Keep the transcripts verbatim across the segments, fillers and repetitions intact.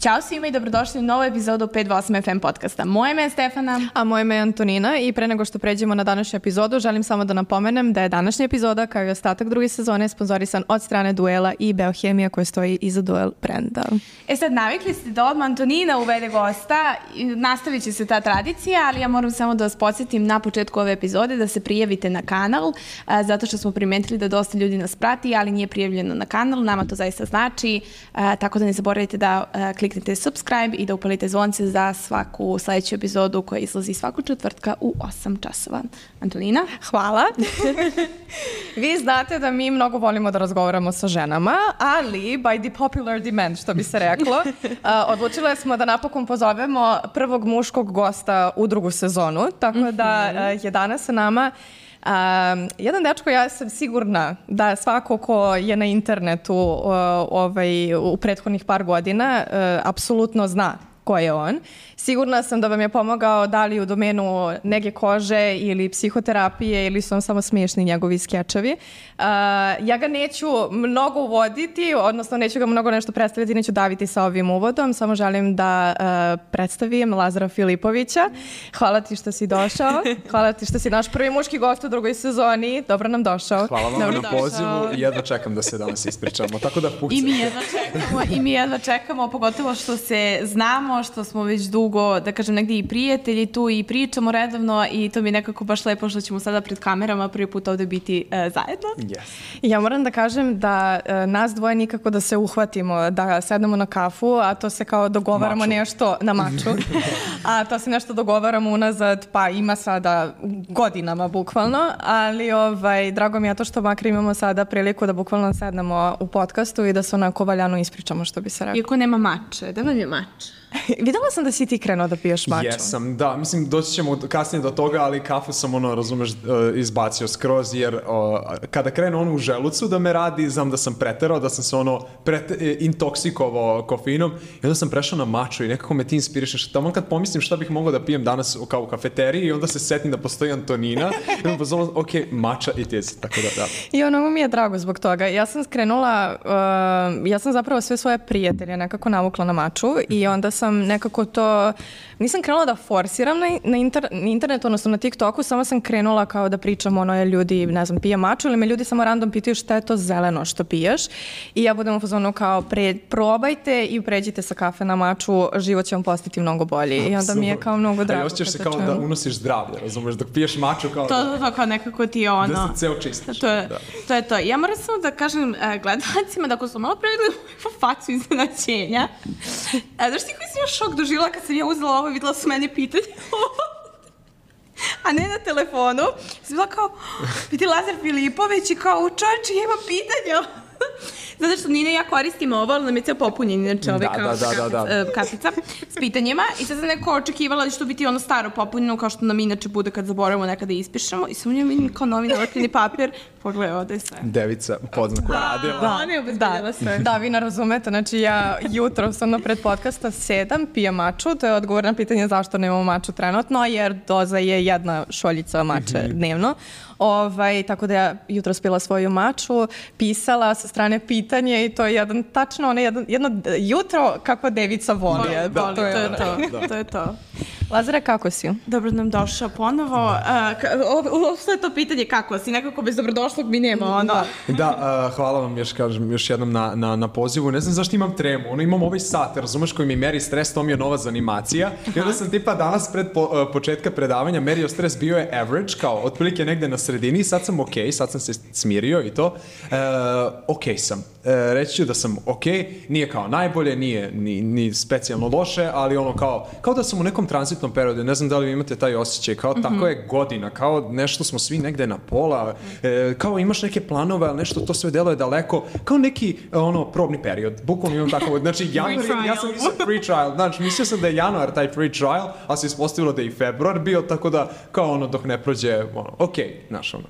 Ćao svima i dobrodošli u novu epizodu pet osam F M podcasta. Moje ime je Stefana. A moje ime je Antonina i pre nego što pređemo na današnju epizodu, želim samo da napomenem da je današnja epizoda, kao i ostatak druge sezone, sponzorisan od strane Duela i Beohemija koja stoji iza Duel brenda. E sad, navikli ste da odmah Antonina uvede gosta, nastavit će se ta tradicija, ali ja moram samo da vas podsjetim na početku ove epizode da se prijavite na kanal, a, zato što smo primetili da dosta ljudi nas prati, ali nije prijavljeno na kanal, nama to zaista znači, a, tako da ne zaboravite da a, kliknete subscribe i da upalite zvonce za svaku sledeću epizodu koja izlazi svaku četvrtka u osam časova. Antonina? Hvala. Vi znate da mi mnogo volimo da razgovaramo sa ženama, ali by the popular demand, što bi se reklo, a, odlučile smo da napokon pozovemo prvog muškog gosta u drugu sezonu, tako da a, je danas sa nama Um, jedan dečko, ja sam sigurna da svako ko je na internetu uh, ovaj, u prethodnih par godina uh, apsolutno zna ko je on. Sigurna sam da vam je pomogao da li u domenu nege kože ili psihoterapije ili su vam samo smiješni njegovi skečevi. Uh, ja ga neću mnogo uvoditi, odnosno neću ga mnogo nešto predstaviti, neću daviti sa ovim uvodom, samo želim da uh, predstavim Lazara Filipovića. Hvala ti što si došao, hvala ti što si naš prvi muški gost u drugoj sezoni, dobro nam došao. Hvala vam dobro na pozivu i jedva čekam da se danas ispričamo, tako da pucam. I mi jedva čekamo, i mi jedva čekamo, pogotovo što se znamo, što smo već dugo, da kažem, negdje i prijatelji tu i pričamo redovno i to mi je nekako baš lepo što ćemo sada pred kamerama prvi put ovde biti uh, zajedno. Yes. Ja moram da kažem da uh, nas dvoje nikako da se uhvatimo, da sednemo na kafu, a to se kao dogovaramo maču. nešto na maču, a to se nešto dogovaramo unazad, pa ima sada godinama bukvalno, ali ovaj, drago mi je to što makar imamo sada priliku da bukvalno sednemo u podcastu i da se onako valjano ispričamo, što bi se rekao. Iako nema mače, da nam je mač? Videla sam da si ti krenuo da piješ maču. Jesam, da, mislim doći ćemo kasnije do toga, ali kafu sam ono, razumeš, izbacio skroz, jer o, kada krenu ono u želucu da me radi, znam da sam preterao, da sam se ono prete, intoksikovao kofeinom i onda sam prešao na maču i nekako me ti inspirišeš. Tamo kad pomislim šta bih mogao da pijem danas kao u kafeteriji i onda se setim da postoji Antonina i onda pozvalo, ok, mača it is, tako da, da. I ono mi je drago zbog toga. Ja sam skrenula, uh, ja sam zapravo sve svoje prijatelje nekako navukla na maču i onda sam nekako to, nisam krenula da forsiram na, na, inter, na internetu, odnosno na TikToku, samo sam krenula kao da pričam ono je ljudi, ne znam, pije maču ili me ljudi samo random pitaju šta je to zeleno što piješ i ja budem u fazonu kao pre, probajte i pređite sa kafe na maču, život će vam postati mnogo bolji i onda mi je kao mnogo drago. A i osjećaš se kao čemu. Da unosiš zdravlje, razumeš, dok piješ maču kao to, to, to, kao nekako ti je ono. Da se ceo čistiš. To je, da. to je to. Ja moram samo da kažem uh, gledalcima da ako su malo prevideli facu iznenađenja, uh, znaš ti koji si još šok doživjela kad sam ja uzela ovo i videla su meni pitanje a ne na telefonu. Sam bila kao, vidi Lazar Filipović i kao, čovječe, ja imam pitanja. Zato što Nina i ja koristimo ovo, ali nam je ceo popunjen, inače ovaj da, kao da, da, da, da. kapica s pitanjima. I sad sam neko očekivala da će to biti ono staro popunjeno, kao što nam inače bude kad zaboravimo nekada ispišemo. I sam u njoj vidim kao novi nalepljeni papir. Pogledaj, ovde je sve. Devica u podznaku radila. Da, ona je obezbedila sve. Da, vi ne razumete, znači ja jutro sam na pred podcasta sedam, pijem maču, to je odgovor na pitanje zašto nemamo maču trenutno, jer doza je jedna šoljica mače mm-hmm. dnevno. Ovaj, tako da ja jutro spila svoju maču, pisala sa strane pitanje i to je jedan, tačno ono jedno, jedno jutro kako devica voli. Da, da, to, je to je to. to. Da. To je to. Lazare, kako si? Dobro nam došao ponovo. Uh, Sve to pitanje kako si, nekako bez dobrodošlog mi nema ono. Da, uh, hvala vam još, kažem, još jednom na, na, na pozivu. Ne znam zašto imam tremu, ono imam ovaj sat, razumeš, koji mi meri stres, to mi je nova zanimacija. I onda sam tipa danas pred po, uh, početka predavanja merio stres, bio je average, kao otprilike negde na sredini, sad sam ok, sad sam se smirio i to. Uh, ok sam. Uh, reći ću da sam ok, nije kao najbolje, nije ni, ni specijalno loše, ali ono kao, kao da sam u nekom tranzitnom periodu, ne znam da li vi imate taj osjećaj, kao mm-hmm. tako je godina, kao nešto smo svi negde na pola, e, kao imaš neke planove, ali nešto to sve deluje daleko, kao neki ono probni period, bukvalno imam tako, znači januar, ja sam mislio free trial, znači mislio sam da je januar taj free trial, a se ispostavilo da je i februar bio, tako da kao ono dok ne prođe, ono, ok, znaš ono.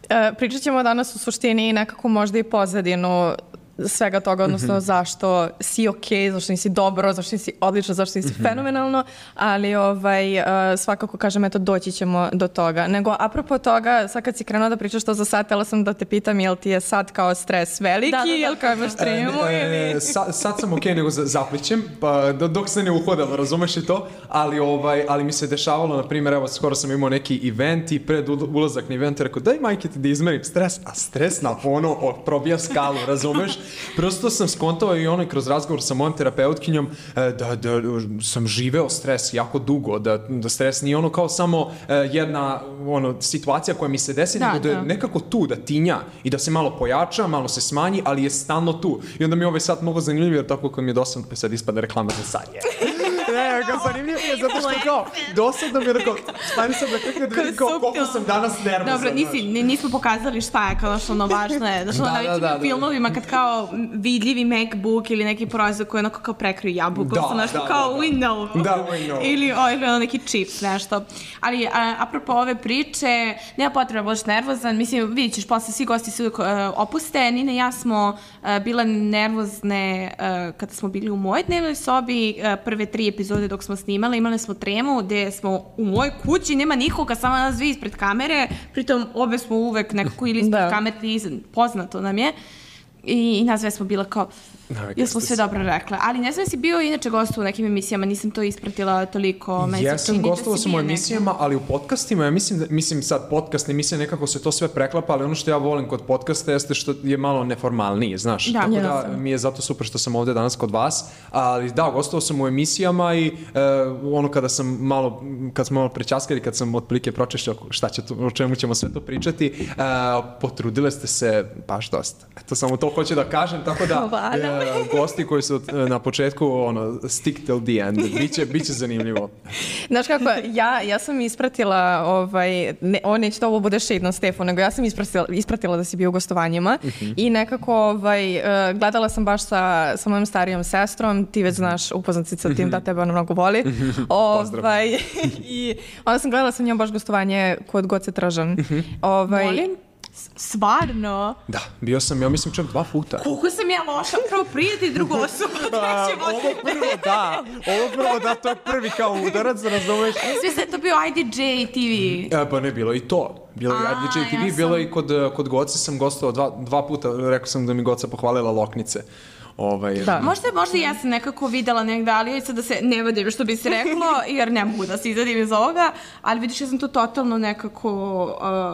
E, pričat ćemo danas u suštini nekako možda i pozadinu svega toga, odnosno Mhm. zašto si okej, zašto nisi dobro, zašto nisi odlično, zašto nisi Mhm. fenomenalno, ali ovaj, uh, svakako kažem, eto, doći ćemo do toga. Nego, apropo toga, sad kad si krenula da pričaš to za sad, htela sam da te pitam, jel ti je sad kao stres veliki, Da, da, da. jel kao imaš tremu ili... E, sa, sad sam okej, nego za- zaplićem, pa do- dok se ne uhodalo, razumeš i to, ali, ovaj, ali mi se dešavalo, na primjer, evo, skoro sam imao neki event i pred ul- ulazak na event, rekao, daj majke ti da izmerim stres, a stres na ono o, probija skalu, razumeš? Prosto sam skontao i ono i kroz razgovor sa mojom terapeutkinjom e, da, da sam živeo stres jako dugo, da, da stres nije ono kao samo e, jedna ono, situacija koja mi se desi, Da, nego da je da. nekako tu, da tinja i da se malo pojača, malo se smanji, ali je stalno tu. I onda mi je ovaj sat mnogo zanimljiv, jer tako kad mi je dosadno, pa sad ispada reklama za sad je. Ne, kao zanimljivo je zato što kao, dosadno mi je rekao, stani sam da kako da vidim kao koliko sam danas nervozan. Dobro, nisi, ni- nismo pokazali šta je kao što ono važno je. Znaš, ono, Da, na da, većim da, da. filmovima kad kao vidljivi MacBook ili neki proizvod koji onako kao prekriju jabuku, Da, da, nešto da, kao da, da. Windows. Da, Windows. Ili, o, ili ono neki čips, nešto. Ali, a, apropo ove priče, nema potreba budeš nervozan. Mislim, vidit ćeš, posle svi gosti se uvijek uh, opuste. Nina i ja smo uh, bile nervozne uh, kada smo bili u mojoj dnevnoj sobi. Uh, prve tri epizode dok smo snimali, imali smo tremu gde smo u mojoj kući, nema nikoga, samo nas dvi ispred kamere, pritom obe smo uvek nekako ili ispred Da. kamere, ili iza- poznato nam je. I, i nas dve smo bile kao, Navikli jesmo ste sve se. dobro rekle. Ali ne znam si bio inače gost u nekim emisijama, nisam to ispratila toliko. Meni se Jesam, čini da gostovao si sam u bio negde. emisijama, ali u podcastima, ja mislim, da, mislim sad podcast, emisija, nekako se to sve preklapa, ali ono što ja volim kod podcasta jeste što je malo neformalnije, znaš. Da, Tako da jasno. mi je zato super što sam ovde danas kod vas, ali da, gostovao sam u emisijama i e, ono kada sam malo, kad smo malo prečaskali, kad sam otprilike pročešćao šta će tu, o čemu ćemo sve to pričati, e, potrudile ste se baš dosta. Eto, samo to hoću da kažem, tako da Hvala. e, gosti koji su e, na početku, ono, stick till the end, biće, biće zanimljivo. Znaš kako, ja, ja sam ispratila, ovaj, ne, o, neće to ovo bude shade na Stefu, nego ja sam ispratila, ispratila da si bio u gostovanjima i nekako ovaj, eh, gledala sam baš sa, sa mojom starijom sestrom, ti već znaš, upoznat si sa tim da tebe ona mnogo voli. ovaj, I onda sam gledala sa njom baš gostovanje kod Goce Tržan. Ovaj, Molim? S- Stvarno? Da, bio sam, ja mislim, čak dva puta. Koliko sam ja loša, prvo prijatelj, drugo osoba, treće ovo prvo da, ovo prvo da, to je prvi kao udarac, razumeš? Svi se je to bio I D J T V. E, pa ne, bilo je i to. Bilo je A, I D J T V, ja sam- bilo je i kod, eh, kod Goce sam gostovao dva, dva puta, rekao sam da mi Goca pohvalila loknice. Ovaj, Da. Možda, možda ja sam nekako videla negde, ali sad da se ne vadim što bi se reklo, jer ne mogu da se izadim iz ovoga, ali vidiš, ja sam to totalno nekako...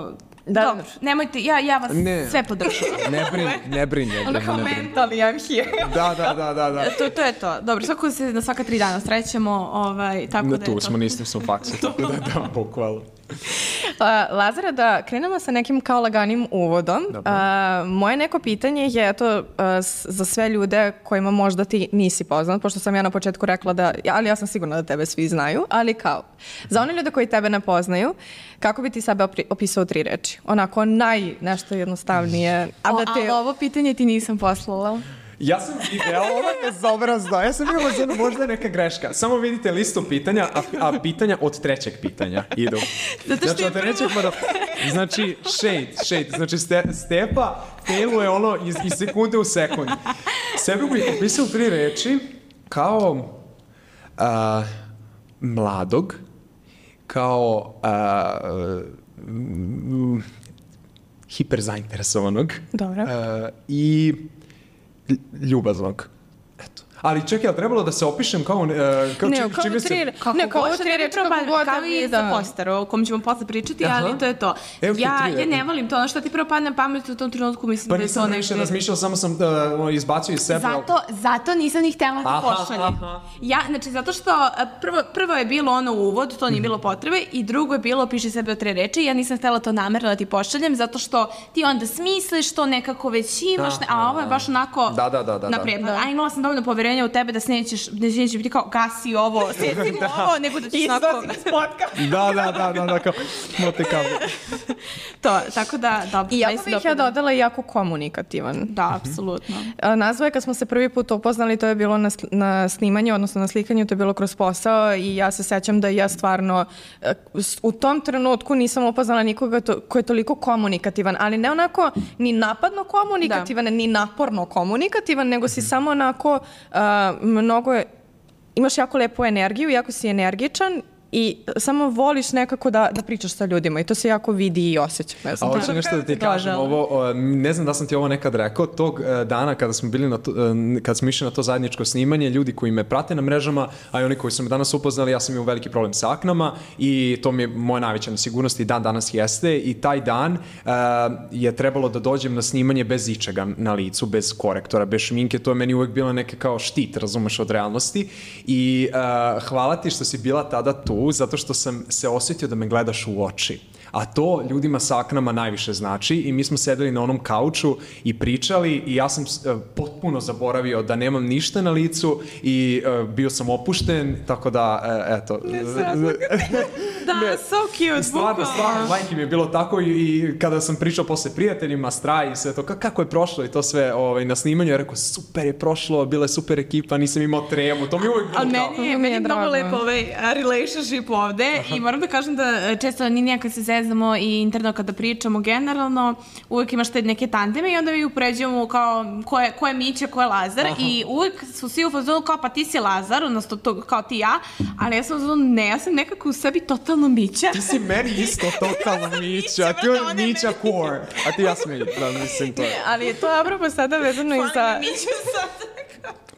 Uh, Da. Dobro, nemojte, ja, ja vas Ne. sve podržavam. Ne brin, ne brin, ne Ono brin, kao ne brin. mentally, I'm here. Da, da, da, da, da. to, to je to. Dobro, svako se na svaka tri dana srećemo, ovaj, tako Na da je tu to. smo, nisam sam u faksu, tako da, da, bukvalno. A, Lazara, da krenemo sa nekim kao laganim uvodom. Dobro. A, moje neko pitanje je to a, s- za sve ljude kojima možda ti nisi poznat, pošto sam ja na početku rekla da, ali ja sam sigurna da tebe svi znaju, ali kao, za one ljude koji tebe ne poznaju, kako bi ti sebe opri- opisao u tri reči? Onako naj, nešto jednostavnije, a O, da te... ali ovo pitanje ti nisam poslala. Ja sam video, ovo je bezobrazno, ja sam bio možda, možda je neka greška. Samo vidite listu pitanja, a, a pitanja od trećeg pitanja idu. Zato što znači, je od trećeg pa do... Znači, shade, shade, znači ste, Stepa failuje ono iz, iz sekunde u sekund. Sebe bih opisao u tri reči kao a, mladog, kao a, mm, hiper zainteresovanog Dobro. a, i lj- ljubaznog. Eto. Ali čekaj, ali trebalo da se opišem kao, uh, kao, Ne, čim, kao čime u se... tri, Kako ne, kao god, u što tri ne bi reči kako probali, god kao tebi i da... za poster, o kom ćemo posle pričati, Aha. ali to je to. Evo ti Ja, tri, ja evo. ne volim to, ono što ti prvo padne na pamet u tom trenutku, mislim Pa da je to nisam više negde... razmišljao, samo sam uh, izbacio iz sebe. ali- Zato, zato nisam ni htjela da Aha, pošaljem. aha. Ja, znači, zato što a, prvo, prvo je bilo ono uvod, to nije bilo potrebe, i drugo je bilo piši sebe od tre reči, ja nisam htjela to namerno da ti pošaljem, zato što ti onda smisliš to nekako već imaš, ne, a ovo je baš onako Da, da, da, da, da. napredno. A imala sam dovoljno poverenja poverenja u tebe da se nećeš, da se neće biti kao gasi ovo, seci mu ovo, nego da ćeš onako... Da, da, da, da, da, kao mote kabel. To, tako da, dobro. I jako bih ja dodala jako komunikativan. Da, apsolutno. Nazva je kad smo se prvi put upoznali, to je bilo na, na snimanju, odnosno na slikanju, to je bilo kroz posao i ja se sećam da ja stvarno u tom trenutku nisam upoznala nikoga to, ko je toliko komunikativan, ali ne onako ni napadno komunikativan, da. ni naporno komunikativan, nego si samo onako uh, mnogo je, imaš jako lepu energiju, jako si energičan i samo voliš nekako da, da pričaš sa ljudima i to se jako vidi i osjeća. Ne znam. A hoću nešto da ti kažem, ovo, ne znam da sam ti ovo nekad rekao, tog dana kada smo bili na to, kada smo išli na to zajedničko snimanje, ljudi koji me prate na mrežama, a i oni koji su me danas upoznali, ja sam imao veliki problem sa aknama i to mi je moja najveća nesigurnost i dan danas jeste i taj dan uh, je trebalo da dođem na snimanje bez ičega na licu, bez korektora, bez šminke, to je meni uvek bila neka kao štit, razumeš, od realnosti i uh, hvala ti što si bila tada tu, zato što sam se osjetio da me gledaš u oči. A to ljudima sa aknama najviše znači i mi smo sedeli na onom kauču i pričali i ja sam uh, potpuno zaboravio da nemam ništa na licu i uh, bio sam opušten, tako da, uh, eto. Da, ne, so cute. Stvarno, stvarno, majke mi je bilo tako i, i kada sam pričao posle prijateljima, Straj i sve to, kako je prošlo i to sve ovaj, na snimanju, ja rekao, super je prošlo, bila je super ekipa, nisam imao tremu, to mi je uvijek bilo. Ali meni je, meni je mnogo lepo ovaj relationship ovde. Aha. I moram da kažem da često ni nijak kad se zezamo i interno kada pričamo generalno, uvijek imaš te neke tandeme i onda mi upređujemo kao ko je, ko je Mića, ko je Lazar. Aha. I uvijek su svi u fazonu kao pa ti si Lazar, odnosno to, kao ti ja, ali ja sam u fazonu ne, ja sam nekako u sebi totalno Mića. Ti si meni isto totalno Mića, a ti je Mića core, a ti ja sam da mislim to. Ne, ali je to apropo sada vezano i za...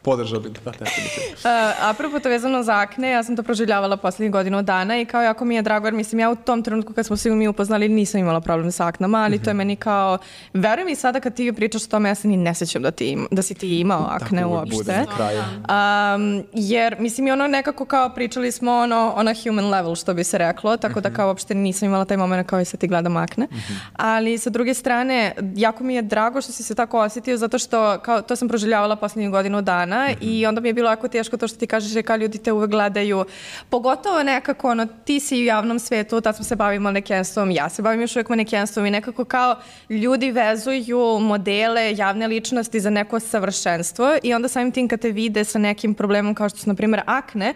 Podržao bi da tako bi. Uh, apropo to vezano za akne, ja sam to proživljavala poslednjih godinu dana i kao jako mi je drago, jer mislim ja u tom trenutku kad smo se mi upoznali nisam imala problem sa aknama, ali mm-hmm. to je meni kao, veruj mi sada kad ti pričaš o tome, ja se ni ne sećam da, ti, da si ti imao akne tako uopšte. Um, jer mislim i ono nekako kao pričali smo ono, ono human level što bi se reklo, tako mm-hmm. da kao uopšte nisam imala taj moment kao i sad ti gledam akne. Mm-hmm. Ali sa druge strane, jako mi je drago što si se tako osjetio zato što kao, to sam proživljavala poslednjih godinu dana. Mm-hmm. I onda mi je bilo jako teško to što ti kažeš je kao ljudi te uvek gledaju. Pogotovo nekako, ono, ti si u javnom svetu, tad smo se bavili manekenstvom, ja se bavim još uvijek manekenstvom i nekako kao ljudi vezuju modele, javne ličnosti za neko savršenstvo i onda samim tim kad te vide sa nekim problemom kao što su, na primjer, akne,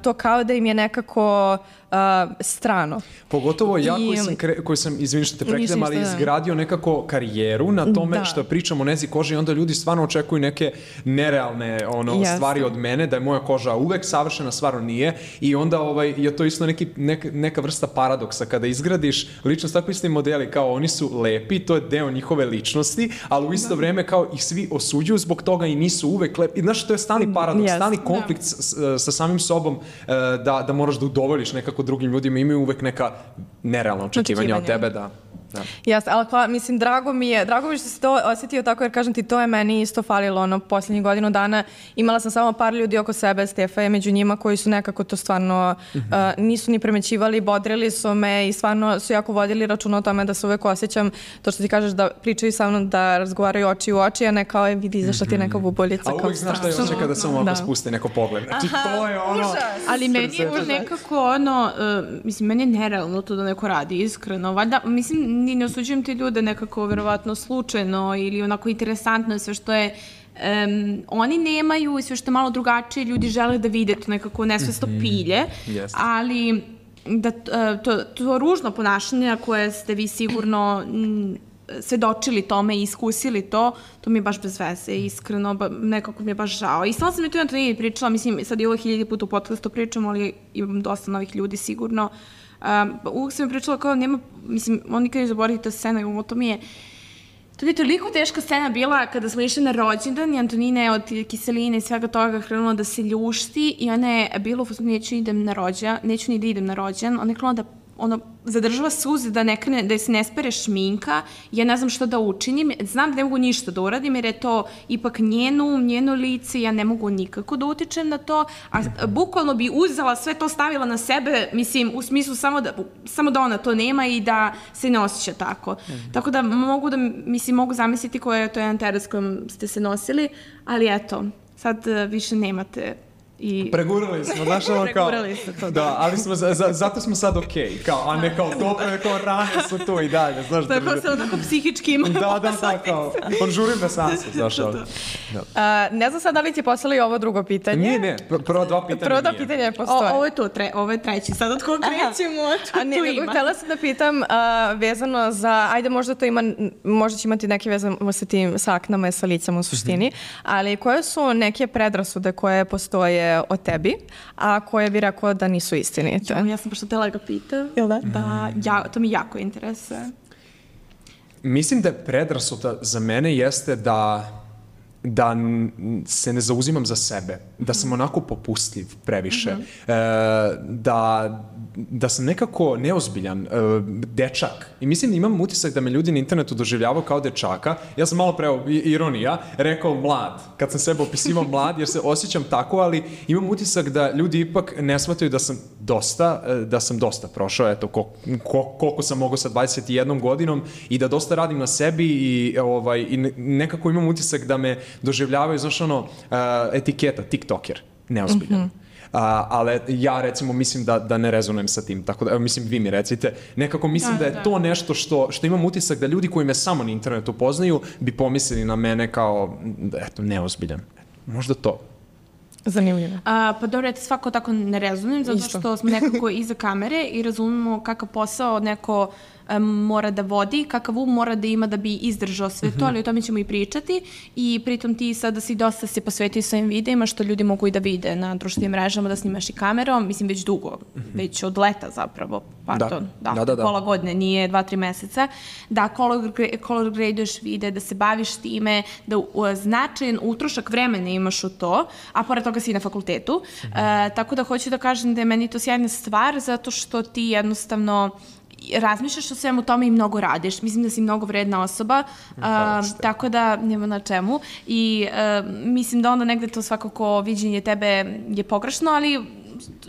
to kao da im je nekako uh, strano. Pogotovo ja I, koji sam, kre, koji sam izvini što te prekidam, ali izgradio nekako karijeru na tome da. Što pričam o nezi koži i onda ljudi stvarno očekuju neke nerealne ono, yes. stvari od mene, da je moja koža uvek savršena, stvarno nije i onda ovaj, je to isto neki, neka, neka vrsta paradoksa kada izgradiš ličnost, tako isti modeli kao oni su lepi, to je deo njihove ličnosti, ali u isto da. Vreme kao ih svi osuđuju zbog toga i nisu uvek lepi. I znaš, to je stani paradoks, yes. stani konflikt da. Sa samim sobom da, da moraš da udovoljiš nekako drugim ljudima, imaju uvek neka nerealna očekivanja od tebe, da. Da. Jas, ali hvala, mislim, drago mi je, drago mi je što si to osjetio tako, jer kažem ti, to je meni isto falilo, ono, posljednjih godinu dana imala sam samo par ljudi oko sebe, Stefa je među njima, koji su nekako to stvarno mm-hmm. uh, nisu ni primećivali, bodrili su me i stvarno su jako vodili računa o tome da se uvek osjećam, to što ti kažeš da pričaju sa mnom, da razgovaraju oči u oči, a ne kao je vidi zašto ti je neka bubuljica. A uvijek znaš šta je osjeća kada se ovako da. Spusti neko pogled. Znači, aha, to je ono... Užas. Ali meni je nekako ono, uh, mislim, meni je nerealno to da neko radi, iskreno. Valjda, mislim, ni ne osuđujem te ljude nekako verovatno slučajno ili onako interesantno sve što je um, oni nemaju i sve što je malo drugačije ljudi žele da vide to nekako nesvesno pilje, mm-hmm. yes. ali da to, to ružno ponašanje koje ste vi sigurno m, svedočili tome i iskusili to, to mi je baš bez veze, iskreno, ba, nekako mi je baš žao. I stvarno sam mi tu jedno to pričala, mislim, sad i ovo hiljadi puta u podcastu pričam, ali imam dosta novih ljudi sigurno. Um, uvijek sam mi pričala kao nema, mislim, on nikad ne zaboravite ta scena, ovo to mi je, to je toliko teška scena bila kada smo išli na rođendan i Antonina je od kiseline i svega toga krenula da se ljušti i ona je bila u fazonu neću idem na rođendan, neću ni da idem na rođendan, ona je krenula da ono, zadržava suze da ne krene, da se ne spere šminka, ja ne znam što da učinim, znam da ne mogu ništa da uradim jer je to ipak njeno, njeno lice, ja ne mogu nikako da utičem na to, a bukvalno bi uzela sve to, stavila na sebe, mislim, u smislu samo da, samo da ona to nema i da se ne osjeća tako. Mm-hmm. Tako da mogu da, mislim, mogu zamisliti koja je to jedan teret s kojom ste se nosili, ali eto, sad uh, više nemate i... Pregurali smo, znaš ono kao... Pregurali ste to, da. Da, ali smo, za, za, zato smo sad okej, okay, kao, a ne kao dobre, kao rane su tu i dalje, znaš. Tako da, se onako psihički ima. Da, da, da, kao, požurim na sansu, znaš, ali. Da. Uh, ne znam sad da li ti poslali ovo drugo pitanje. Nije, ne, prvo dva pitanja Prvo dva nije. pitanja postoje. O, ovo je to, tre, ovo je treći, sad od koga krećemo, tu, A ne, tu nego ima. htjela sam da pitam uh, vezano za, ajde možda to ima, možda će imati neke vezano sa tim sa aknama i sa licama u suštini, mm-hmm. ali koje su neke predrasude koje postoje o tebi, a koje bi rekao da nisu istinite? Ja, ja sam baš htjela ga pitam. Jel da? Da, ja, to mi jako interesuje. Mislim da je predrasuda za mene jeste da da se ne zauzimam za sebe, da sam onako popustljiv previše, mm-hmm. e, da, da sam nekako neozbiljan, e, dečak. I mislim da imam utisak da me ljudi na internetu doživljavaju kao dečaka. Ja sam malo preo, ironija, rekao mlad. Kad sam sebe opisivao mlad, jer se osjećam tako, ali imam utisak da ljudi ipak ne shvataju da sam dosta, da sam dosta prošao, eto, ko, ko, koliko sam mogao sa dvadeset jednom godinom i da dosta radim na sebi i, ovaj, i nekako imam utisak da me doživljavaju, znaš ono, uh, etiketa, tiktoker, neozbiljan. Mm-hmm. Uh, ali ja recimo mislim da, da ne rezonujem sa tim, tako da, evo, mislim vi mi recite, nekako mislim da, da je da. to nešto što, što imam utisak da ljudi koji me samo na internetu poznaju bi pomislili na mene kao, eto, neozbiljan. Možda to. Zanimljivo. A, pa dobro, ja te svako tako ne rezonujem, zato Isto. što smo nekako iza kamere i razumemo kakav posao neko um, mora da vodi, kakav um mora da ima da bi izdržao sve mm-hmm. to, ali o tome ćemo i pričati i pritom ti sada si dosta se posvetio svojim videima, što ljudi mogu i da vide na društvenim mrežama, da snimaš i kamerom, mislim već dugo, mm-hmm. već od leta zapravo, pardon, da, da, da, da. pola godine, nije dva, tri meseca, da color, color graduješ vide, da se baviš time, da uh, značajan utrošak vremena imaš u to, a pored toga si na fakultetu, mm-hmm. uh, tako da hoću da kažem da je meni to sjajna stvar, zato što ti jednostavno razmišljaš o svemu tome i mnogo radiš. Mislim da si mnogo vredna osoba, uh, tako da nema na čemu. I uh, mislim da onda negde to svakako viđenje tebe je pogrešno, ali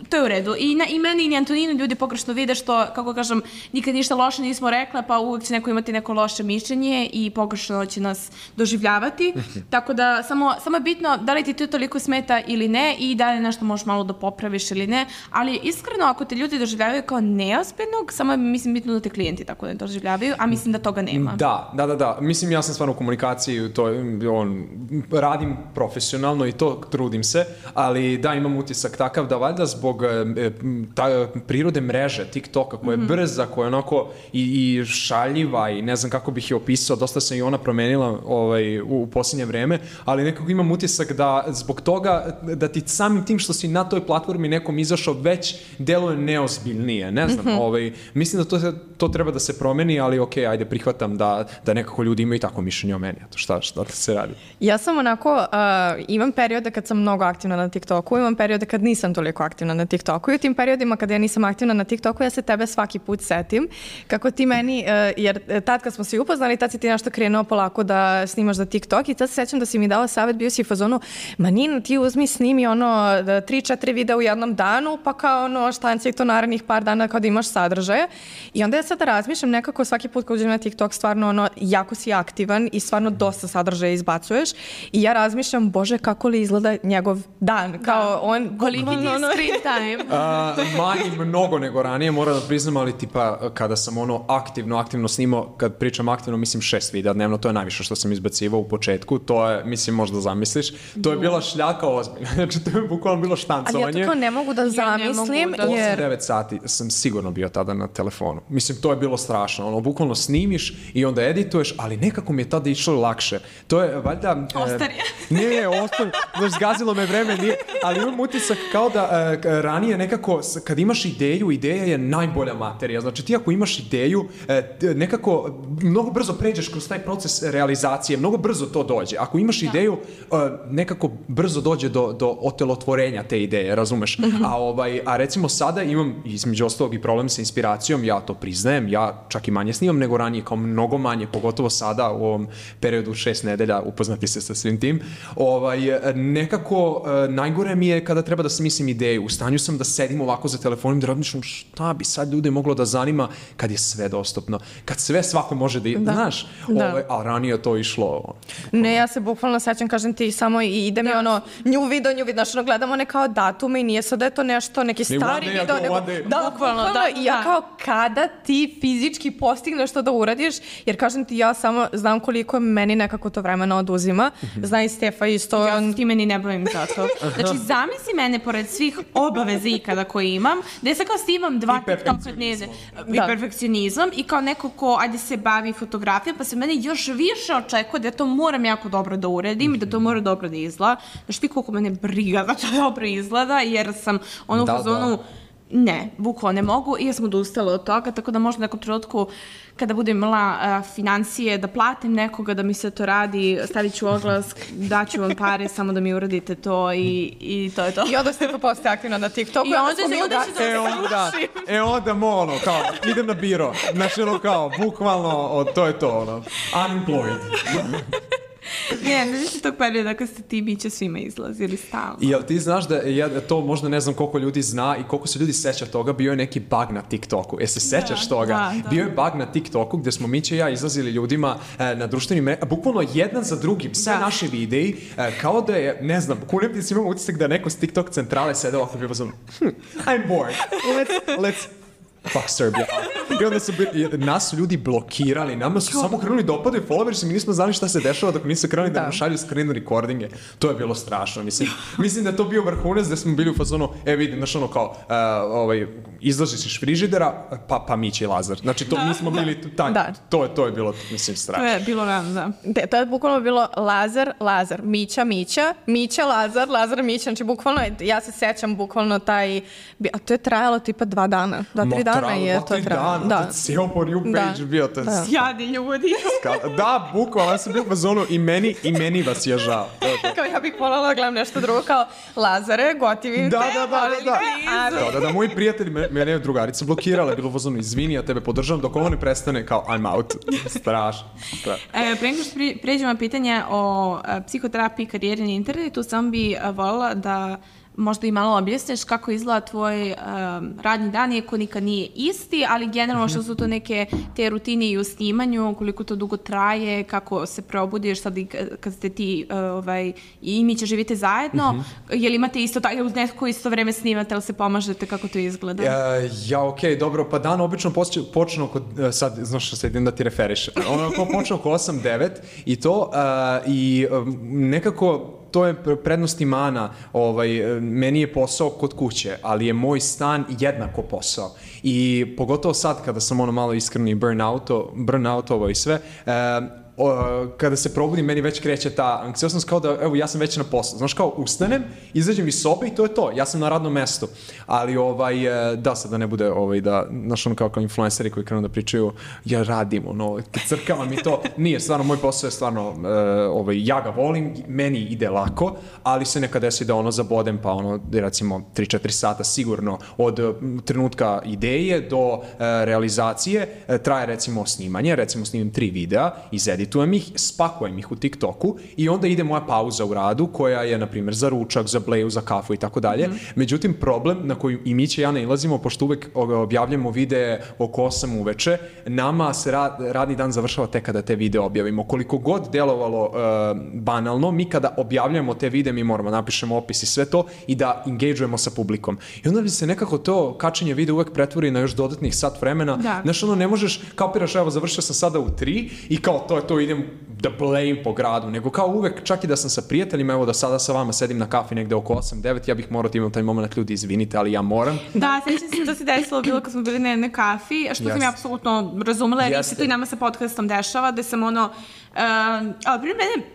to je u redu. I, na, i meni i ni Antoninu ljudi pogrešno vide što, kako kažem, nikad ništa loše nismo rekla, pa uvek će neko imati neko loše mišljenje i pogrešno će nas doživljavati. Tako da samo, samo je bitno da li ti to toliko smeta ili ne i da li nešto možeš malo da popraviš ili ne. Ali iskreno, ako te ljudi doživljavaju kao neozbiljnog, samo je, mislim, bitno da te klijenti tako ne doživljavaju, a mislim da toga nema. Da, da, da, da. Mislim, ja sam stvarno u komunikaciji, to, on, radim profesionalno i to trudim se, ali da, imam utisak takav da valjda zbog e, ta, prirode mreže, TikToka, koja je mm-hmm. brza, koja je onako i, i šaljiva i ne znam kako bih je opisao, dosta se i ona promenila ovaj, u, u posljednje vreme, ali nekako imam utisak da zbog toga, da ti samim tim što si na toj platformi nekom izašao već deluje neozbiljnije, ne znam, mm-hmm. ovaj, mislim da to, to treba da se promeni, ali ok, ajde, prihvatam da, da nekako ljudi imaju tako mišljenje o meni, to šta, šta se radi? Ja sam onako, uh, imam periode kad sam mnogo aktivna na TikToku, imam periode kad nisam toliko aktivna na TikToku i u tim periodima kada ja nisam aktivna na TikToku, ja se tebe svaki put setim kako ti meni, jer tad kad smo se upoznali, tad si ti nešto krenuo polako da snimaš za TikTok i tad se sećam da si mi dala savjet, bio si u fazonu, ma Nino, ti uzmi, snimi ono tri četiri videa u jednom danu, pa kao ono štancaj to narednih par dana kao da imaš sadržaje. I onda ja sada razmišljam nekako svaki put kad uđem na TikTok, stvarno ono, jako si aktivan i stvarno dosta sadržaja izbacuješ i ja razmišljam, bože, kako li izgleda njegov dan, kao da. on, koliki ti je screen time? Uh, manji mnogo nego ranije, moram da priznam, ali tipa kada sam ono aktivno, aktivno snimao, kad pričam aktivno, mislim šest videa dnevno, to je najviše što sam izbacivao u početku, to je, mislim, možda zamisliš, to je bila šljaka ozbiljna, znači to je bukvalno bilo štancovanje. Ali ja to kao ne mogu da zamislim, ja jer... osam devet sati sam sigurno bio tada na telefonu. Mislim, to je bilo strašno, ono, bukvalno snimiš i onda edituješ, ali nekako mi je tada išlo lakše. To je, valjda... Ostarije. E, nije, nije, ostarije, znaš, zgazilo me vreme, nije, ali imam utisak kao da e, ranije nekako, kad imaš ideju, ideja je najbolja materija. Znači ti ako imaš ideju, nekako mnogo brzo pređeš kroz taj proces realizacije, mnogo brzo to dođe. Ako imaš da. ideju, nekako brzo dođe do, do otelotvorenja te ideje, razumeš? Mm-hmm. A, ovaj, a recimo sada imam između ostalog i problem sa inspiracijom, ja to priznajem, ja čak i manje snimam nego ranije, kao mnogo manje, pogotovo sada u ovom periodu šest nedelja, upoznati se sa svim tim. Ovaj, nekako najgore mi je kada treba da smislim ideju, stanju sam da sedim ovako za telefonom da razmišljam šta bi sad ljude moglo da zanima kad je sve dostupno, kad sve svako može da, da. znaš, da. Ovaj, a ranije to išlo. Ne, ja se bukvalno sećam, kažem ti, samo i ide mi da. ono, nju video, nju video, znaš, ono, gledamo one kao datume i nije sad da je to nešto, neki stari day, video, nego, da, bukvalno, da, i ja kao kada ti fizički postigneš to da uradiš, jer kažem ti, ja samo znam koliko meni nekako to vremena oduzima, zna i Stefa isto. Ja se ti meni ne bavim za to. Znači, zamisli mene pored svih obaveza ikada koje imam, da ja sad kao snimam dva TikToka dnevne i da. perfekcionizam i kao neko ko, ajde se bavi fotografijom, pa se mene još više očekuje da ja to moram jako dobro da uradim i da to mora dobro da izgleda. Znaš ti koliko mene briga da to dobro izgleda, jer sam ono da, u fazonu, da. ne, bukvalno ne mogu i ja sam odustala od toga, tako da možda u nekom trenutku kada budem imala uh, financije, da platim nekoga da mi se to radi, stavit ću oglas, daću vam pare, samo da mi uradite to i, i to je to. I onda ste to postoje aktivno na TikToku. I onda se onda će e, onda, e onda ono, kao, idem na biro. Znači ono kao, bukvalno, o, to je to, ono, unemployed. Ne, ne znači tog perioda kad ste ti biće svima izlazili stalno. I jel ti znaš da ja to možda ne znam koliko ljudi zna i koliko se ljudi seća toga, bio je neki bug na TikToku. E se sećaš da, toga? Da, da. Bio je bug na TikToku gde smo Mića i ja izlazili ljudima e, na društvenim mrežama, bukvalno jedan za drugim, sve da. naše videi, e, kao da je, ne znam, kulim ti si imamo utisak da neko s TikTok centrale sede ovako bio sam, hm, I'm bored, let's, let's fuck Serbia. I onda su bili, nas su ljudi blokirali, nama su samo krenuli da opadaju followers i mi nismo znali šta se dešava dok nisu krenuli da, da nam šalju screen recordinge. To je bilo strašno, mislim. Mislim da je to bio vrhunac da smo bili u fazonu, e vidim, znaš ono kao, uh, ovaj, izlaziš iz frižidera, pa, pa Mića i Lazar. Znači, to, da. mi smo bili, taj, da. to, je, to je bilo, mislim, strašno. To je bilo rano, da. De, to je bukvalno bilo Lazar, Lazar, Mića, Mića, Mića, Lazar, Lazar, Mića. Znači, bukvalno, ja se sećam bukvalno taj, a to je trajalo tipa dva dana, dva, tri dana. Dana je to trajalo. Da, to cijel po new page da. bio. To je da. Sjadi ljudi. Da, bukvalno, ja sam bio u fazonu i meni, i meni vas je žao. Kao ja bih voljela da gledam nešto drugo, kao Lazare, gotivim da, te, da, da, da, da. Da, da, da, moji prijatelji, mene je drugarica blokirala, bilo u fazonu, izvini, ja tebe podržavam, dok ovo ne prestane, kao I'm out. Strašno. Strašno. E, pre nego što pređemo na pitanje o a, psihoterapiji, karijeri na internetu, sam bi a, voljela da možda i malo objasniš kako izgleda tvoj um, radni dan, iako nikad nije isti, ali generalno što su to neke te rutine i u snimanju, koliko to dugo traje, kako se probudiš sad i kad ste ti uh, ovaj, i mi će živite zajedno, uh-huh. je li imate isto tako, uz neko isto vreme snimate, ali se pomažete, kako to izgleda? Ja, ja okej, okay, dobro, pa dan obično počne oko, sad, znaš što se idem da ti referišem, ono počne oko osam devet i to, uh, i um, nekako to je prednost i mana, ovaj, meni je posao kod kuće, ali je moj stan jednako posao. I pogotovo sad kada sam ono malo iskreni burnouto, burnoutovo i sve, e, o, kada se probudim, meni već kreće ta anksioznost kao da, evo, ja sam već na poslu. Znaš, kao ustanem, izađem iz sobe i to je to. Ja sam na radnom mestu. Ali, ovaj, da, sad da ne bude, ovaj, da, znaš, ono kao, kao influenceri koji krenu da pričaju, ja radim, ono, crkavam i to. Nije, stvarno, moj posao je stvarno, uh, ovaj, ja ga volim, meni ide lako, ali se nekad desi da ono zabodem, pa ono, recimo, tri četiri sata sigurno od uh, trenutka ideje do uh, realizacije, uh, traje, recimo, snimanje, recimo, snimim tri videa, izeditujem ih, spakujem ih u TikToku i onda ide moja pauza u radu koja je, na primjer, za ručak, za bleju, za kafu i tako dalje. Međutim, problem na koji i mi će ja ne ilazimo, pošto uvek objavljamo videe oko osam uveče, nama se rad, radni dan završava tek kada te videe objavimo. Koliko god delovalo uh, banalno, mi kada objavljamo te videe, mi moramo napišemo opis i sve to i da engageujemo sa publikom. I onda bi se nekako to kačenje videa uvek pretvori na još dodatnih sat vremena. Da. Znaš, ono, ne možeš, kapiraš, evo, završio sam sada u tri i kao to je to, idem da blame po gradu, nego kao uvek, čak i da sam sa prijateljima, evo da sada sa vama sedim na kafi negde oko osam devet, ja bih morao da imam taj moment, ljudi, izvinite, ali ja moram. Da, sećam se da se desilo bilo kad smo bili na jednoj kafi, što yes. sam ja apsolutno razumela, jer se to i nama sa podcastom dešava, da sam ono, uh, ali prije mene,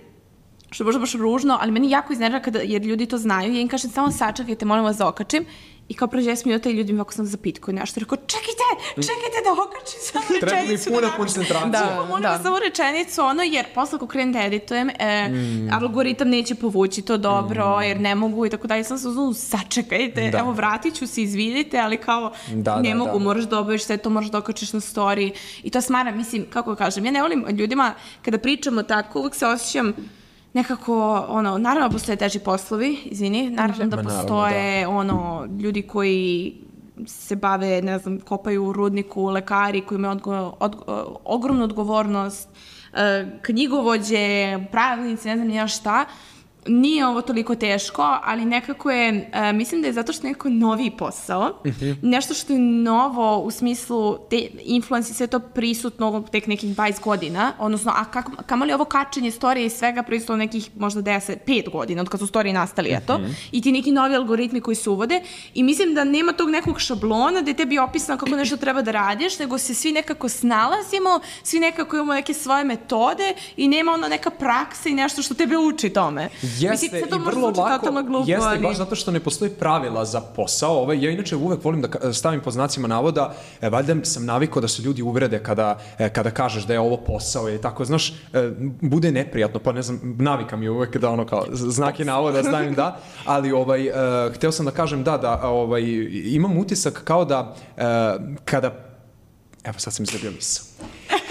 što je možda baš ružno, ali meni jako iznervira kada, jer ljudi to znaju, ja im kažem samo sačekajte, molim vas da okačim, i kao prođe deset minuta i ljudi mi ovako sam zapitkuju nešto. Rekao, čekajte, čekajte da okačim samo rečenicu. Treba mi puna koncentracija. Da, molim vas samo rečenicu, ono, jer posle ako krenem da editujem, e, mm. algoritam neće povući to dobro, mm. jer ne mogu i tako dalje. Sam se uzmano, sačekajte, da. Evo vratit ću se, izvidite, ali kao da, ne da, mogu, da. Moraš da obaviš sve to, moraš da okačiš na story. I to smara, mislim, kako kažem, ja ne volim ljudima, kada pričamo tako, uvek se osjećam nekako, ono, naravno postoje teži poslovi, izvini, naravno da postoje, ono, ljudi koji se bave, ne znam, kopaju u rudniku, lekari koji imaju odgo, od, ogromnu odgovornost, knjigovođe, pravnici, ne znam nija šta. Nije ovo toliko teško, ali nekako je, uh, mislim da je zato što je neko noviji posao, mm-hmm. nešto što je novo u smislu te influence i sve to prisutno tek nekih dvadeset godina, odnosno, a kako, kamo li ovo kačenje storije i svega prisutno nekih možda deset, pet godina od kad su storije nastali, mm-hmm. eto, i ti neki novi algoritmi koji se uvode i mislim da nema tog nekog šablona da je tebi opisano kako nešto treba da radiš, nego se svi nekako snalazimo, svi nekako imamo neke svoje metode i nema ono neka praksa i nešto što tebe uči tome. Jeste, i vrlo lako, glupo, jeste, ali... baš zato što ne postoji pravila za posao. Ovaj, ja inače uvek volim da stavim pod znacima navoda, e, valjda sam navikao da se ljudi uvrede kada, e, kada kažeš da je ovo posao i tako, znaš, e, bude neprijatno, pa ne znam, navika mi je uvek da ono kao znake navoda stavim da, ali ovaj, e, hteo sam da kažem da, da ovaj, imam utisak kao da e, kada, evo sad sam izgubio misao.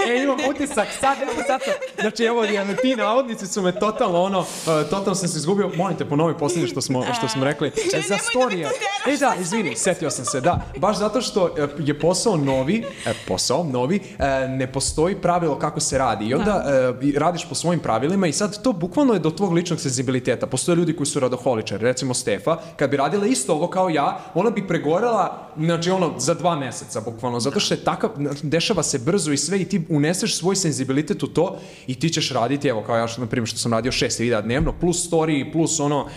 E, imam utisak, sad, evo, sad sam, znači, evo, ti navodnici su me totalno, ono, uh, totalno sam se izgubio, molim te, ponovi posljednje što smo, što smo rekli, e, za storije. E, da, izvini, setio sam se, da, baš zato što je posao novi, e, posao novi, e, ne postoji pravilo kako se radi i onda e, radiš po svojim pravilima i sad to bukvalno je do tvog ličnog senzibiliteta. Postoje ljudi koji su radoholičari, recimo Stefa, kad bi radila isto ovo kao ja, ona bi pregorela, znači, ono, za dva meseca, bukvalno, zato što je takav, dešava se brzo i sve i ti uneseš svoj senzibilitet u to i ti ćeš raditi, evo kao ja što, na primjer, što sam radio šest videa dnevno, plus story, plus ono, uh,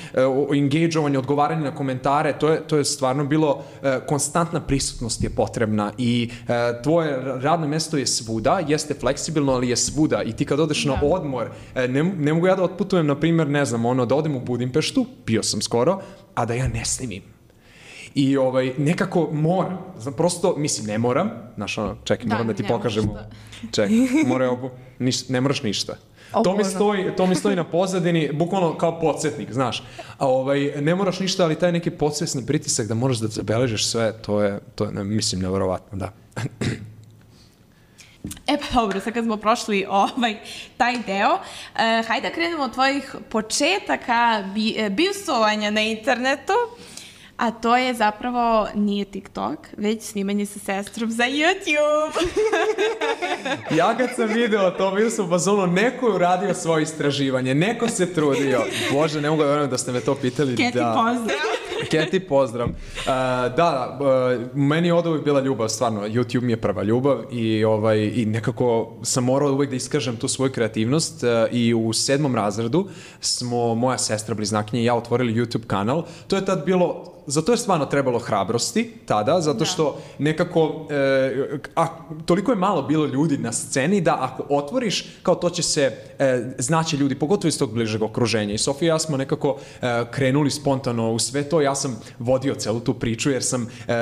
engage-ovanje, odgovaranje na komentare, to je, to je stvarno bilo, uh, konstantna prisutnost je potrebna i uh, tvoje radno mesto je svuda, jeste fleksibilno, ali je svuda i ti kad odeš da. na odmor, uh, ne, ne mogu ja da otputujem, na primjer, ne znam, ono, da odem u Budimpeštu, bio sam skoro, a da ja ne snimim. I ovaj, nekako moram, znam, prosto, mislim, ne moram, znaš ono, čekaj, da, moram da ti pokažemo, čekaj, moraju, niš, ne moraš ništa. O, to, mi stoji, to mi stoji na pozadini, bukvalno kao podsjetnik, znaš. A ovaj, ne moraš ništa, ali taj neki podsvesni pritisak da moraš da zabeležiš sve, to je, to je mislim, nevjerovatno, da. E pa dobro, sad kad smo prošli ovaj, taj deo, uh, hajde da krenemo od tvojih početaka bi, bivstvovanja na internetu. A to je zapravo, nije TikTok, već snimanje sa sestrom za YouTube. Ja kad sam video to, vidio sam vas ono, neko je uradio svoje istraživanje, neko se trudio. Bože, ne mogu da verujem da ste me to pitali. Keti, da. pozdrav. Keti, pozdrav. Uh, da, uh, meni je od uvijek bila ljubav, stvarno, YouTube mi je prva ljubav i, ovaj, i nekako sam morao uvijek da iskažem tu svoju kreativnost uh, i u sedmom razredu smo, moja sestra, bliznakinja i ja otvorili YouTube kanal. To je tad bilo... Zato je stvarno trebalo hrabrosti tada, zato što nekako, e, a, toliko je malo bilo ljudi na sceni da ako otvoriš, kao to će se e, znaći ljudi, pogotovo iz tog bližeg okruženja. I Sofija i ja smo nekako e, krenuli spontano u sve to, ja sam vodio celu tu priču jer sam, e,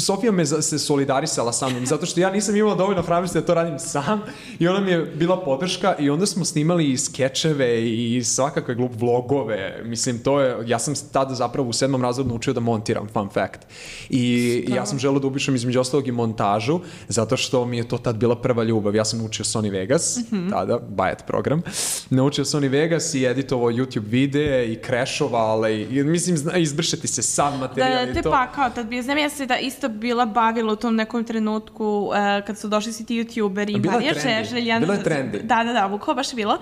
Sofija me se solidarisala sa mnom, zato što ja nisam imala dovoljno hrabrosti da to radim sam i ona mi je bila podrška i onda smo snimali i skečeve i svakakve glup vlogove, mislim to je, ja sam tada zapravo u sedmom razredu naučio da montiram, fun fact. I Stava. ja sam želeo da upišem između ostalog i montažu, zato što mi je to tad bila prva ljubav. Ja sam naučio Sony Vegas, mm-hmm. tada, bajet program. Naučio Sony Vegas i editovao YouTube videe i crashovao, i mislim, izbršeti se sam materijal da, i te to. Pa, kao tad bio, znam ja se da isto bila bavila u tom nekom trenutku uh, kad su došli svi ti youtuberi. Bila je trendi, bila je trendi. Da, da, da, bukao baš bilo.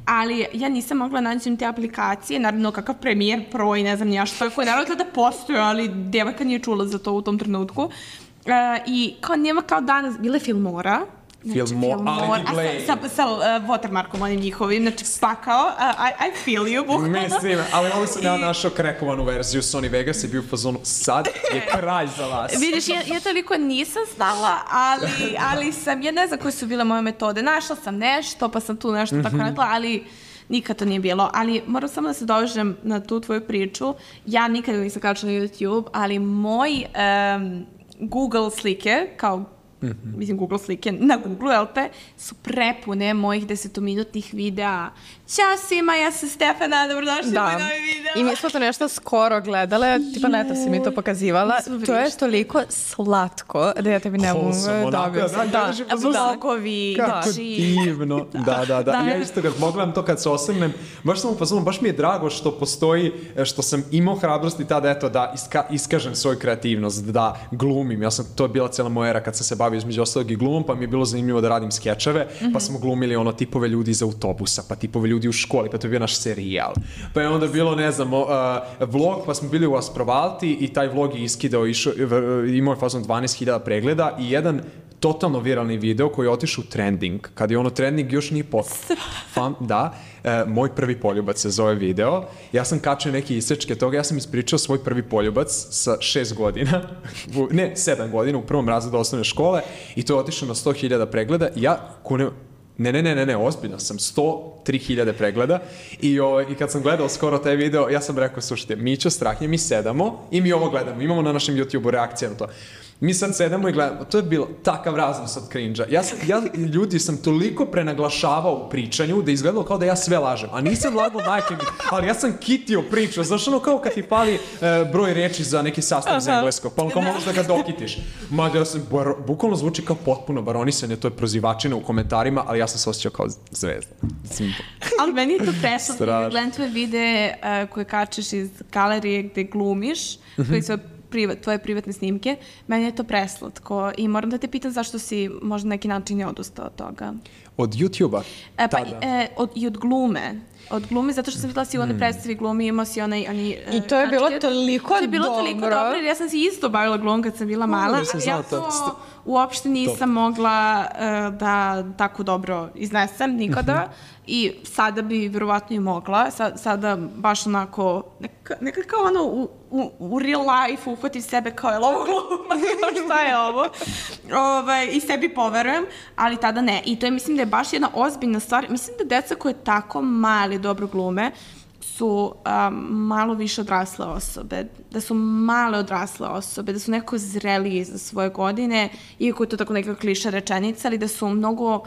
Ali ja nisam mogla naći te aplikacije, naravno kakav Premiere Pro i ne znam ja što, koji naravno tada postoje, ali djevojka nije čula za to u tom trenutku. Uh, I kao nema kao danas, bile Filmora. Znači, Filmora, ali ti play. Sa, sa, sa uh, watermarkom onim njihovim, znači pakao, uh, I, I feel you, bukvalno. Mislim, ali ovo sam ja našao krekovanu verziju Sony Vegas i bio u fazonu, sad je kraj za vas. Vidiš, ja, ja toliko nisam znala, ali, ali sam, ja ne znam koje su bile moje metode. Našla sam nešto, pa sam tu nešto mm-hmm. tako radila, ali nikad to nije bilo. Ali moram samo da se dovežem na tu tvoju priču. Ja nikada nisam kačila na YouTube, ali moj um, Google slike, kao mm-hmm. mislim Google slike na Google, jel te, su prepune mojih desetominutnih videa. Ćao svima, ja sam Stefana, dobrodošli da. u moj novi video. I mi smo to nešto skoro gledale, tipa neta si mi to pokazivala. To je toliko slatko da ja tebi ne mogu dobiti. Da, vlogovi. Kako divno. Da, da, da. Ja isto kad pogledam to kad se osvrnem, baš sam upozorila, baš mi je drago što postoji, što sam imao hrabrosti tada, eto, da iska, iskažem svoju kreativnost, da glumim. Ja sam, to je bila cijela moja era kad sam se bavio između ostalog i glumom, pa mi je bilo zanimljivo da radim skečeve, mm-hmm. pa smo glumili ono tipove ljudi iz autobusa, pa tipove ljudi u školi, pa to je bio naš serijal. Pa je onda bilo, ne znam, uh, vlog, pa smo bili u Asprovalti i taj vlog je iskidao, išao, imao je fazom dvanaest hiljada pregleda i jedan totalno viralni video koji je otišao u trending. Kad je ono trending još nije pot... Fam, da, e, moj prvi poljubac se zove video. Ja sam kačio neke isečke toga, ja sam ispričao svoj prvi poljubac sa šest godina, ne, sedam godina, u prvom razredu osnovne škole i to je otišao na sto hiljada pregleda i ja kunem... Ne, ne, ne, ne, ne, ozbiljno sam, sto tri hiljade pregleda i, o, i kad sam gledao skoro taj video, ja sam rekao, slušajte, Mićo, Strahnje, mi sedamo i mi ovo gledamo, imamo na našem YouTube-u reakcije na to. Mi sad sedamo i gledamo, to je bilo takav raznos od cringe-a. Ja, sam, ja ljudi sam toliko prenaglašavao u pričanju da je izgledalo kao da ja sve lažem, a nisam lagao majke mi, ali ja sam kitio priču, znaš ono kao kad ti fali e, broj reči za neki sastav iz engleskog, pa ono kao možeš da ga dokitiš. Ma da sam, bar, bukvalno zvuči kao potpuno baronisanje, to je prozivačina u komentarima, ali ja sam se osjećao kao zvezda. Ali meni je to presno, gledam tvoje videe uh, koje kačeš iz galerije gde glumiš, mm-hmm. koji su privat, tvoje privatne snimke, meni je to preslatko i moram da te pitam zašto si možda neki način je odustao od toga. Od YouTube-a? E, pa e, od, i od glume. Od glume, zato što sam videla si u onoj predstavi glumi, imao si onaj... Oni, I to je bilo toliko dobro. To je bilo toliko dobro, jer ja sam se isto bavila glumom kad sam bila mala, ali ja to uopšte nisam mogla uh, da tako dobro iznesem nikada i sada bi verovatno i mogla, Sa, sada baš onako, neka, neka kao ono u, u, u real life uhvatim sebe kao je li ovo gluma, šta je ovo, Ove, i sebi poverujem, ali tada ne. I to je, mislim da je baš jedna ozbiljna stvar, mislim da deca koje tako mali dobro glume, su um, malo više odrasle osobe, da su male odrasle osobe, da su neko zreliji za svoje godine, iako je to tako neka kliša rečenica, ali da su mnogo,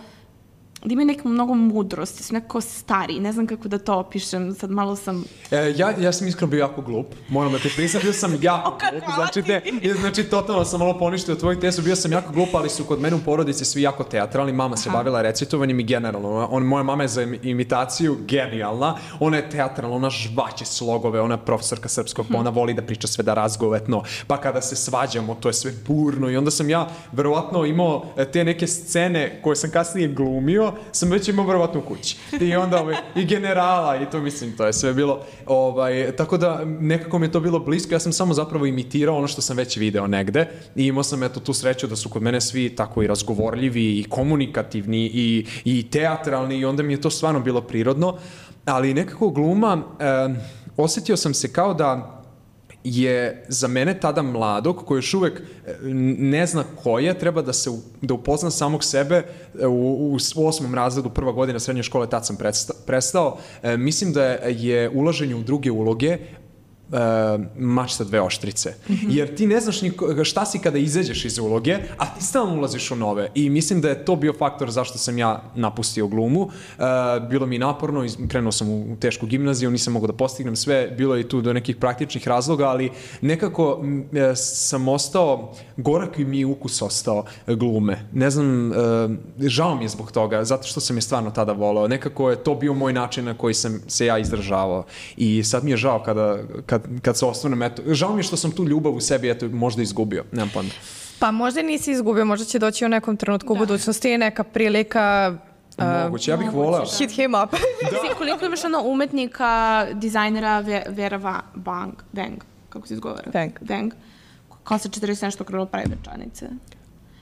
da imaju neku mnogo mudrosti, su nekako stari, ne znam kako da to opišem, sad malo sam... E, ja, ja sam iskreno bio jako glup, moram da te priznam, bio sam jako glup, znači, te, znači totalno sam malo poništio tvojih tesu, bio sam jako glup, ali su kod mene u porodici svi jako teatralni, mama se Aha. bavila recitovanjem i generalno, on, moja mama je za imitaciju genijalna, ona je teatralna, ona žvaće slogove, ona je profesorka srpskog, hmm. ona voli da priča sve da razgovetno, pa kada se svađamo, to je sve burno i onda sam ja verovatno imao te neke scene koje sam kasnije glumio, sam već imao verovatno u kući. I onda ovaj, i generala i to mislim, to je sve bilo ovaj, tako da nekako mi je to bilo blisko, ja sam samo zapravo imitirao ono što sam već video negde i imao sam eto tu sreću da su kod mene svi tako i razgovorljivi i komunikativni i, i teatralni i onda mi je to stvarno bilo prirodno, ali nekako gluma, eh, osjetio sam se kao da je za mene tada mladog koji još uvek ne zna ko je, treba da se da upozna samog sebe u, u osmom razredu, prva godina srednje škole, tad sam prestao. prestao. E, mislim da je ulaženje u druge uloge Uh, mač sa dve oštrice. Mm-hmm. Jer ti ne znaš ni šta si kada izađeš iz uloge, a ti stalno ulaziš u nove. I mislim da je to bio faktor zašto sam ja napustio glumu. Uh, bilo mi naporno, krenuo sam u tešku gimnaziju, nisam mogao da postignem sve, bilo je tu do nekih praktičnih razloga, ali nekako m, sam ostao, gorak mi je ukus ostao glume. Ne znam, uh, žao mi je zbog toga, zato što sam je stvarno tada voleo. Nekako je to bio moj način na koji sam se ja izdržavao. I sad mi je žao kada, kada kad se osvrnem, eto, žao mi je što sam tu ljubav u sebi, eto, možda izgubio, nemam pojma. Pa možda nisi izgubio, možda će doći u nekom trenutku da. u budućnosti neka prilika... Uh, moguće, ja bih volao. Hit him up. Da. Koliko imaš ono umetnika, dizajnera Vera Bang, Deng, kako se izgovara? Deng. Deng, kao sa četrdeset nešto krilo pravi večanice.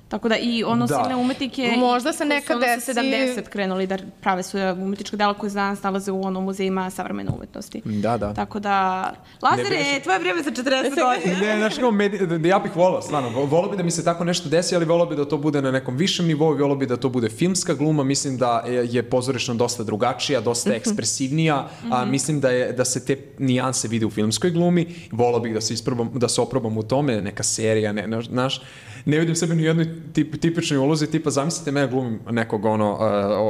Tako da i ono da. silne umetnike možda se neka su ono sa sedamdeset krenuli da prave svoje umetnička dela koje danas nalaze u onom muzejima savremene umetnosti. Da, da. Tako da, Lazare, tvoje vrijeme za četrdeset godina. Ne, znaš kao, med... ja bih volao, stvarno, volao bi da mi se tako nešto desi, ali volao bi da to bude na nekom višem nivou, volao bi da to bude filmska gluma, mislim da je pozorišno dosta drugačija, dosta ekspresivnija, a mislim da, je, da se te nijanse vide u filmskoj glumi, volao bih da se, isprobam, da se oprobam u tome, neka serija, ne, znaš, ne vidim sebe ni u jednoj tip, tipičnoj ulozi, tipa zamislite me glumim nekog ono uh,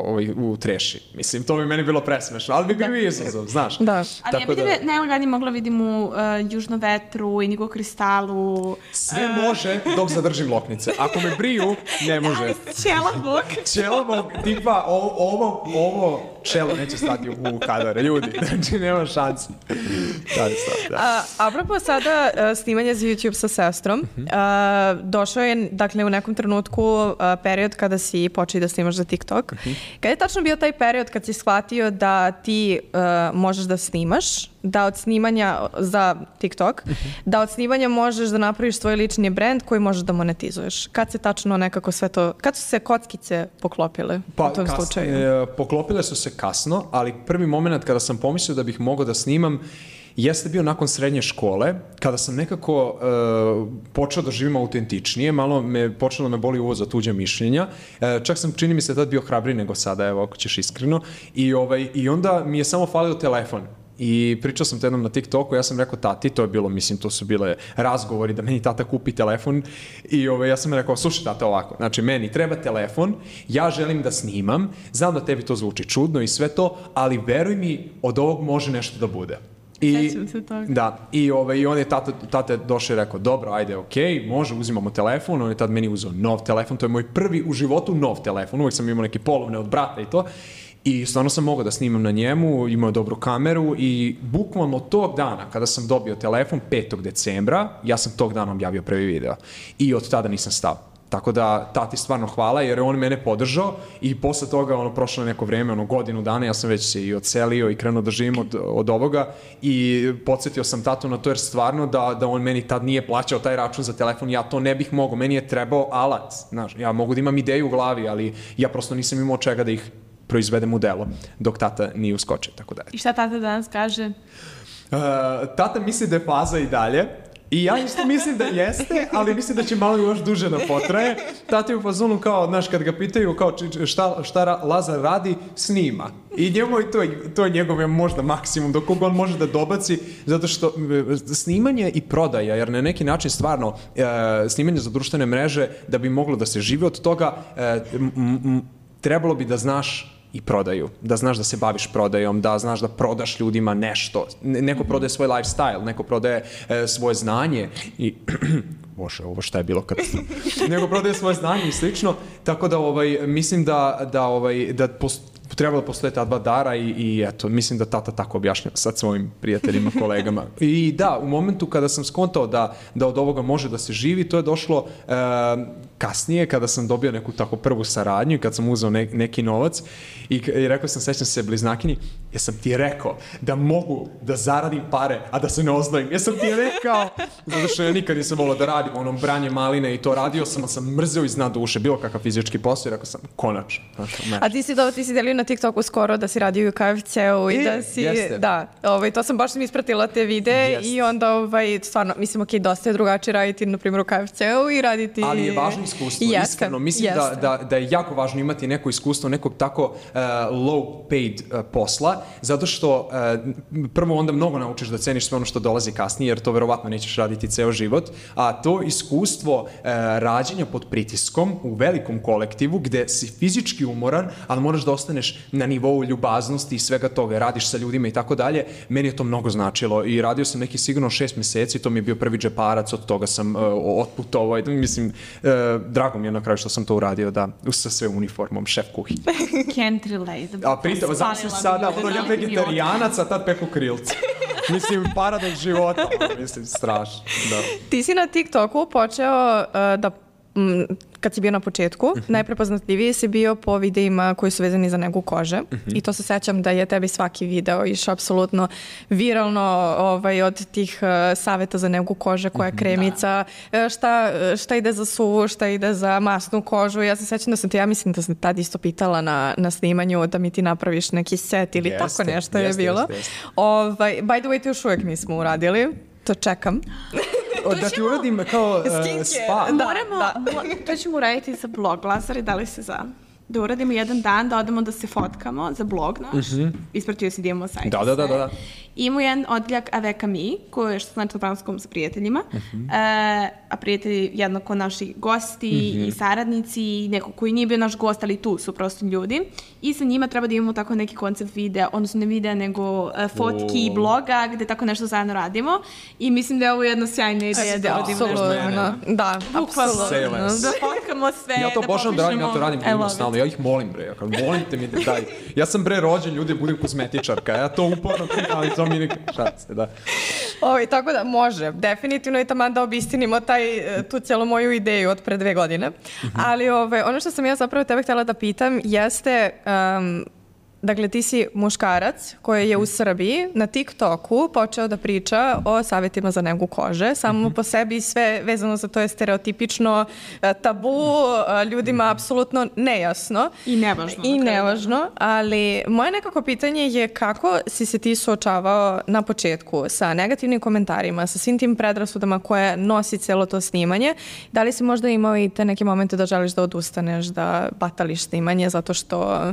ovaj, u treši. Mislim, to bi meni bilo presmešno, ali bi bio i izazov, znaš. Da. Ali ja vidim, da... najlagani mogla vidim u uh, Južnom vetru, Indigo kristalu. Sve uh... može dok zadržim loknice. Ako me briju, ne može. Čelabog. Čelabog, tipa ovo, ovo, ovo čelo neće stati u, u kadare, ljudi. Znači, nema šanse. Da, da. A, apropo sada uh, snimanja za YouTube sa sestrom, uh, došao je, dakle, u nekom trenutku uh, period kada si počeo da snimaš za TikTok. Uh-huh. Kada je tačno bio taj period kad si shvatio da ti uh, možeš da snimaš, da od snimanja za TikTok, uh-huh. da od snimanja možeš da napraviš svoj lični brand koji možeš da monetizuješ? Kad se tačno nekako sve to, kad su se kockice poklopile pa, u tom kas, slučaju? E, poklopile su se kasno, ali prvi moment kada sam pomislio da bih mogao da snimam jeste bio nakon srednje škole, kada sam nekako uh, počeo da živim autentičnije, malo me počelo da me boli uvo za tuđa mišljenja, uh, čak sam, čini mi se, tad bio hrabriji nego sada, evo, ako ćeš iskreno, i, ovaj, i onda mi je samo falio telefon. I pričao sam to jednom na TikToku, ja sam rekao tati, to je bilo, mislim, to su bile razgovori da meni tata kupi telefon i ove, ja sam rekao, slušaj tata ovako, znači meni treba telefon, ja želim da snimam, znam da tebi to zvuči čudno i sve to, ali veruj mi, od ovog može nešto da bude. I, se toga. Da, i, ove, i on je tata, tate došao i rekao, dobro, ajde, okej, okay, može, uzimamo telefon, on je tad meni uzeo nov telefon, to je moj prvi u životu nov telefon, uvijek sam imao neke polovne od brata i to, i stvarno sam mogao da snimam na njemu, imao dobru kameru i bukvalno tog dana kada sam dobio telefon, petog decembra, ja sam tog dana objavio prvi video i od tada nisam stao. Tako da tati stvarno hvala jer je on mene podržao i posle toga ono prošlo neko vreme, ono godinu dana, ja sam već se i odselio i krenuo da živim od, od ovoga i podsjetio sam tatu na to jer stvarno da, da on meni tad nije plaćao taj račun za telefon, ja to ne bih mogao, meni je trebao alat, znaš, ja mogu da imam ideju u glavi, ali ja prosto nisam imao čega da ih proizvedem u delo, dok tata nije uskočio, tako da. I šta tata danas kaže? Uh, tata misli da je faza i dalje, i ja isto mislim da jeste, ali mislim da će malo još duže da potraje. Tata je u fazonu kao, znaš, kad ga pitaju kao šta, šta Lazar radi, snima. I njemu je to, to je njegov možda maksimum do koga on može da dobaci, zato što snimanje i prodaja, jer na neki način stvarno e, snimanje za društvene mreže, da bi moglo da se živi od toga, e, m, m, trebalo bi da znaš i prodaju, da znaš da se baviš prodajom, da znaš da prodaš ljudima nešto. Neko prodaje svoj lifestyle, neko prodaje e, svoje znanje i Bože, ovo šta je bilo kad neko prodaje svoje znanje i slično, tako da ovaj mislim da da ovaj da post, trebalo postoje ta dva dara i, i eto, mislim da tata tako objašnjava sad svojim prijateljima, kolegama. I da, u momentu kada sam skontao da, da od ovoga može da se živi, to je došlo e, kasnije kada sam dobio neku tako prvu saradnju i kad sam uzeo ne, neki novac i, i rekao sam, sećam se bliznakini, jesam ti rekao da mogu da zaradim pare, a da se ne ozdvojim. Jesam ti rekao, zato što ja nikad nisam volao da radim onom branje maline i to radio sam, ali sam mrzeo iz dna duše, bilo kakav fizički posao i rekao sam, konačno. A ti si, do, ti si delio na TikToku skoro da si radio u K F C-u i e, da si, jeste. Da, ovaj, to sam baš sam ispratila te videe Jest. I onda, ovaj, stvarno, mislim, ok, dosta je drugačije raditi, na primjer, u K F C-u i raditi... Ali je važno iskustvo, jeste, iskreno, mislim da, da, da je jako važno imati neko iskustvo, nekog tako uh, low paid uh, posla, zato što uh, prvo onda mnogo naučiš da ceniš sve ono što dolazi kasnije, jer to verovatno nećeš raditi ceo život, a to iskustvo uh, rađenja pod pritiskom u velikom kolektivu, gde si fizički umoran, ali moraš da ostaneš na nivou ljubaznosti i svega toga, radiš sa ljudima i tako dalje, meni je to mnogo značilo i radio sam neki sigurno šest meseci, to mi je bio prvi džeparac, od toga sam uh, otputovao, mislim, uh, drago mi je na kraju što sam to uradio, da, sa sve uniformom, šef kuhinje. Can't relate. A pritom, znači sada, ono, ja vegetarijanac, a tad peku krilce. Mislim, paradoks života, mislim, strašno. Da. Ti si na TikToku počeo uh, da kad si bio na početku, uh-huh. najprepoznatljiviji si bio po videima koji su vezani za negu kože uh-huh. i to se sećam da je tebi svaki video išao apsolutno viralno ovaj, od tih uh, saveta za negu kože, koja je kremica, da. šta, šta ide za suvu, šta ide za masnu kožu. Ja se sećam da sam ti, ja mislim da sam tad isto pitala na, na snimanju da mi ti napraviš neki set ili jeste, tako nešto jeste, je bilo. Jeste, jeste. Ovaj, by the way, to još uvijek nismo uradili. To čekam. O, da ti uradim kao uh, spa. Da, moramo, da. Mo, to ćemo uraditi za blog, Lazar, i da li se za? da uradimo jedan dan, da odemo da se fotkamo za blog naš. Mm-hmm. Ispratio si da imamo sajt. Da, da, da, da. I imamo jedan odjeljak Avec Ami, koji je što znači na francuskom sa prijateljima. Mm-hmm. E, a prijatelji jednako naši gosti mm-hmm. i saradnici i neko koji nije bio naš gost, ali tu su prosto ljudi. I sa njima treba da imamo tako neki koncept videa, odnosno ne videa, nego uh, fotki i bloga, gde tako nešto zajedno radimo. I mislim da je ovo jedna sjajna ideja da radimo nešto. Da, apsolutno. Da fotkamo sve, ja to da božam da radim, ja to radim ljudima stalno. Ja ih molim, bre. Ja kao, molite mi da daj. Ja sam, bre, rođen, ljudi, budem kozmetičarka. Ja to uporno krijem, ali to mi nekako šace, da. Ovi, tako da, može. Definitivno je taman da obistinimo taj, tu cijelu moju ideju od pre dve godine. Mm-hmm. Ali ove, ono što sam ja zapravo tebe htjela da pitam jeste... Um, Dakle, ti si muškarac koji je u Srbiji na TikToku počeo da priča o savjetima za negu kože. Samo mm-hmm. po sebi sve vezano za to je stereotipično, tabu, ljudima apsolutno nejasno. I nevažno. I nevažno, ali moje nekako pitanje je kako si se ti suočavao na početku sa negativnim komentarima, sa svim tim predrasudama koje nosi celo to snimanje. Da li si možda imao i te neke momente da želiš da odustaneš, da batališ snimanje zato što...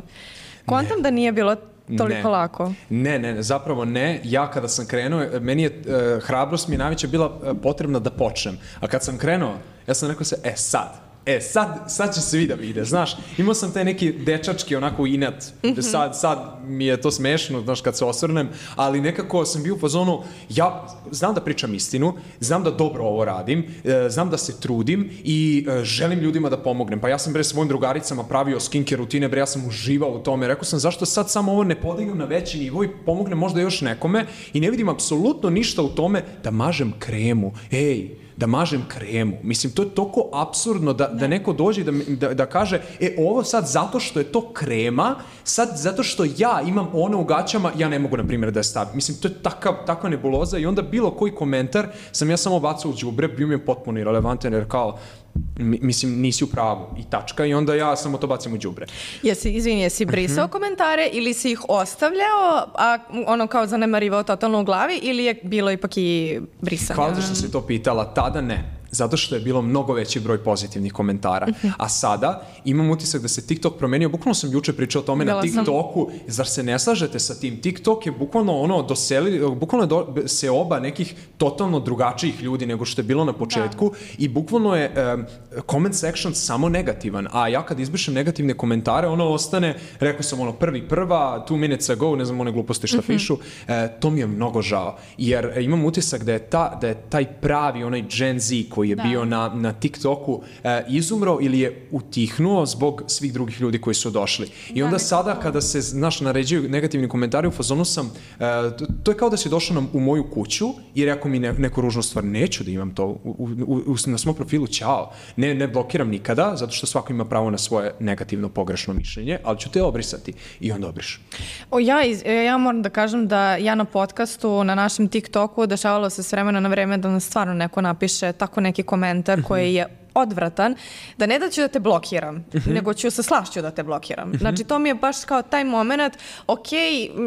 Kontam da nije bilo toliko ne. lako. Ne, ne, zapravo ne. Ja kada sam krenuo, meni je uh, hrabrost mi je najveća bila uh, potrebna da počnem. A kad sam krenuo, ja sam rekao se, e sad, e sad, sad će se vida vide, znaš. Imao sam taj neki dečački onako inat, mm-hmm. sad, sad mi je to smešno, znaš, kad se osvrnem, ali nekako sam bio u fazonu, ja znam da pričam istinu, znam da dobro ovo radim, e, znam da se trudim i e, želim ljudima da pomognem. Pa ja sam bre svojim drugaricama pravio skincare rutine, bre ja sam uživao u tome. Rekao sam zašto sad samo ovo ne podignem na veći nivo i pomognem možda još nekome i ne vidim apsolutno ništa u tome da mažem kremu. Ej, da mažem kremu. Mislim, to je toliko apsurdno da, da neko dođe da, da, da kaže, e, ovo sad zato što je to krema, sad zato što ja imam ono u gaćama, ja ne mogu, na primjer, da je stavim. Mislim, to je takav, takva nebuloza i onda bilo koji komentar sam ja samo bacao u đubre, bio mi je potpuno irelevantan, jer kao, mislim, nisi u pravu i tačka i onda ja samo to bacim u đubre. Jesi, izvini, jesi brisao komentare ili si ih ostavljao, a ono kao zanemarivao totalno u glavi ili je bilo ipak i brisanje? Hvala što si to pitala, tada ne. Zato što je bilo mnogo veći broj pozitivnih komentara. A sada imam utisak da se TikTok promenio. Bukvalno sam juče pričao o tome Bila na TikToku. Sam. Zar se ne slažete sa tim? TikTok je bukvalno ono doseli, bukvalno je do, se oba nekih totalno drugačijih ljudi nego što je bilo na početku da. I bukvalno je um, comment section samo negativan. A ja kad izbrišem negativne komentare, ono ostane, rekao sam ono prvi prva, two minutes ago, ne znam one gluposti što mm-hmm. pišu, e, to mi je mnogo žao. Jer e, imam utisak da je, ta, da je taj pravi, onaj Gen Z koji je da. bio na, na TikToku e, izumro ili je utihnuo zbog svih drugih ljudi koji su došli. I onda da, sada kada se, znaš, naređuju negativni komentari, u fazonu sam, e, to, to je kao da si došao na, u moju kuću i rekao mi ne, neku ružnu stvar, neću da imam to u, u, u, u, na svom profilu, ćao. Ne, ne blokiram nikada, zato što svako ima pravo na svoje negativno pogrešno mišljenje, ali ću te obrisati. I onda obriš. O, ja, iz, ja moram da kažem da ja na podcastu, na našem TikToku, dešavalo se s vremena na vreme da nam stvarno neko napiše tako neki komentar koji je odvratan, da ne da ću da te blokiram, uh-huh. nego ću sa slašću da te blokiram. Uh-huh. Znači, to mi je baš kao taj moment, ok,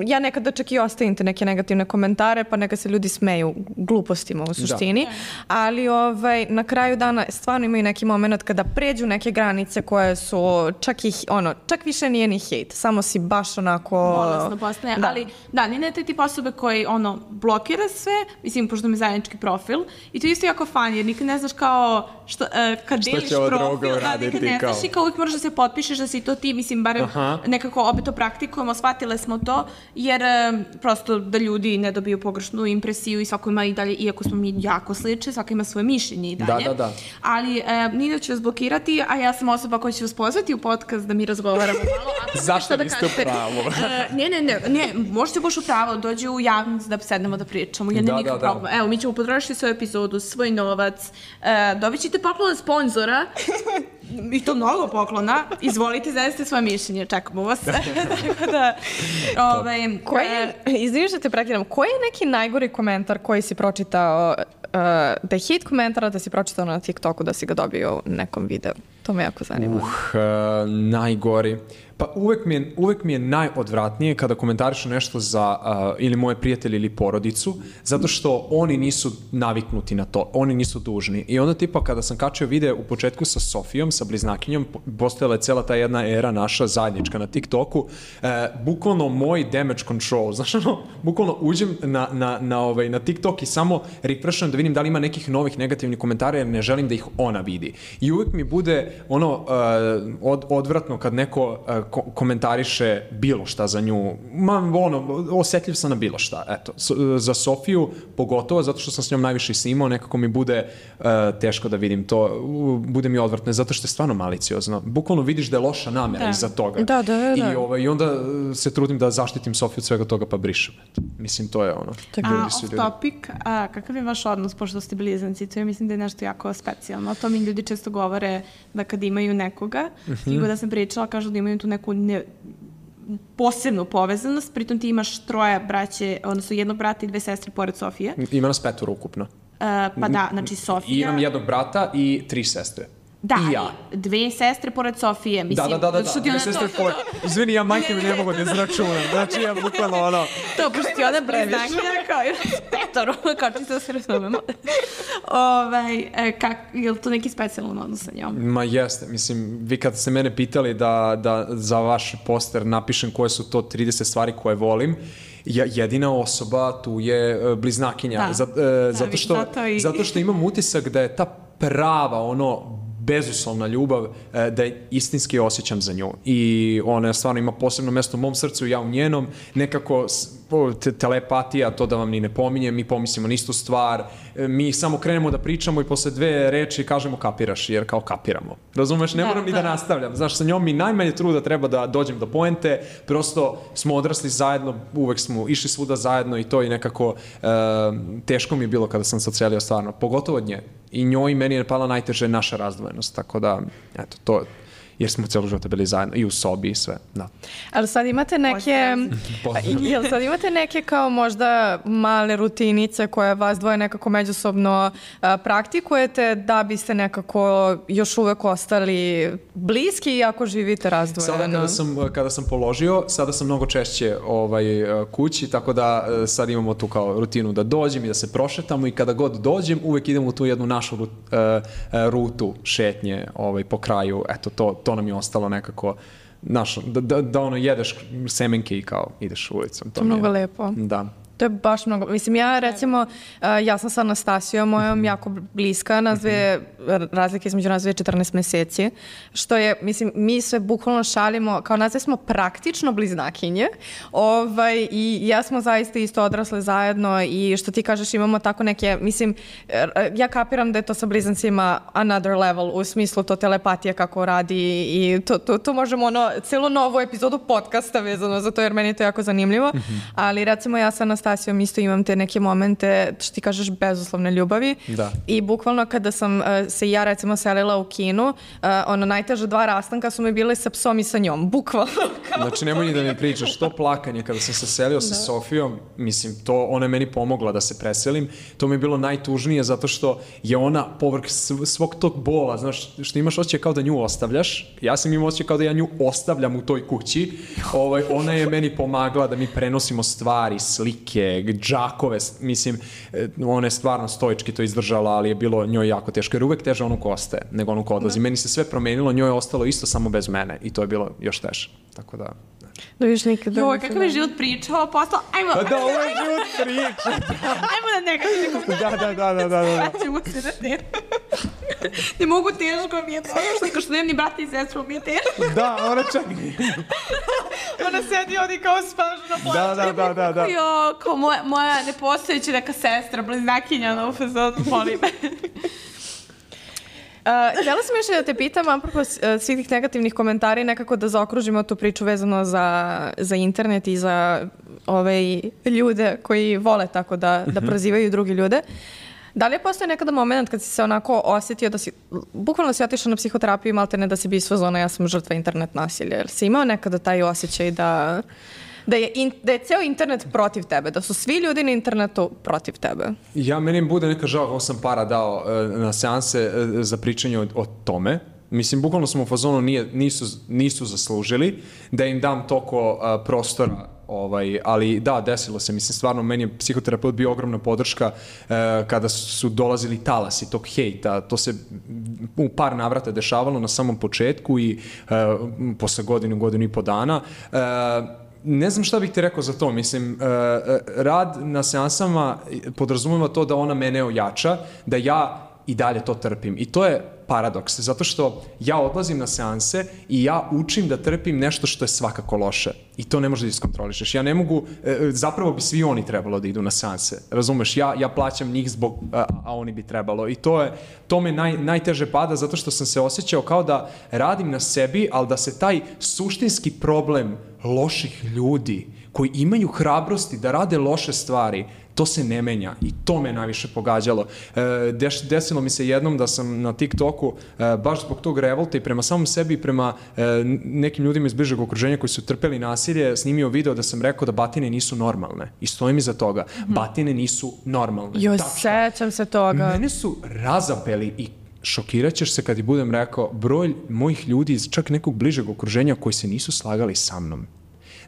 ja nekada čak i ostavim te neke negativne komentare, pa neka se ljudi smeju glupostima u suštini, da. ali ovaj, na kraju dana stvarno imaju neki moment kada pređu neke granice koje su čak i, ono, čak više nije ni hejt, samo si baš onako... Bolesno postane, da. ali da, ne ne te tip osobe koji, ono, blokira sve, mislim, pošto mi je zajednički profil, i to je isto jako fan, jer nikad ne znaš kao što, uh, kad što deliš profil, da, nekad ne znaš i kao uvijek moraš da se potpišeš da si to ti, mislim, barem Aha. nekako opet to praktikujemo, shvatile smo to, jer um, prosto da ljudi ne dobiju pogrešnu impresiju i svako ima i dalje, iako smo mi jako slični, svako ima svoje mišljenje i dalje. Da, da, da. Ali um, nije da ću vas blokirati, a ja sam osoba koja će vas pozvati u podcast da mi razgovaramo malo. Zašto niste u pravu? uh, ne, ne, ne, ne, možete baš u pravo, dođe u javnost da sednemo da pričamo, ja ne nikak da, problem. Da. Evo, mi ćemo potrošiti svoju epizodu, svoj novac, uh, dobit ćete poklon sponzora, i to mnogo poklona, izvolite, zajedite svoje mišljenje, čekamo vas. Tako da, ovaj, koji je, izviniš da te prekidam, koji je neki najgori komentar koji si pročitao, uh, da je hit komentara da si pročitao na TikToku da si ga dobio u nekom videu? To me jako zanima. Uh, uh, najgori. Pa uvek mi je, uvek mi je najodvratnije kada komentarišu nešto za uh, ili moje prijatelje ili porodicu, zato što oni nisu naviknuti na to, oni nisu dužni. I onda tipa kada sam kačio video u početku sa Sofijom, sa bliznakinjom, postojala je cela ta jedna era naša zajednička na TikToku, uh, bukvalno moj damage control, znaš ono, bukvalno uđem na, na, na, ovaj, na TikTok i samo refresham da vidim da li ima nekih novih negativnih komentara jer ne želim da ih ona vidi. I uvek mi bude ono uh, od, odvratno kad neko uh, ko komentariše bilo šta za nju. Ma, ono, osetljiv sam na bilo šta. Eto, S za Sofiju pogotovo, zato što sam s njom najviše snimao, nekako mi bude uh, teško da vidim to. Uh, bude mi odvratno, zato što je stvarno maliciozno. Bukvalno vidiš da je loša namera da. iza toga. Da, da, da. I, ovaj, I onda se trudim da zaštitim Sofiju od svega toga, pa brišem. Mislim, to je ono. A, off topic, a, kakav je vaš odnos, pošto ste blizanci? To je, mislim da je nešto jako specijalno. To mi ljudi često govore da kad imaju nekoga, mm -hmm. i god da sam pričala, kažu da imaju tu neku ne, posebnu povezanost, pritom ti imaš troje braće, odnosno jednog brata i dve sestre pored Sofije. Ima nas petoro ukupno. Uh, pa da, znači Sofija... I imam jednog brata i tri sestre. Da, I ja. dve sestre pored Sofije, mislim. Da, da, da, da, da. dve sestre pored. Izvini, ja majke mi ne mogu da izračunam. Znači, ja bukvalno ono... To, pošto ti ona bliznakinja, kao još petoro, kao čisto da se razumemo. Ovaj, kak, je li to neki specijalan odnos sa njom? Ma jeste, mislim, vi kad ste mene pitali da, da za vaš poster napišem koje su to trideset stvari koje volim, ja, jedina osoba tu je bliznakinja. Da. Za, e, zato, što, zato, i... zato što imam utisak da je ta prava, ono, bezuslovna ljubav, da je istinski osjećam za nju. I ona stvarno ima posebno mesto u mom srcu, ja u njenom. Nekako telepatija, to da vam ni ne pominjem, mi pomislimo na istu stvar, mi samo krenemo da pričamo i posle dve reči kažemo kapiraš, jer kao kapiramo. Razumeš, ne da, moram da. ni da nastavljam. Znaš, sa njom mi najmanje truda treba da dođem do poente, prosto smo odrasli zajedno, uvek smo išli svuda zajedno i to i nekako uh, teško mi je bilo kada sam se ocelio stvarno, pogotovo od nje. I njoj i meni je pala najteže naša razdvojenost, tako da, eto, to jer smo celo života bili zajedno i u sobi i sve, da. Ali sad imate neke, jel sad imate neke kao možda male rutinice koje vas dvoje nekako međusobno a, praktikujete da biste nekako još uvek ostali bliski iako živite razdvojeno? Sada kada sam, kada sam položio, sada sam mnogo češće ovaj, kući, tako da sad imamo tu kao rutinu da dođem i da se prošetamo i kada god dođem uvek idemo u tu jednu našu uh, rutu šetnje ovaj, po kraju, eto to to nam je ostalo nekako, znaš, da, da, da ono jedeš semenke i kao ideš ulicom. To je mnogo lepo. Da. To je baš mnogo. Mislim, ja recimo, ja sam sa Anastasijom, mojom jako bliska, nas dve, razlike između nas dve četrnaest meseci, što je, mislim, mi sve bukvalno šalimo, kao nas dve smo praktično bliznakinje, ovaj, i ja smo zaista isto odrasle zajedno i što ti kažeš imamo tako neke, mislim, ja kapiram da je to sa blizancima another level, u smislu to telepatija kako radi i to, to, to možemo ono, celu novu epizodu podcasta vezano za to, jer meni je to jako zanimljivo, mm-hmm. ali recimo ja sa Anastasijom Stasijom isto imam te neke momente, što ti kažeš, bezuslovne ljubavi. Da. I bukvalno kada sam uh, se ja recimo selila u Kinu, uh, ono najteže dva rastanka su mi bile sa psom i sa njom, bukvalno. Znači nemoj ni da mi pričaš, to plakanje kada sam se selio sa Sofijom, mislim, to ona je meni pomogla da se preselim, to mi je bilo najtužnije zato što je ona povrh svog tog bola, znaš, što imaš osjećaj kao da nju ostavljaš, ja sam imao osjećaj kao da ja nju ostavljam u toj kući, ovaj, ona je meni pomagala da mi prenosimo stvari, slike, džakove, mislim, ona je stvarno stoički to izdržala, ali je bilo njoj jako teško, jer uvek teže onu ko ostaje, nego onu ko odlazi. Meni se sve promenilo, njoj je ostalo isto samo bez mene i to je bilo još teže, tako da... Da viš nikada... Joj, kakav je život pričao, postao, ajmo... Pa da, ovo je život priča. Ajmo na negativni komentar. Da, da, da, da, da. Vraćamo se na te. Ne mogu, teško mi je to, što što nemam ni brata i sestru, mi je teško. Da, ona čak... Ona sedi ovdje kao spažno plaća. Da, da, da, da, da. Jo, kao moja, moja nepostojeća neka sestra, bliznakinja na ufazodu, volim. Uh, htjela sam još da te pitam, apropo uh, svih tih negativnih komentara i nekako da zaokružimo tu priču vezano za, za internet i za ove ljude koji vole tako da, da prozivaju drugi ljude. Da li je postoji nekada moment kad si se onako osjetio da si, bukvalno si otišao na psihoterapiju i malte ne da si bio svozona, ja sam žrtva internet nasilja. Jer si imao nekada taj osjećaj da... Da je, in, da je ceo internet protiv tebe, da su svi ljudi na internetu protiv tebe? Ja, meni bude neka žao kako sam para dao uh, na seanse uh, za pričanje o, o tome, Mislim, bukvalno smo u fazonu nije, nisu, nisu zaslužili da im dam toliko uh, prostora. Ovaj, ali da, desilo se, mislim, stvarno, meni je psihoterapeut bio ogromna podrška uh, kada su dolazili talasi tog hejta, to se u par navrata dešavalo na samom početku i uh, posle godinu, godinu i po dana. Uh, ne znam šta bih ti rekao za to, mislim, uh, rad na seansama podrazumeva to da ona mene ojača, da ja i dalje to trpim. I to je paradoks, zato što ja odlazim na seanse i ja učim da trpim nešto što je svakako loše. I to ne možeš da iskontrolišeš. Ja ne mogu, zapravo bi svi oni trebalo da idu na seanse. Razumeš, ja, ja plaćam njih zbog, a, a oni bi trebalo. I to je, to me naj, najteže pada zato što sam se osjećao kao da radim na sebi, ali da se taj suštinski problem loših ljudi koji imaju hrabrosti da rade loše stvari, to se ne menja i to me najviše pogađalo. E, deš, desilo mi se jednom da sam na TikToku e, baš zbog tog revolta i prema samom sebi i prema e, nekim ljudima iz bližeg okruženja koji su trpeli nasilje, snimio video da sam rekao da batine nisu normalne. I stojim iza toga. Mm-hmm. Batine nisu normalne. Joj, sećam se toga. Mene su razapeli i šokirat ćeš se kad ti budem rekao broj mojih ljudi iz čak nekog bližeg okruženja koji se nisu slagali sa mnom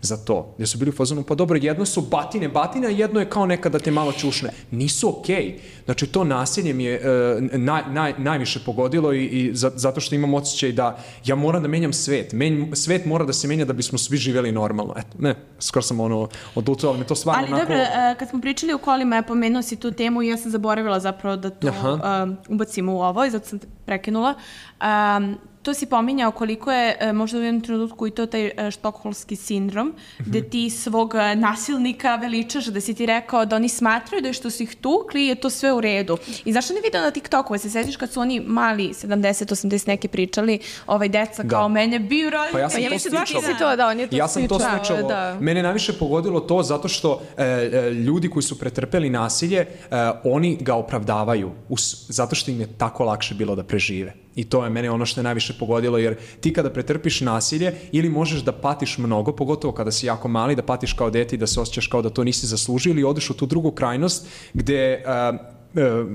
za to, gdje su bili u fazonu, pa dobro, jedno su batine, batine, a jedno je kao nekada te malo čušne. Nisu okej. Okay. Znači, to nasilje mi je uh, naj, naj, najviše pogodilo i, i za, zato što imam osjećaj da ja moram da menjam svet. Men, svet mora da se menja da bismo svi živjeli normalno. Eto, ne, skoro sam ono odlučila, ali me to stvarno ali, onako... Ali dobro, uh, kad smo pričali o kolima, ja pomenuo si tu temu i ja sam zaboravila zapravo da to uh, ubacimo u ovo i zato sam te prekinula. Um, To si pominjao koliko je e, možda u jednom trenutku i to taj e, štokholmski sindrom, mm-hmm. gde ti svog e, nasilnika veličaš, da si ti rekao da oni smatraju da je što si ih tukli je to sve u redu. I zašto ne vidio na TikToku, se setiš kad su oni mali sedamdeset osamdeset neki pričali, ovaj deca kao da. Mene bio rodin. Pa ja sam pa to sličao. To, da, on je to ja sam to sličao. Da. Mene najviše pogodilo to zato što e, e, ljudi koji su pretrpeli nasilje, e, oni ga opravdavaju us, zato što im je tako lakše bilo da prežive. I to je mene ono što je najviše pogodilo, jer ti kada pretrpiš nasilje ili možeš da patiš mnogo, pogotovo kada si jako mali, da patiš kao dete i da se osjećaš kao da to nisi zaslužio, ili odeš u tu drugu krajnost gde uh,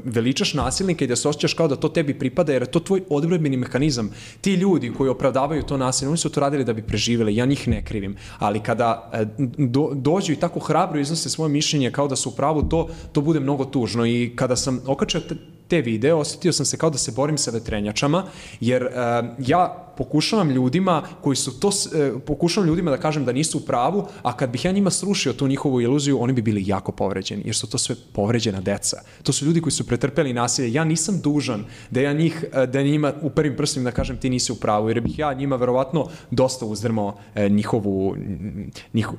veličaš nasilnika i da se osjećaš kao da to tebi pripada, jer je to tvoj odbranbeni mehanizam. Ti ljudi koji opravdavaju to nasilje, oni su to radili da bi preživjeli, ja njih ne krivim, ali kada do, dođu i tako hrabro iznose svoje mišljenje kao da su u pravu, to, to bude mnogo tužno. I kada sam okačio te, te videe, osjetio sam se kao da se borim sa vetrenjačama, jer uh, ja pokušavam ljudima koji su to, uh, pokušavam ljudima da kažem da nisu u pravu, a kad bih ja njima srušio tu njihovu iluziju, oni bi bili jako povređeni, jer su to sve povređena deca. To su ljudi koji su pretrpeli nasilje. Ja nisam dužan da ja njih, da njima u prvim prstima da kažem ti nisi u pravu, jer bih ja njima verovatno dosta uzdrmao e, njihovu, njihov,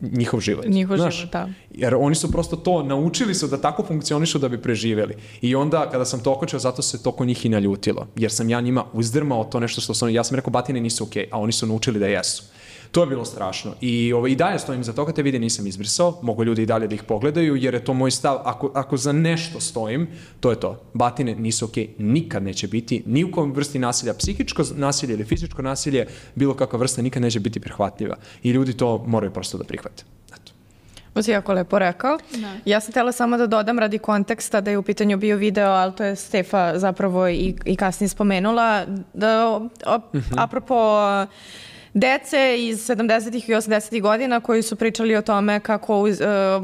njihov život. Njihov Znaš, život, da. Jer oni su prosto to, naučili su da tako funkcionišu da bi preživjeli. I onda kada sam to okočio, zato se to kod njih i naljutilo. Jer sam ja njima uzdrmao to nešto što sam, ja sam rekao batine nisu okej, okay, a oni su naučili da jesu. To je bilo strašno. I, ovo, i dalje stojim za toga, te vide nisam izbrisao, mogu ljudi i dalje da ih pogledaju, jer je to moj stav, ako, ako za nešto stojim, to je to. Batine nisu okej, okay, nikad neće biti, ni u kojem vrsti nasilja, psihičko nasilje ili fizičko nasilje, bilo kakva vrsta nikad neće biti prihvatljiva. I ljudi to moraju prosto da prihvate. Eto. To si jako lepo rekao. Da. Ja sam htjela samo da dodam radi konteksta da je u pitanju bio video, ali to je Stefa zapravo i, i kasnije spomenula, da o, mm-hmm. apropo dece iz sedamdesetih i osamdesetih godina koji su pričali o tome kako uh,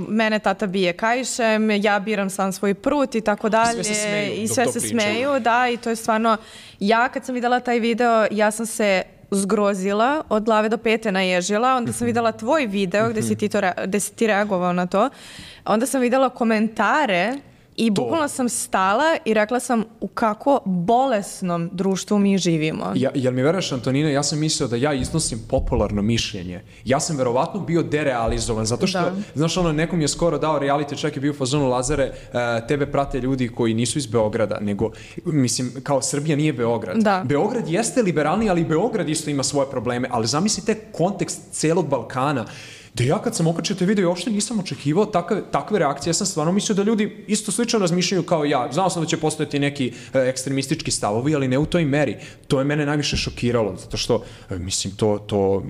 mene tata bije kaišem, ja biram sam svoj prut i tako dalje. Sve se smeju, I sve se smeju, da, i to je stvarno, ja kad sam videla taj video, ja sam se zgrozila, od glave do pete naježila, onda sam videla tvoj video gde si ti, to, gde si ti reagovao na to, onda sam videla komentare i bukvalno sam stala i rekla sam u kako bolesnom društvu mi živimo. Ja, jel mi veruješ, Antonina, ja sam mislio da ja iznosim popularno mišljenje. Ja sam verovatno bio derealizovan, zato što, da. Znaš, ono, nekom je skoro dao reality, čak je bio u fazonu Lazare, uh, tebe prate ljudi koji nisu iz Beograda, nego, mislim, kao Srbija nije Beograd. Da. Beograd jeste liberalni, ali Beograd isto ima svoje probleme, ali zamislite kontekst celog Balkana. Da ja kad sam okačio te video, uopšte nisam očekivao takve, takve reakcije. Ja sam stvarno mislio da ljudi isto slično razmišljaju kao ja. Znao sam da će postojati neki e, ekstremistički stavovi, ali ne u toj meri. To je mene najviše šokiralo, zato što, e, mislim, to... to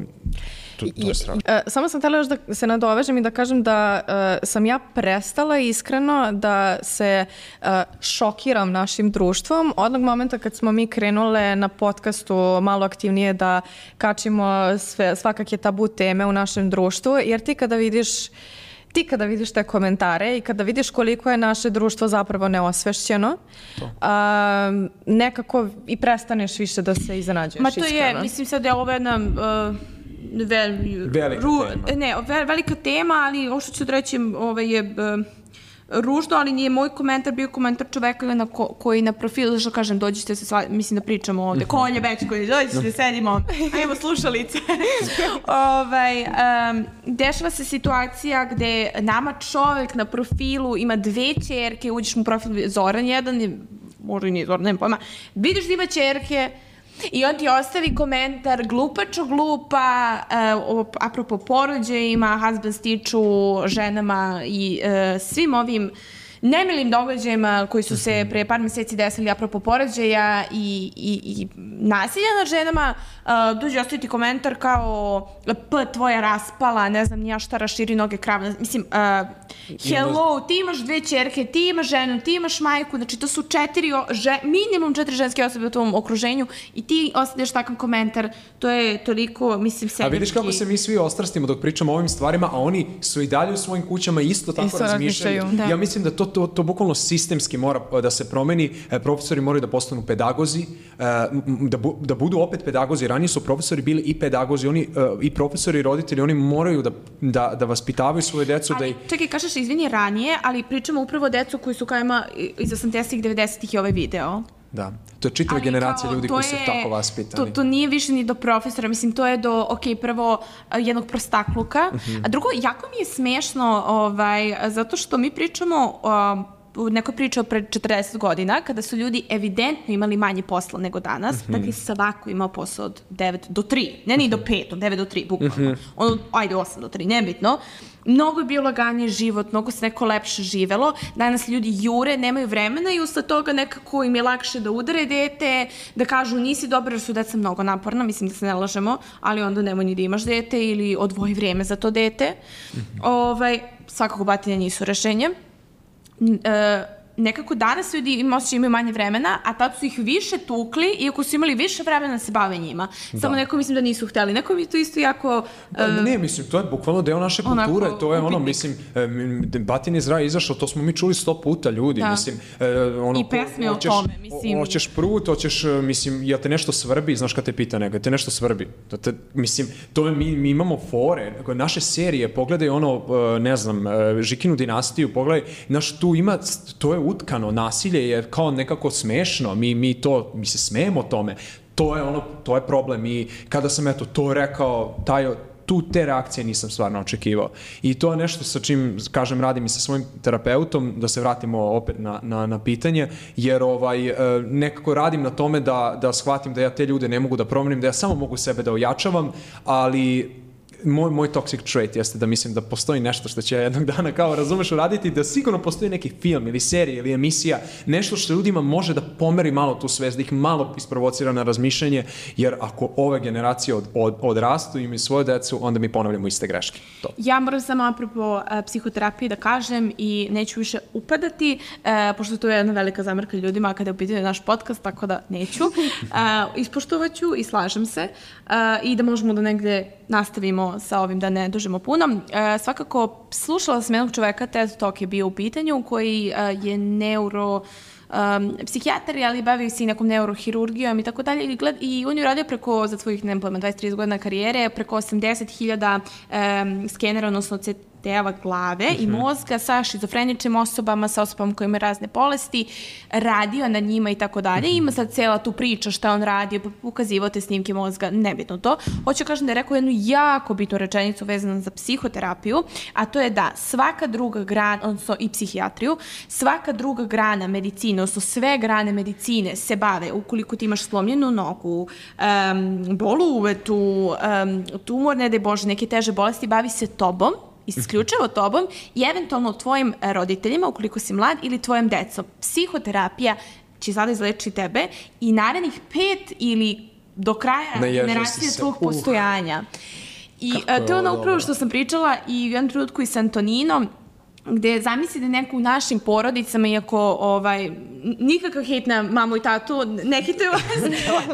to, to je strašno. E, samo sam htjela još da se nadovežem i da kažem da e, sam ja prestala iskreno da se e, šokiram našim društvom. Odnog momenta kad smo mi krenule na podcastu malo aktivnije da kačimo sve, svakakve tabu teme u našem društvu, jer ti kada vidiš Ti kada vidiš te komentare i kada vidiš koliko je naše društvo zapravo neosvešćeno, a, nekako i prestaneš više da se iznenađuješ. Ma to iskreno. je, mislim sad da je ovo jedna uh, vel, velika ru, tema. Ne, ve, velika tema, ali ovo što ću da reći ovaj je uh, ružno, ali nije moj komentar, bio komentar čoveka na ko, koji na profilu, što kažem, dođite se, sva, mislim da pričamo ovde, Kolje Bećković, dođite, sedimo, ajmo slušalice. ovaj, um, dešava se situacija gde nama čovek na profilu ima dve ćerke, uđeš mu profil Zoran jedan, možda i nije Zoran, nema pojma, vidiš da ima ćerke, i on ti ostavi komentar glupačo glupa, uh, apropo porođajima, husband stiču, ženama i uh, svim ovim nemilim događajima koji su se pre par meseci desili apropo porođaja i, i, i nasilja nad ženama, uh, dođe ostaviti komentar kao p tvoja raspala, ne znam nija šta, raširi noge krava. Mislim, uh, hello, ti imaš dve ćerke, ti imaš ženu, ti imaš majku, znači to su četiri, že, minimum četiri ženske osobe u tom okruženju i ti ostavljaš takav komentar, to je toliko, mislim, sebički. A vidiš kako se mi svi ostrastimo dok pričamo o ovim stvarima, a oni su i dalje u svojim kućama isto tako Isto razmišljaju. da. Ja mislim da to, to, to bukvalno sistemski mora da se promeni, profesori moraju da postanu pedagozi, da, bu, da budu opet pedagozi. Ranije su profesori bili i pedagozi, oni i profesori i roditelji, oni moraju da, da, da vaspitavaju svoje decu. Ali, da i... čekaj, kažeš, izvini, ranije, ali pričamo upravo o decu koji su kao ima iz osamdesetih, devedesetih i ovaj video. Da, to je čitava generacija kao, ljudi koji su tako vaspitani. To, to nije više ni do profesora, mislim, to je do, ok, prvo jednog prostakluka, uh-huh. a drugo, jako mi je smešno, ovaj, zato što mi pričamo o neko pričao pred četrdeset godina, kada su ljudi evidentno imali manje posla nego danas, mm-hmm. dakle svako imao posao od devet do tri, ne ni do pet, od devet do tri, bukvalno. Mm-hmm. Ono, ajde, osam do tri, nebitno. Mnogo je bio laganiji život, mnogo se neko lepše živelo. Danas ljudi jure, nemaju vremena i usled toga nekako im je lakše da udare dete, da kažu nisi dobar jer su deca mnogo naporna, mislim da se ne lažemo, ali onda nemoj ni da imaš dete ili odvoji vrijeme za to dete. Mm-hmm. Ovaj, svakako batine nisu rešenje. Uh, nekako danas ljudi ima osjećaj imaju manje vremena, a tad su ih više tukli, iako su imali više vremena da se bave njima. Da. Samo neko mislim da nisu hteli. Neko mi to isto jako... Uh, da, ne, mislim, to je bukvalno deo naše kulture. Onako, to je ono, upitnik. Mislim, batin iz raja izašao, to smo mi čuli sto puta ljudi. Da. Mislim, uh, ono, i pesme o tome, mislim. Hoćeš prut, hoćeš, mislim, jel te nešto svrbi, znaš kad te pita nego, te nešto svrbi. To te, mislim, to mi, mi imamo fore, naše serije, pogledaj ono, ne znam, Žikinu dinastiju, pogledaj, znaš, tu ima, to je utkano, nasilje je kao nekako smešno, mi, mi to, mi se smejemo tome, to je ono, to je problem i kada sam eto to rekao, taj, tu te reakcije nisam stvarno očekivao i to je nešto sa čim, kažem, radim i sa svojim terapeutom, da se vratimo opet na, na, na pitanje, jer ovaj, nekako radim na tome da, da shvatim da ja te ljude ne mogu da promenim, da ja samo mogu sebe da ojačavam, ali Moj, moj toxic trait jeste da mislim da postoji nešto što će jednog dana kao razumeš uraditi, da sigurno postoji neki film ili serija ili emisija, nešto što ljudima može da pomeri malo tu svest, da ih malo isprovocira na razmišljanje, jer ako ove generacije od, od, odrastu i imaju svoju decu, onda mi ponavljamo iste greške. To. Ja moram samo apropo uh, psihoterapije da kažem i neću više upadati, uh, pošto to je jedna velika zamerka ljudima kada je u pitanju naš podcast, tako da neću. Uh, ispoštovaću i slažem se uh, i da možemo da negde nastavimo sa ovim da ne dužimo puno. E, svakako, slušala sam jednog čoveka, TED Talk je bio u pitanju, koji e, je neuro... Um, psihijatar, ali bavio se i nekom neurohirurgijom i tako dalje. I on je uradio preko, za svojih, ne znam, dvadeset do trideset godina karijere, preko osamdeset hiljada um, skenera, odnosno C T-eva glave mm-hmm. i mozga sa šizofreničnim osobama, sa osobama koje imaju razne bolesti, radio na njima i tako dalje. Mm-hmm. Ima sad cela tu priča šta on radio, ukazivao te snimke mozga, nebitno to. Hoću kažem da je rekao jednu jako bitnu rečenicu vezanu za psihoterapiju, a to je da svaka druga grana, odnosno i psihijatriju, svaka druga grana medicine, odnosno sve grane medicine se bave, ukoliko ti imaš slomljenu nogu, um, bol u uvetu, um, tumor, ne daj Bože, neke teže bolesti, bavi se tobom, isključivo tobom i eventualno tvojim roditeljima, ukoliko si mlad, ili tvojom decom. Psihoterapija će sada izleči tebe i narednih pet ili do kraja generacije tvojeg postojanja. I Kako a, je to je ono ovo upravo dobro. što sam pričala i u jednom trenutku i sa Antoninom, gde zamisli da neko u našim porodicama, iako ovaj, nikakav hejt na mamu i tatu, ne hitaju vas,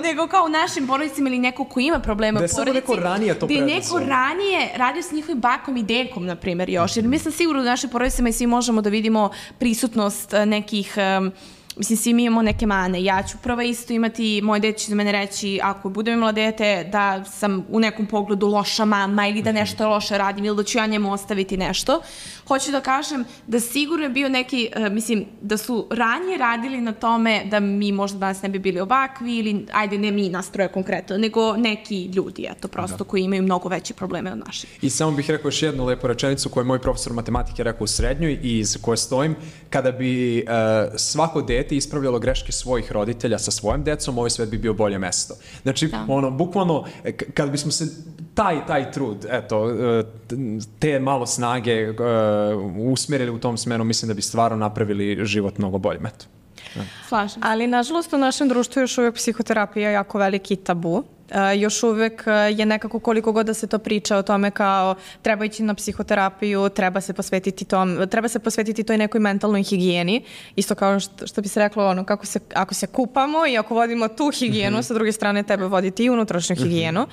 nego kao u našim porodicama ili neko ko ima problema Da je u samo porodici. neko ranije to gde je preduzeo. neko ranije radio s njihovim bakom i dekom, na primjer, još. Jer mi sam sigurno u našim porodicama i svi možemo da vidimo prisutnost eh, nekih... em, Mislim, svi mi imamo neke mane. Ja ću prva isto imati, moj dete će za mene reći, ako budem imala dete, da sam u nekom pogledu loša mama ili da nešto loše radim ili da ću ja njemu ostaviti nešto. Hoću da kažem da sigurno je bio neki, uh, mislim, da su ranije radili na tome da mi možda danas ne bi bili ovakvi ili, ajde, ne mi nas troje konkretno, nego neki ljudi, eto, prosto, koji imaju mnogo veće probleme od naših. I samo bih rekao još jednu lepu rečenicu koju je moj profesor matematike rekao u srednjoj i iz koje stojim. Kada bi uh, svako dete ispravljalo greške svojih roditelja sa svojim decom, ovaj svet bi bio bolje mesto. Znači, Da. ono, bukvalno, k- kada bismo se taj, taj trud, eto, uh, te malo snage uh, usmerili u tom smeru, mislim da bi stvarno napravili život mnogo boljim, eto. Slažem. Ali, nažalost, u našem društvu još uvijek psihoterapija je jako veliki tabu. Uh, još uvek uh, je nekako koliko god da se to priča o tome kao treba ići na psihoterapiju, treba se posvetiti tom, treba se posvetiti toj nekoj mentalnoj higijeni. Isto kao što, što bi se reklo, ono, kako se, ako se kupamo i ako vodimo tu higijenu, sa druge strane tebe voditi i unutrašnju higijenu.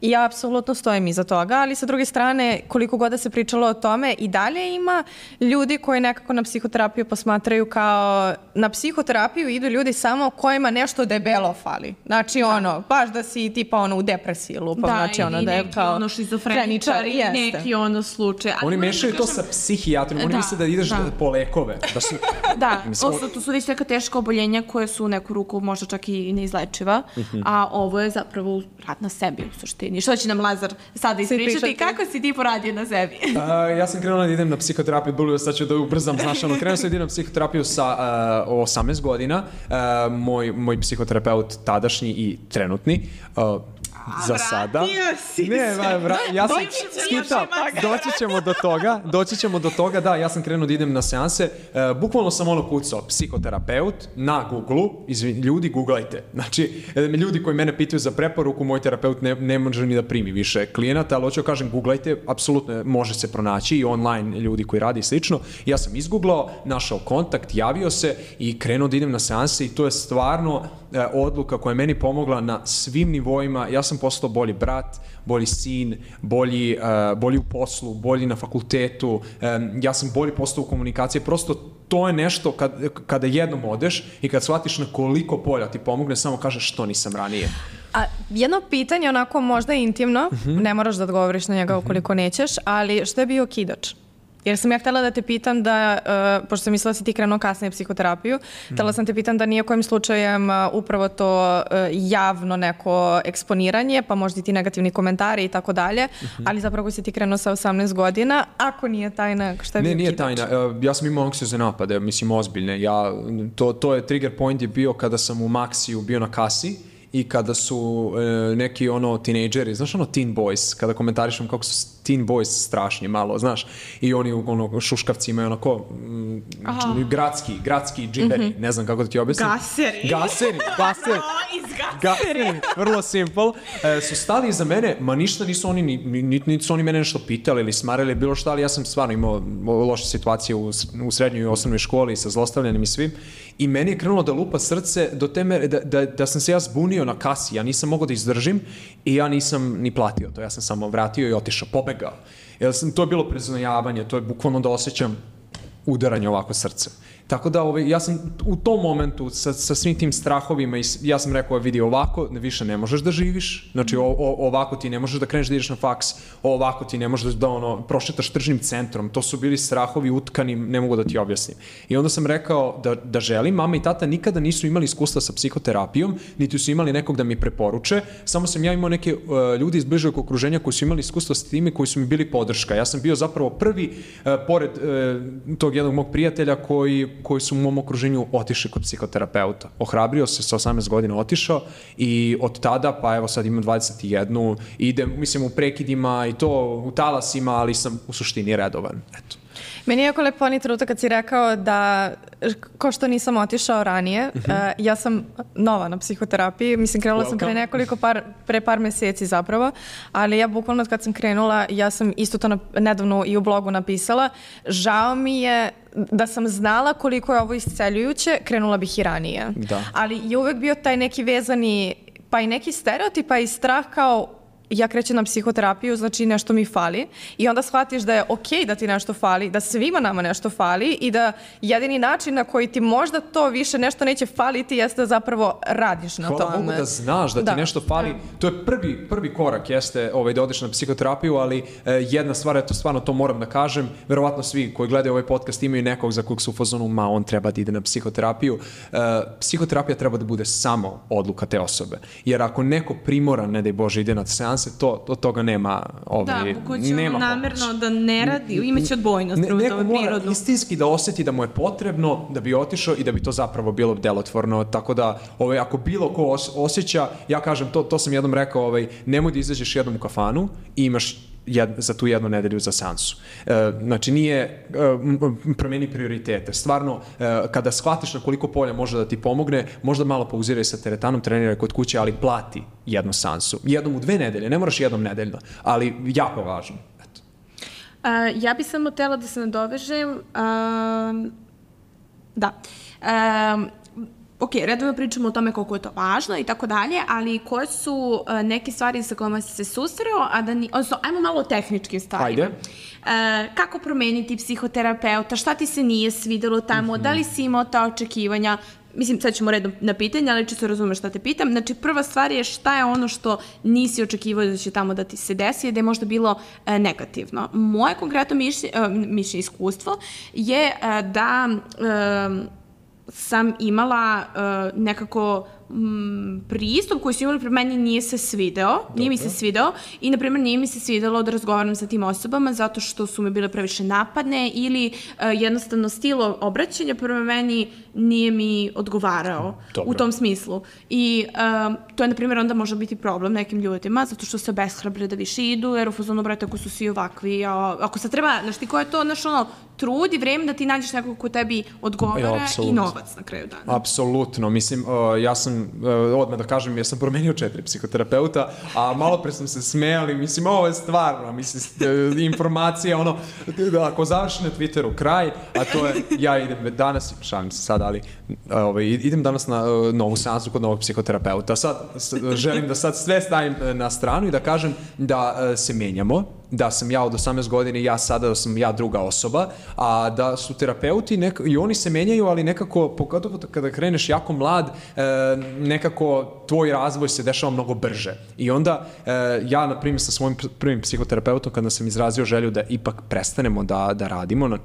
I ja apsolutno stojim iza toga, ali sa druge strane, koliko god da se pričalo o tome, i dalje ima ljudi koji nekako na psihoterapiju posmatraju kao, na psihoterapiju idu ljudi samo kojima nešto debelo fali. Znači, ono, baš da si tipa ono u depresiji lupam, znači ono ili da je neki kao ono šizofreničar, ili jeste. neki ono slučaj. Ali Oni moram mešaju da to kažem- sa psihijatrom, oni Da, misle da ideš da. po lekove. Da su, Da, Mislim, odnosno, to su već neka teška oboljenja koje su u neku ruku možda čak i neizlečiva, Mhm. a ovo je zapravo rad na sebi u suštini. Što će nam Lazar sada ispričati? pričati. Kako si ti poradio na sebi? A, ja sam krenuo da idem na psihoterapiju, bilo sad ću da ubrzam, znaš, ono, krenuo sam da idem na psihoterapiju sa uh, osamnaest godina, uh, moj, moj psihoterapeut tadašnji i trenutni, uh, za sada. vratio si Ne, se. va, vra, ja sam Doći ćemo skipao, do doći ćemo do toga, doći ćemo do toga, da, ja sam krenuo da idem na seanse, uh, bukvalno sam ono kucao, psihoterapeut na Google-u, izvin, ljudi, googlajte, znači, e, ljudi koji mene pitaju za preporuku, moj terapeut ne, ne može ni da primi više klijenata, ali hoću da kažem, googlajte, apsolutno može se pronaći i online ljudi koji radi i slično. Ja sam izgooglao, našao kontakt, javio se i krenuo da idem na seanse i to je stvarno e, odluka koja je meni pomogla na svim nivoima. Ja sam postao bolji brat, bolji sin, bolji, uh, bolji u poslu, bolji na fakultetu, um, ja sam bolji postao u komunikaciji, prosto to je nešto kad, kada jednom odeš i kad shvatiš na koliko polja ti pomogne, samo kažeš što nisam ranije. A jedno pitanje, onako možda intimno, ne moraš da odgovoriš na njega ukoliko nećeš, ali što je bio okidač? Jer sam ja htjela da te pitam da, uh, pošto sam mislila da si ti krenuo kasnije psihoterapiju, htjela sam te pitam da nije kojim slučajem uh, upravo to uh, javno neko eksponiranje, pa možda i ti negativni komentari i tako dalje, ali zapravo si ti krenuo sa osamnaest godina, ako nije tajna, šta je Ne, bio nije okidač? tajna. E, Ja sam imao anksiozne napade, mislim ozbiljne. Ja, to, to je trigger point je bio kada sam u Maxiju bio na kasi i kada su e, neki ono tinejdžeri, znaš ono teen boys, kada komentarišem kako su teen boys strašni malo, znaš, i oni ono šuškavci imaju onako mm, dž- gradski, gradski džiberi, ne znam kako da ti objasnim. Gaseri. Gaseri, gaseri. iz Gaseri, vrlo simple, e, su stali iza mene, ma ništa nisu oni, ni, ni, niti ni su oni mene nešto pitali ili smarali, bilo šta, ali ja sam stvarno imao loše situacije u, u srednjoj i osnovnoj školi sa zlostavljanjem i svim, i meni je krenulo da lupa srce do te mere da, da, da sam se ja zbunio na kasi, ja nisam mogao da izdržim i ja nisam ni platio to, ja sam samo vratio i otišao, pobegao. Jer sam, to je bilo preznojavanje, to je bukvalno da osjećam udaranje ovako srce. Tako da ovaj, ja sam u tom momentu sa, sa svim tim strahovima i s- ja sam rekao, vidi, ovako više ne možeš da živiš, znači o, o, ovako ti ne možeš da kreneš da ideš na faks, ovako ti ne možeš da ono, prošetaš tržnim centrom, to su bili strahovi utkani, ne mogu da ti objasnim. I onda sam rekao da, da želim, mama i tata nikada nisu imali iskustva sa psihoterapijom, niti su imali nekog da mi preporuče, samo sam ja imao neke uh, ljudi iz bližeg okruženja koji su imali iskustva s time, koji su mi bili podrška. Ja sam bio zapravo prvi, uh, pored uh, tog jednog mog prijatelja koji koji su u mom okruženju otišli kod psihoterapeuta. Ohrabrio se, sa osamnaest godina otišao i od tada, pa evo sad imam dvadeset jedan, idem, mislim, u prekidima i to u talasima, ali sam u suštini redovan. Eto. Meni je jako lepo oni trenutak kad si rekao da, ko što nisam otišao ranije, uh, ja sam nova na psihoterapiji, mislim krenula Welcome. sam pre nekoliko par, pre par meseci zapravo, ali ja bukvalno kad sam krenula, ja sam isto to na, nedavno i u blogu napisala, žao mi je da sam znala koliko je ovo isceljujuće, krenula bih i ranije. Da. Ali je uvek bio taj neki vezani, pa i neki stereotip, pa i strah kao ja krećem na psihoterapiju, znači nešto mi fali i onda shvatiš da je okej da ti nešto fali, da svima nama nešto fali i da jedini način na koji ti možda to više nešto neće faliti jeste da zapravo radiš na Hvala tome. Bogu da znaš da ti da. nešto fali. To je prvi, prvi korak, jeste ovaj, da odeš na psihoterapiju, ali eh, jedna stvar, eto stvarno to moram da kažem, verovatno svi koji gledaju ovaj podcast imaju nekog za kog su u fazonu, ma on treba da ide na psihoterapiju. Eh, psihoterapija treba da bude samo odluka te osobe. Jer ako neko primoran, ne daj Bože, ide na seans, to, od toga nema ovaj, da, ko će nema namerno pomoć. Da ne radi, imaće odbojnost ne, prema neko tome mora prirodno. istinski da osjeti da mu je potrebno da bi otišao i da bi to zapravo bilo delotvorno, tako da ovaj, ako bilo ko os, osjeća, ja kažem, to, to sam jednom rekao, ovaj, nemoj da izađeš jednom u kafanu i imaš jed, za tu jednu nedelju za seansu. E, znači nije e, promeni prioritete. Stvarno, e, kada shvatiš na koliko polja može da ti pomogne, možda malo pauziraj sa teretanom, treniraj kod kuće, ali plati jednu seansu. Jednom u dve nedelje, ne moraš jednom nedeljno, ali jako je važno. Eto. Uh, ja bih samo htjela da se nadovežem. Uh, da. Um, ok, redovno pričamo o tome koliko je to važno i tako dalje, ali koje su uh, neke stvari sa kojima si se susreo, a da ni... Odnosno, ajmo malo o tehničkim stvarima. Ajde. Uh, kako promeniti psihoterapeuta, šta ti se nije svidelo tamo, mm-hmm. da li si imao ta očekivanja? Mislim, sad ćemo redom na pitanje, ali čisto razumeš šta te pitam. Znači, prva stvar je šta je ono što nisi očekivao da će tamo da ti se desi, da je možda bilo e, negativno. Moje konkretno mišlje, e, mišlje iskustvo je e, da e, sam imala e, nekako m, pristup koji su imali prema meni nije se svideo, Dobro. nije mi se svideo i, na primjer, nije mi se svidelo da razgovaram sa tim osobama zato što su mi bile previše napadne ili e, jednostavno stil obraćanja prema meni nije mi odgovarao Dobro. u tom smislu. I um, to je, na primjer, onda može biti problem nekim ljudima, zato što se beshrabre da više idu, jer u fazonu, brate, ako su svi ovakvi, a, ako se treba, znaš ti ko je to, znaš, ono, trud i vreme da ti nađeš nekog ko tebi odgovara ja, i novac na kraju dana. Apsolutno, mislim, uh, ja sam, uh, odmah da kažem, ja sam promenio četiri psihoterapeuta, a malo pre sam se smejali, mislim, ovo je stvarno, mislim, informacija, ono, ako završi na Twitteru kraj, a to je, ja idem danas, šalim se sad, ali ovaj, idem danas na uh, novu seansu kod novog psihoterapeuta. Sad s, želim da sad sve stavim na stranu i da kažem da uh, se menjamo, da sam ja od osamnaest godina i ja sada da sam ja druga osoba, a da su terapeuti nek, i oni se menjaju, ali nekako, pogotovo kada kreneš jako mlad, e, nekako tvoj razvoj se dešava mnogo brže. I onda e, ja, na primjer, sa svojim prvim psihoterapeutom, kada sam izrazio želju da ipak prestanemo da, da radimo na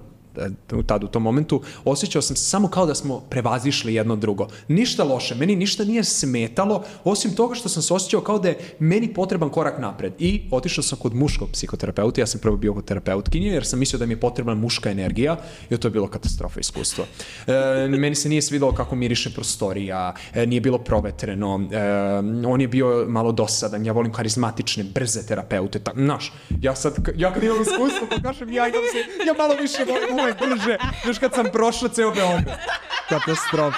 tad u tom momentu, osjećao sam se samo kao da smo prevazišli jedno drugo. Ništa loše, meni ništa nije smetalo, osim toga što sam se osjećao kao da je meni potreban korak napred. I otišao sam kod muškog psihoterapeuta, ja sam prvo bio kod terapeutkinje, jer sam mislio da mi je potrebna muška energija i to je bilo katastrofa iskustvo. E, meni se nije svidalo kako miriše prostorija, e, nije bilo provetreno, e, on je bio malo dosadan, ja volim karizmatične, brze terapeute, tak, znaš, ja sad, ja kad imam iskustvo, pa kažem, ja idem se, ja malo više volim brže, još kad sam prošla ceo Beograd. Katastrofa.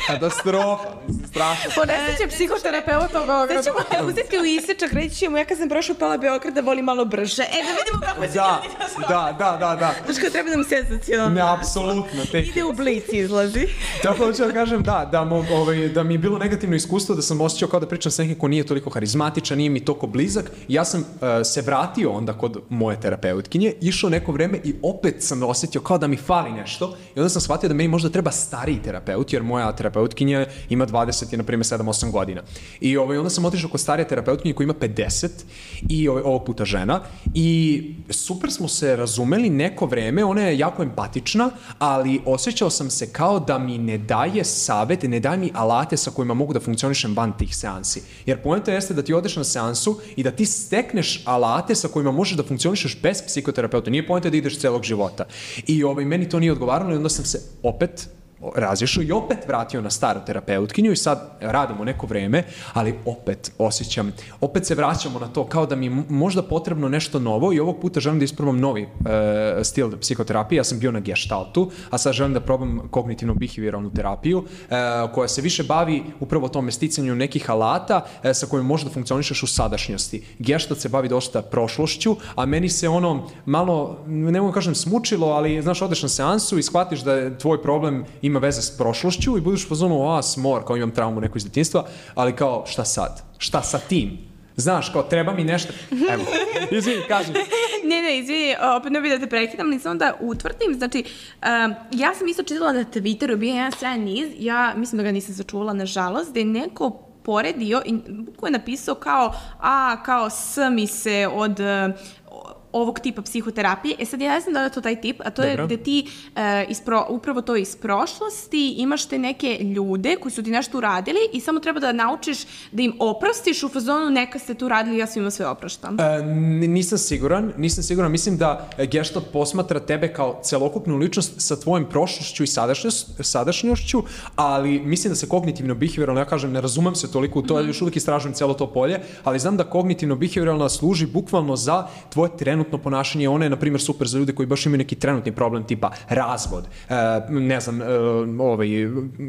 Katastrofa, strašno. Ponesit će psihoterapeuta u Beogradu. Sad ćemo uzeti u isečak, reći ćemo, ja kad sam prošla pola Beograda, volim malo brže. E, da vidimo kako će da, da, da, da, da. Znaš kao treba nam senzacionalno. Ne, apsolutno. Te... Ide u blic izlazi. Tako da ću da kažem, da, da, mo, ovaj, da mi je bilo negativno iskustvo, da sam osjećao kao da pričam sa nekim ko nije toliko harizmatičan, nije mi toliko blizak. Ja sam uh, se vratio onda kod moje terapeutkinje, išao neko vreme i opet sam osjetio kao da mi fali nešto. I onda sam shvatio da meni možda treba stariji terapeut, jer moja terapeutkinja ima dvadeset i na primjer sedam osam godina. I ovaj, onda sam otišao kod starije terapeutkinje koja ima pedeset i ovaj, ovog puta žena i super smo se razumeli neko vreme, ona je jako empatična, ali osjećao sam se kao da mi ne daje savjet, ne daje mi alate sa kojima mogu da funkcionišem van tih seansi. Jer poenta jeste da ti odeš na seansu i da ti stekneš alate sa kojima možeš da funkcionišeš bez psihoterapeuta. Nije poenta da ideš celog života. I ovaj, meni to nije odgovaralo i onda sam se opet razišao i opet vratio na staru terapeutkinju i sad radimo neko vreme, ali opet osjećam, opet se vraćamo na to kao da mi je možda potrebno nešto novo i ovog puta želim da isprobam novi e, stil psihoterapije. Ja sam bio na gestaltu, a sad želim da probam kognitivno-behavioralnu terapiju e, koja se više bavi upravo tome sticanju nekih alata e, sa kojim možda funkcionišeš u sadašnjosti. Gestalt se bavi dosta prošlošću, a meni se ono malo, ne mogu kažem smučilo, ali znaš, odeš na seansu i shvatiš da je tvoj problem ima veze s prošlošću i budeš u fazonu, a smor, kao imam traumu neko iz detinjstva, ali kao šta sad? Šta sa tim? Znaš, kao treba mi nešto... Evo, izvini, kaži. Ne, ne, izvini, opet ne bih da te prekidam, ali samo da utvrdim, znači, um, ja sam isto čitala na Twitteru, bio jedan sjajan niz, ja mislim da ga nisam sačuvala, nažalost, da je neko poredio i ko je napisao kao, a, kao s mi se od... Uh, ovog tipa psihoterapije. E sad ja ne znam da je to taj tip, a to Dobro. je gde ti uh, ispro, upravo to iz prošlosti imaš te neke ljude koji su ti nešto uradili i samo treba da naučiš da im oprostiš u fazonu neka ste tu radili, ja svima sve opraštam. E, nisam siguran, nisam siguran. Mislim da Gestalt posmatra tebe kao celokupnu ličnost sa tvojim prošlošću i sadašnjošću, ali mislim da se kognitivno-behavioralno, ja kažem, ne razumem se toliko u to, mm-hmm. još uvijek istražujem celo to polje, ali znam da kognitivno-behavioralna služi bukvalno za tvoje trenutno ponašanje. Ona je, na primjer, super za ljude koji baš imaju neki trenutni problem, tipa razvod, e, ne znam, e, ovaj,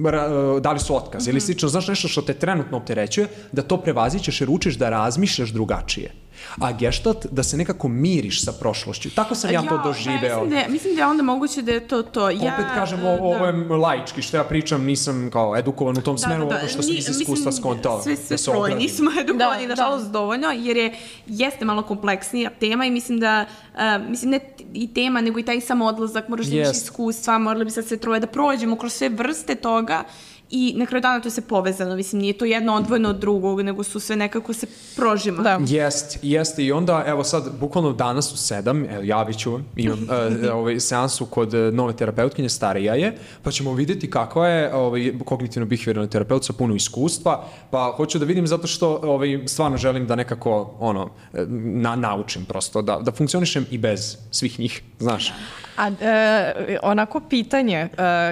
ra, dali su otkaz mm-hmm. ili slično, znaš nešto što te trenutno opterećuje, da to prevazićeš jer učiš da razmišljaš drugačije. A Gestalt da se nekako miriš sa prošlošću. Tako sam ja, ja to doživeo. Da, mislim, da, mislim da je onda moguće da je to to. Ja, Opet kažem, ovo, ovo je laički, što ja pričam, nisam kao edukovan u tom da, smeru, da, da. što sam iz iskustva skontao. Sve, sve troje nismo edukovani, da, nažalost, da. dovoljno, jer je, jeste malo kompleksnija tema i mislim da, uh, mislim ne i tema, nego i taj sam odlazak, moraš da imaš iskustva, morali bi sad sve troje da prođemo kroz sve vrste toga. I na kraju dana to se povezano, mislim, nije to jedno odvojeno od drugog, nego su sve nekako se prožima. Da. Jest, jeste i onda, evo sad, bukvalno danas u sedam, evo, javit ću vam, imam uh, ovaj, seansu kod nove terapeutkinje, starija je, pa ćemo vidjeti kakva je ovaj, kognitivno-behavioralni terapeut sa puno iskustva, pa hoću da vidim zato što ovaj, stvarno želim da nekako, ono, na, naučim prosto, da, da funkcionišem i bez svih njih, znaš. A e, onako pitanje, e,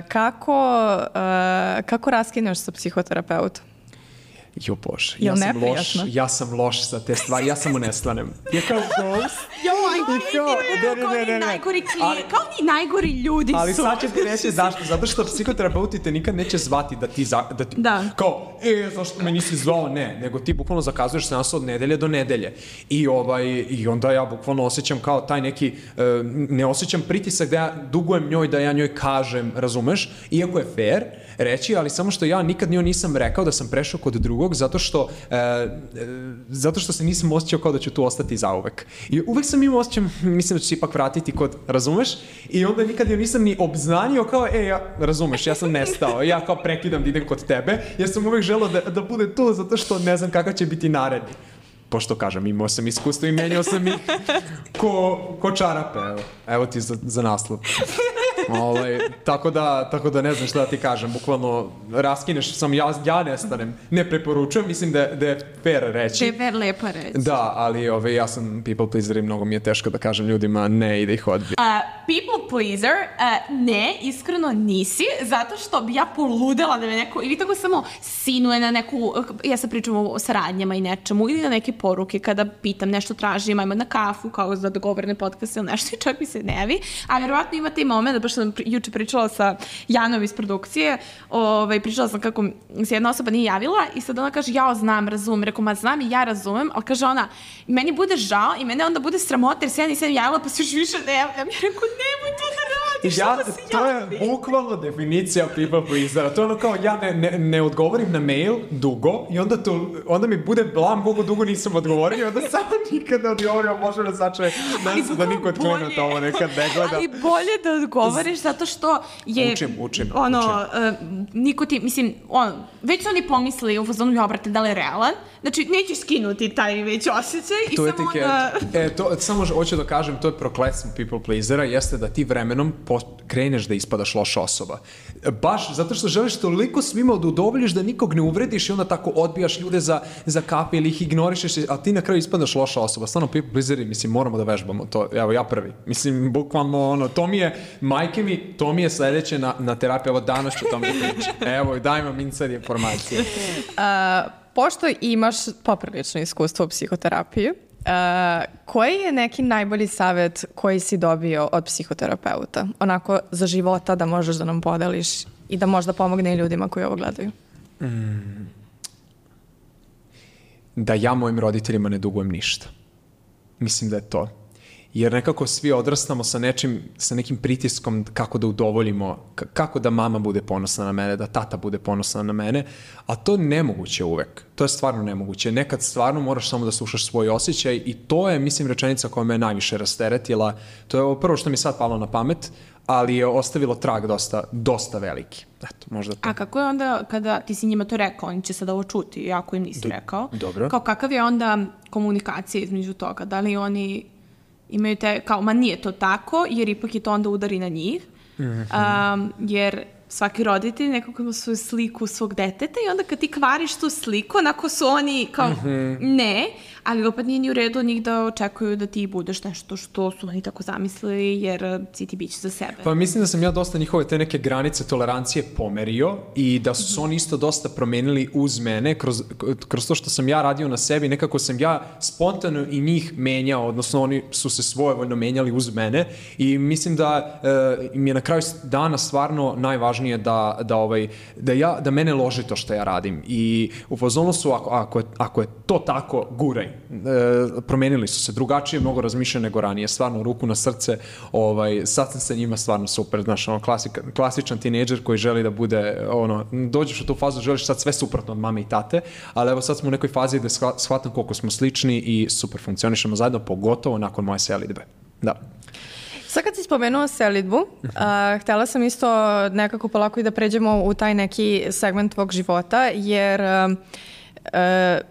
kako, e, kako raskineš sa psihoterapeutom? Jo bože, ja sam loš, ja sam loš za te stvari, ja samo ne slanem. Ja kao ghost. Jo, kao ni najgori klijent, kao ni najgori ljudi su. Ali sad ću ti reći zašto, zato što psihoterapeuti te nikad neće zvati da ti, za, da ti da. kao, e, zašto me nisi zvao, ne, nego ti bukvalno zakazuješ seans od nedelje do nedelje. I, ovaj, i onda ja bukvalno osjećam kao taj neki, uh, ne osjećam pritisak da ja dugujem njoj, da ja njoj kažem, razumeš, iako je fair reći, ali samo što ja nikad njoj nisam rekao da sam prešao kod drugog, zato što, e, e, zato što se nisam osjećao kao da ću tu ostati zauvek. I uvek sam imao osjećaj, mislim da ću se ipak vratiti kod, razumeš? I onda nikad joj nisam ni obznanio kao, e, ja, razumeš, ja sam nestao, ja kao prekidam da idem kod tebe, jer sam uvek želeo da, da bude tu, zato što ne znam kakav će biti naredni. Pošto kažem, imao sam iskustvo i menjao sam ih ko, ko čarape, evo, evo ti za, za naslov. Ovaj, tako, da, tako da ne znam šta da ti kažem, bukvalno raskineš, sam ja, ja nestanem, ne preporučujem, mislim da, da je fair reći. Da je fair lepa reći. Da, ali ovaj, ja sam people pleaser i mnogo mi je teško da kažem ljudima ne i da ih odbijem. Uh, people pleaser, uh, ne, iskreno nisi, zato što bi ja poludela da me neko, ili tako samo sinuje na neku, ja sam pričam o saradnjama i nečemu, ili na neke poruke kada pitam nešto tražim, ajmo na kafu, kao za dogovorne podcaste ili nešto, čak mi se ne javi, a verovatno ima taj moment, da baš sam juče pričala sa Janom iz produkcije, ovaj, pričala sam kako se jedna osoba nije javila i sad ona kaže, ja znam, razumem, rekao, ma znam i ja razumem, ali kaže ona, meni bude žao i mene onda bude sramota jer se ja nisam javila pa se još više ne javljam. Ja rekao, nemoj to da radiš, ja, onda se to je bukvalno definicija people pleasera. To je ono kao, ja ne, ne, ne odgovorim na mail dugo i onda, to, onda mi bude blam koliko dugo nisam odgovorio i onda samo nikad ne odgovorio, može da sačuje da niko od klijenata ovo nekad ne gleda. Ali bolje da odgovoriš zato što je učim, učim, ono, učim. Uh, niko ti, mislim, on, već su oni pomislili u fazonu, ja, brate, da li je realan? Znači, nećeš skinuti taj već osjećaj i to samo onda... E, to, samo hoću da kažem, to je prokletstvo people pleasera, jeste da ti vremenom po, kreneš da ispadaš loša osoba. Baš zato što želiš toliko svima da udovoljiš da nikog ne uvrediš i onda tako odbijaš ljude za, za kafe ili ih ignorišeš, a ti na kraju ispadaš loša osoba. Stvarno, people pleaseri, mislim, moramo da vežbamo to. Evo, ja prvi. Mislim, bukvalno, ono, to mi je, majke mi, to mi je sledeće na, na terapiju. Evo, danas ću to mi da pričam. Evo, daj vam inside informacije. Uh, pošto imaš poprilično iskustvo u psihoterapiji, Uh, koji je neki najbolji savjet koji si dobio od psihoterapeuta? Onako za života da možeš da nam podeliš i da možda pomogne i ljudima koji ovo gledaju. Mm. Da ja mojim roditeljima ne dugujem ništa. Mislim da je to. Jer nekako svi odrastamo sa nečim, sa nekim pritiskom kako da udovoljimo, kako da mama bude ponosna na mene, da tata bude ponosna na mene, a to je nemoguće uvek. To je stvarno nemoguće. Nekad stvarno moraš samo da slušaš svoj osjećaj i to je, mislim, rečenica koja me najviše rasteretila. To je ovo prvo što mi sad palo na pamet, ali je ostavilo trag dosta, dosta veliki. Eto, možda to. A kako je onda, kada ti si njima to rekao, oni će sad ovo čuti, ako im nisi Do, rekao. Dobro. Kao kakav je onda komunikacija između toga? Da li oni imaju te, kao, ma nije to tako, jer ipak je to onda udari na njih. Mm-hmm. Um, jer svaki roditelj nekako ima svoju sliku svog deteta i onda kad ti kvariš tu sliku, onako su oni kao, mm-hmm. ne, ali opet nije ni u redu od njih da očekuju da ti budeš nešto što su oni tako zamislili, jer si ti biće za sebe. Pa mislim da sam ja dosta njihove te neke granice tolerancije pomerio i da su se oni isto dosta promenili uz mene, kroz, kroz to što sam ja radio na sebi, nekako sam ja spontano i njih menjao, odnosno oni su se svojevoljno menjali uz mene i mislim da e, mi je na kraju dana stvarno najvažnije da, da, ovaj, da, ja, da mene loži to što ja radim i u fazonu su, ako, ako, je, ako je to tako, guraj. E, promenili su se, drugačije mnogo razmišljaju nego ranije, stvarno ruku na srce, ovaj, sad sam sa njima stvarno super, znaš, ono, klasika, klasičan tinejdžer koji želi da bude, ono, dođeš u tu fazu, želiš sad sve suprotno od mame i tate, ali evo sad smo u nekoj fazi da shvatam koliko smo slični i super funkcionišemo zajedno, pogotovo nakon moje selidbe. Da. Sad kad si spomenuo selidbu, uh, htjela sam isto nekako polako i da pređemo u taj neki segment tvog života, jer uh, uh,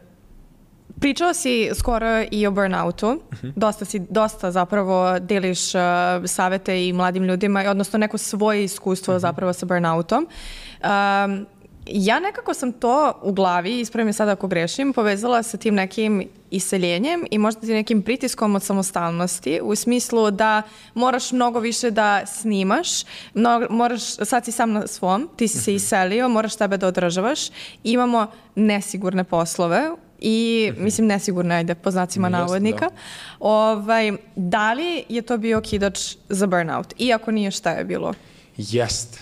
pričao si skoro i o burnoutu, uh-huh. dosta, si, dosta zapravo deliš uh, savete i mladim ljudima, odnosno neko svoje iskustvo uh-huh. zapravo sa burnoutom. Um, ja nekako sam to u glavi, ispravi me sada ako grešim, povezala sa tim nekim iseljenjem i možda ti nekim pritiskom od samostalnosti, u smislu da moraš mnogo više da snimaš, mnogo, moraš, sad si sam na svom, ti si se iselio, moraš tebe da održavaš, imamo nesigurne poslove, i mislim nesigurno, ajde, po znacima navodnika. Da. Ovaj, da li je to bio okidač za burnout? Iako nije, šta je bilo? Jeste.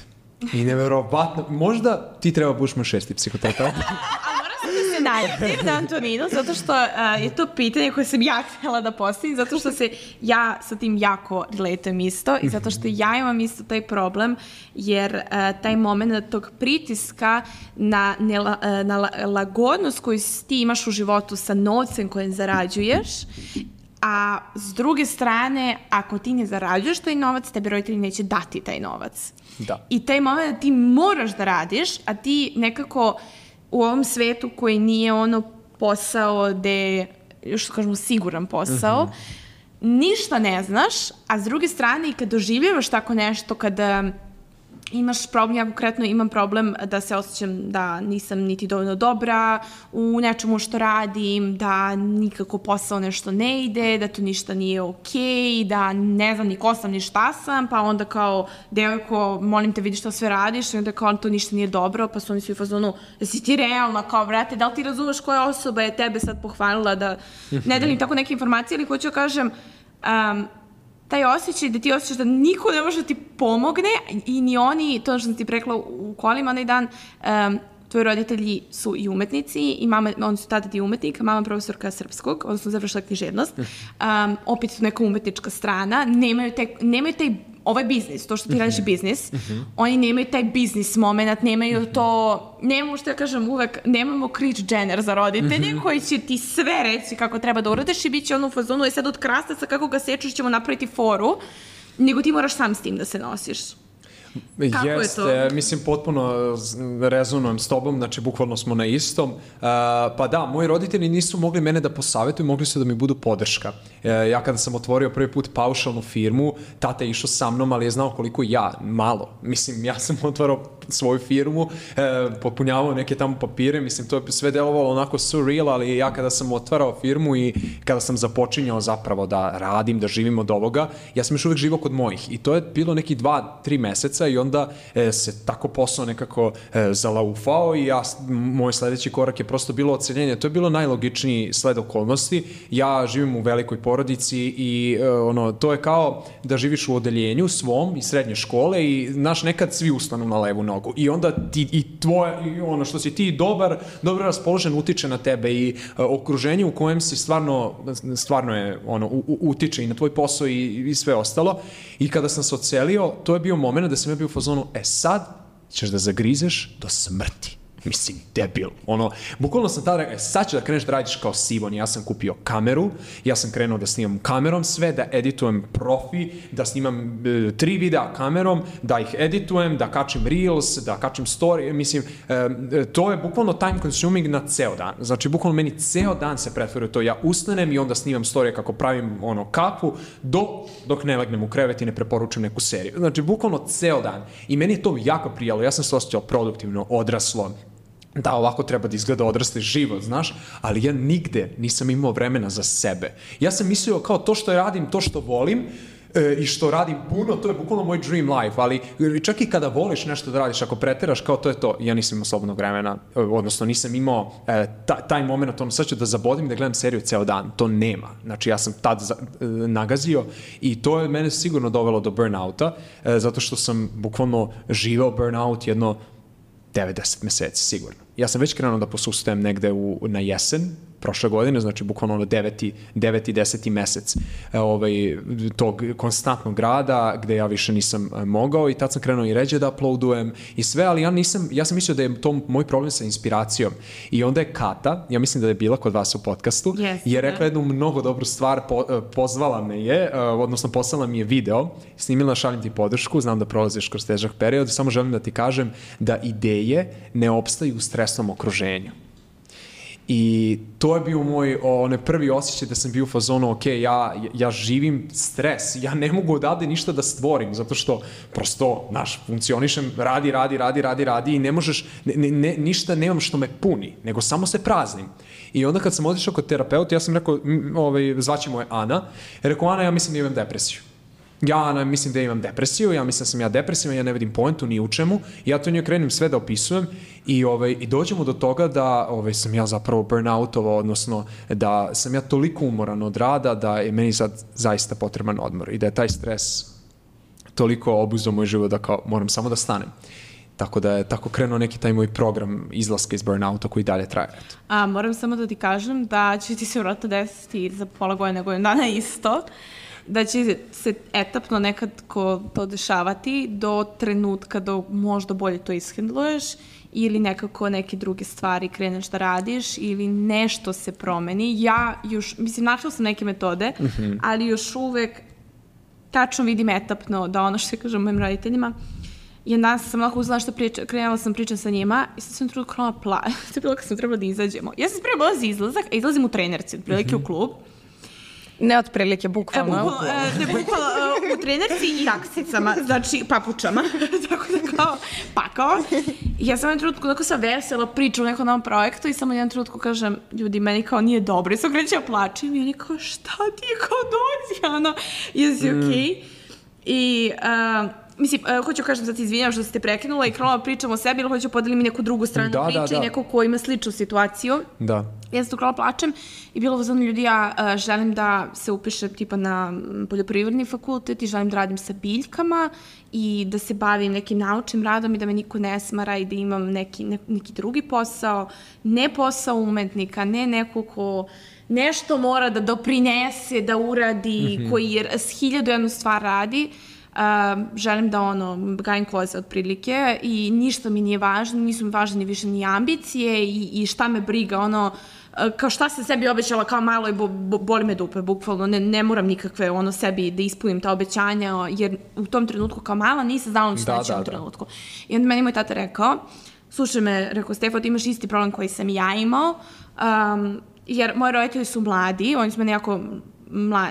I neverovatno. Možda ti treba buš moj šesti psihoterapeut. A moram sam da se najavim na Antoninu, zato što uh, je to pitanje koje sam ja htjela da postavim, zato što se ja sa tim jako relatujem isto i zato što ja imam isto taj problem, jer uh, taj moment tog pritiska na, nela, uh, na la, lagodnost koju ti imaš u životu sa novcem kojem zarađuješ, a s druge strane, ako ti ne zarađuješ taj novac, tebi roditelji neće dati taj novac. Da. I taj moment da ti moraš da radiš, a ti nekako u ovom svetu koji nije ono posao gde, još kažemo, siguran posao, mm-hmm. ništa ne znaš, a s druge strane i kad doživljavaš tako nešto, kada imaš problem, ja konkretno imam problem da se osjećam da nisam niti dovoljno dobra u nečemu što radim, da nikako posao nešto ne ide, da to ništa nije okej, da ne znam ni ko sam ni šta sam, pa onda kao devojko, molim te vidi šta sve radiš i onda kao to ništa nije dobro, pa su oni svi u fazonu, da si ti realna, kao brate, da li ti razumeš koja osoba je tebe sad pohvalila da ne delim tako neke informacije, ali hoću da kažem, um, taj osjećaj da ti osjećaš da niko ne može da ti pomogne i ni oni, to što sam ti prekla u kolima onaj dan, um, tvoji roditelji su i umetnici i mama, oni su tada ti umetnik, mama profesorka srpskog, odnosno završila književnost, um, opet su neka umetnička strana, nemaju taj, nemaju taj ovaj biznis, to što ti radiš biznis, uh-huh. oni nemaju taj biznis moment, nemaju uh-huh. to, nemamo što ja kažem uvek, nemamo Kris Jenner za roditelje uh-huh. koji će ti sve reći kako treba da uradiš i bit će ono u fazonu, je sad od krastaca kako ga sečeš ćemo napraviti foru, nego ti moraš sam s tim da se nosiš. Kako Jeste, je to? mislim, potpuno rezonujem s tobom, znači, bukvalno smo na istom. Uh, pa da, moji roditelji nisu mogli mene da posavetuju, mogli su da mi budu podrška. Uh, ja kada sam otvorio prvi put paušalnu firmu, tata je išao sa mnom, ali je znao koliko ja, malo. Mislim, ja sam otvarao svoju firmu, uh, popunjavao neke tamo papire, mislim, to je sve delovalo onako surreal, ali ja kada sam otvarao firmu i kada sam započinjao zapravo da radim, da živim od ovoga, ja sam još uvijek živao kod mojih. I to je bilo neki dva, tri meseca i onda e, se tako posao nekako e, zalaufao i ja, moj sledeći korak je prosto bilo odseljenje. To je bilo najlogičniji sled okolnosti. Ja živim u velikoj porodici i e, ono, to je kao da živiš u odeljenju svom i srednje škole i znaš, nekad svi ustanu na levu nogu i onda ti i tvoje, i ono što si ti dobar, dobro raspoložen utiče na tebe i e, okruženje u kojem si stvarno, stvarno je ono, u, u, utiče i na tvoj posao i, i sve ostalo. I kada sam se odselio, to je bio moment da sam ja bio u fazonu, e sad ćeš da zagrizeš do smrti. Mislim, debil. Ono, bukvalno sam tada rekao, e, sad ću da kreneš da radiš kao Sivon. Ja sam kupio kameru, ja sam krenuo da snimam kamerom sve, da editujem profi, da snimam e, tri videa kamerom, da ih editujem, da kačim reels, da kačim story. Mislim, e, to je bukvalno time consuming na ceo dan. Znači, bukvalno meni ceo dan se pretvorio to. Ja ustanem i onda snimam storije kako pravim ono kakvu, do, dok ne legnem u krevet i ne preporučujem neku seriju. Znači, bukvalno ceo dan. I meni je to jako prijalo. Ja sam se osjećao produktivno, odraslo. Da, ovako treba da izgleda odrasli život, znaš, ali ja nigde nisam imao vremena za sebe. Ja sam mislio kao to što radim, to što volim e, i što radim puno, to je bukvalno moj dream life, ali čak i kada voliš nešto da radiš, ako preteraš, kao to je to, ja nisam imao slobodnog vremena, odnosno nisam imao e, ta, taj moment, ono sad ću da zabodim da gledam seriju ceo dan, to nema. Znači ja sam tad za, e, nagazio i to je mene sigurno dovelo do burnouta, e, zato što sam bukvalno živeo burnout jedno devedeset meseci, sigurno. Ja sam već krenuo da posustajem negde u, na jesen, prošle godine, znači bukvalno ono deveti, deveti, deseti mesec ovaj, tog konstantnog rada gde ja više nisam mogao i tad sam krenuo i ređe da uploadujem i sve, ali ja nisam, ja sam mislio da je to moj problem sa inspiracijom. I onda je Kata, ja mislim da je bila kod vas u podcastu, yes, je rekla jednu mnogo dobru stvar, po, pozvala me je, odnosno poslala mi je video, snimila Šaljem ti podršku, znam da prolaziš kroz težak period, samo želim da ti kažem da ideje ne opstaju u stresnom okruženju. I to je bio moj onaj prvi osjećaj da sam bio u fazonu, ok, ja, ja živim stres, ja ne mogu odavde ništa da stvorim, zato što prosto, znaš, funkcionišem, radi, radi, radi, radi, radi i ne možeš, ne, ne, ništa nemam što me puni, nego samo se praznim. I onda kad sam otišao kod terapeuta, ja sam rekao, ovaj, zvaće moje Ana, je rekao, Ana, ja mislim da imam depresiju. Ja mislim da imam depresiju, ja mislim da sam ja depresivan, ja ne vidim poentu ni u čemu, ja to njoj krenem sve da opisujem i, ovaj, i dođemo do toga da ovaj, sam ja zapravo burnoutovao, odnosno da sam ja toliko umoran od rada da je meni sad zaista potreban odmor i da je taj stres toliko obuzeo moj život da kao moram samo da stanem. Tako da je tako krenuo neki taj moj program izlaska iz burnouta koji dalje traje. A, moram samo da ti kažem da će ti se vratno desiti za pola godine, godinu dana isto, da će se etapno nekad ko to dešavati do trenutka do možda bolje to ishendluješ ili nekako neke druge stvari kreneš da radiš ili nešto se promeni. Ja još, mislim, našla sam neke metode, mm-hmm. ali još uvek tačno vidim etapno da ono što kažem mojim roditeljima, jedan dan sam lako uzela što priča, krenula sam pričam sa njima i sad sam trudu krenula pla. To je bilo kad sam trebala da izađemo. Ja sam spremala za izlazak, a izlazim u trenerci, otprilike mm-hmm. u klub. Ne otprilike, bukvalno. E, bukvalno, e, ne, bukvalno e, u trenerci i aksicama, znači papučama, tako da kao pakao. I ja sam jedan trenutku tako sam vesela priča u nekom novom projektu i samo jedan trenutku kažem, ljudi, meni kao nije dobro. I sam krećela plačim i oni kao, šta ti je kao dođi, ono, jesi mm. okej? Okay? I... Uh, Mislim, uh, hoću kažem, sad se izvinjam što ste prekinula i krenula pričam o sebi ili hoću podelim neku drugu stranu da, priče da, da. i neko ko ima sličnu situaciju. Da. Ja sam tu krenula plačem i bilo vazano ljudi, ja uh, želim da se upišem tipa na poljoprivredni fakultet i želim da radim sa biljkama i da se bavim nekim naučnim radom i da me niko ne smara i da imam neki, ne, neki drugi posao, ne posao umetnika, ne neko ko nešto mora da doprinese, da uradi, mm-hmm. koji je s hiljadu jednu stvar radi. Uh, želim da ono, gajim koze otprilike i ništa mi nije važno, nisu mi važne ni više ni ambicije i, i šta me briga, ono, kao šta sam sebi obećala kao malo i bo, bo, boli me dupe, bukvalno, ne, ne moram nikakve ono sebi da ispunim ta obećanja, jer u tom trenutku kao mala nisam znala ni šta će u tom trenutku. I onda meni moj tata rekao, slušaj me, rekao, Stefan, ti imaš isti problem koji sam ja imao, um, jer moji roditelji su mladi, oni su me nekako, mla,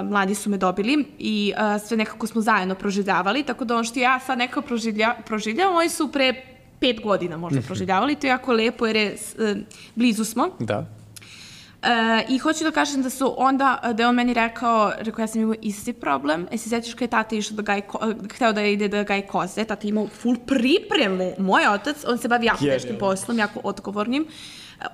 mladi su me dobili i uh, sve nekako smo zajedno proživljavali, tako da ono što ja sad nekako proživlja, proživljavam, oni su pre pet godina možda proživljavali, to je jako lepo jer je, uh, blizu smo. Da. E, I hoću da kažem da su onda, da je on meni rekao, rekao ja sam imao isti problem, e se sjećaš kada je tata išao da gaji, hteo da ide da gaji koze, tata imao full pripremu, moj otac, on se bavi jako teškim poslom, jako odgovornim,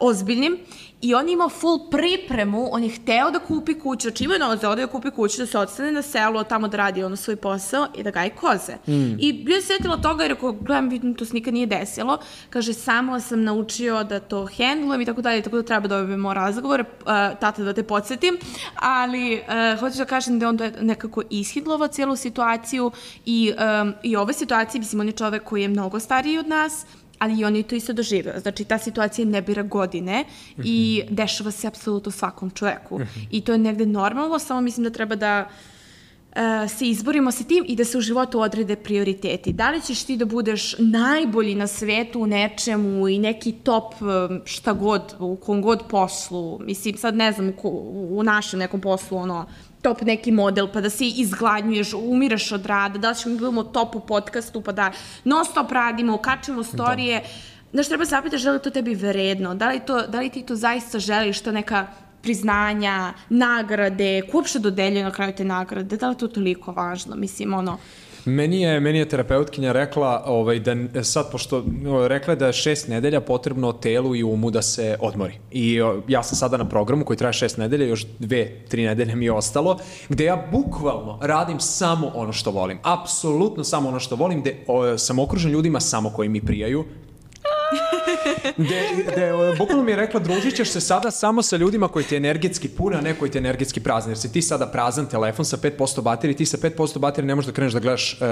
ozbiljnim, i on je imao full pripremu, on je hteo da kupi kuću, znači imao je novac da ode da kupi kuću, da se odstane na selo, tamo da radi ono svoj posao i da gaji koze. Mm. I bio je sjetila toga, jer ako gledam, vidim, to se nikad nije desilo, kaže, samo sam naučio da to hendlujem i tako dalje, tako da treba da dobijemo razgovor, uh, tata da te podsjetim, ali uh, hoću da kažem da on nekako ishidlovao cijelu situaciju i, um, i ove situacije, mislim, on je čovek koji je mnogo stariji od nas, ali i on je to isto doživeo. Znači, ta situacija ne bira godine mm-hmm. i dešava se apsolutno svakom čoveku. Mm-hmm. I to je negde normalno, samo mislim da treba da uh, se izborimo sa tim i da se u životu odrede prioriteti. Da li ćeš ti da budeš najbolji na svetu u nečemu i neki top šta god, u kom god poslu, mislim, sad ne znam, u, u našem nekom poslu, ono, top neki model, pa da se izgladnjuješ, umiraš od rada, da li ćemo gledamo top u podcastu, pa da non stop radimo, kačemo storije. Da. Znaš, treba zapitaš da li to tebi vredno, da li, to, da li ti to zaista želiš, to neka priznanja, nagrade, ko uopšte dodeljuje na kraju te nagrade, da li to toliko važno, mislim, ono... Meni je, meni je terapeutkinja rekla ovaj, da sad, pošto rekla je da je šest nedelja potrebno telu i umu da se odmori. I ja sam sada na programu koji traje šest nedelja, još dve, tri nedelje mi je ostalo, gde ja bukvalno radim samo ono što volim. Apsolutno samo ono što volim, gde o, sam okružen ljudima samo koji mi prijaju. Gde, gde, bukvalno mi je rekla, družit ćeš se sada samo sa ljudima koji te energetski pune, a ne koji te energetski prazni. Jer si ti sada prazan telefon sa pet posto baterije, ti sa pet posto baterije ne možeš da kreneš da gledaš uh,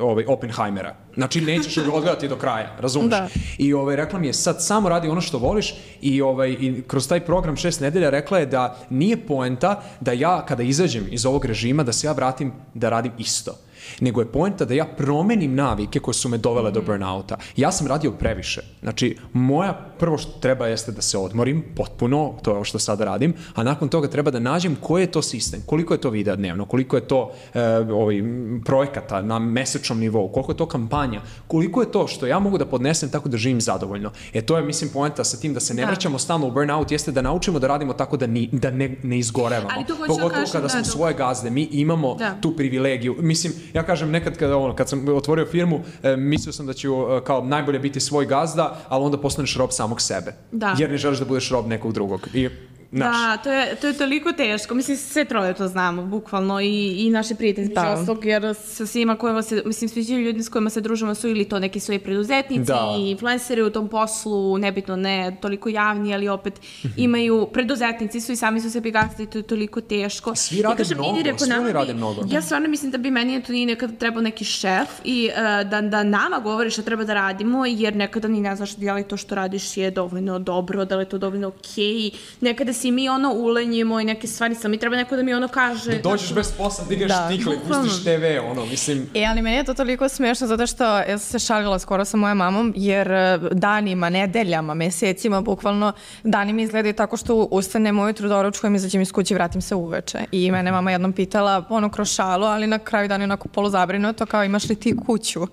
ovaj, Oppenheimera. Znači, nećeš ga odgledati do kraja, razumiješ? Da. I ovaj, rekla mi je, sad samo radi ono što voliš i, ovaj, i kroz taj program šest nedelja rekla je da nije poenta da ja, kada izađem iz ovog režima, da se ja vratim da radim isto. Nego je poenta da ja promenim navike koje su me dovele mm. do burnouta. Ja sam radio previše. Znači, moja prvo što treba jeste da se odmorim potpuno, to je ovo što sada radim, a nakon toga treba da nađem koji je to sistem, koliko je to videa dnevno, koliko je to e, ovaj, projekata na mesečnom nivou, koliko je to kampanja, koliko je to što ja mogu da podnesem tako da živim zadovoljno. E to je, mislim, poenta sa tim da se ne da. vraćamo stalno u burnout, jeste da naučimo da radimo tako da, ni, da ne, ne izgorevamo. Pogotovo kažem, kada smo da, svoje gazde, mi imamo da. tu privilegiju. Mislim, ja kažem, nekad kada, ono, kad sam otvorio firmu, e, mislio sam da ću e, kao najbolje biti svoj gazda, ali onda postaneš rob samog sebe. Da. Jer ne želiš da budeš rob nekog drugog. I, naš. Da, to je, to je toliko teško. Mislim, sve troje to znamo, bukvalno, i, i naše prijatelji, da. Oslog, jer sa svima kojima se, mislim, svi ljudi s kojima se družimo su ili to neki svoji preduzetnici, da. i influenceri u tom poslu, nebitno ne toliko javni, ali opet mm-hmm. imaju, preduzetnici su i sami su sebi gazdi, to je toliko teško. Svi rade ja mnogo, rekao, svi oni rade mnogo. Ja stvarno mislim da bi meni to nije nekada trebao neki šef i uh, da, da nama govori što treba da radimo, jer nekada ni ne znaš da li to što radiš je dovoljno dobro, da li je to dovoljno okej. Okay. Nekada si mi ono ulenjimo i neke stvari, sam mi treba neko da mi ono kaže... Da dođeš bez posla, digaš da. štikle, pustiš te ve, ono, mislim... E, ali meni je to toliko smiješno zato što ja sam se šalila skoro sa mojom mamom, jer danima, nedeljama, mesecima, bukvalno, dani mi izgledaju tako što ustanem ujutru, doručkujem, izađem iz kuće i vratim se uveče. I mene mama jednom pitala, ono, kroz šalu, ali na kraju dana onako poluzabrinuto, kao imaš li ti kuću?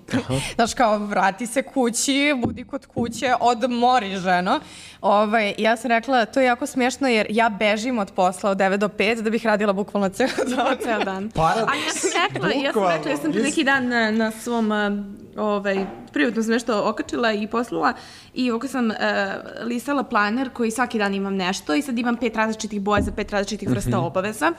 Znaš, kao, vrati se kući, budi kod kuće, odmori, ženo. Ovaj, ja sam rekla, to je jako smiješno jer ja bežim od posla od devet do pet da bih radila bukvalno ceo dan. Ceo dan. Paradoks. A ja sam rekla, ja sam rekla, ja sam pre neki dan na, na svom ovaj, privatno sam nešto okačila i poslala i ovako sam uh, listala planer koji svaki dan imam nešto i sad imam pet različitih boja za pet različitih vrsta mm-hmm. obaveza.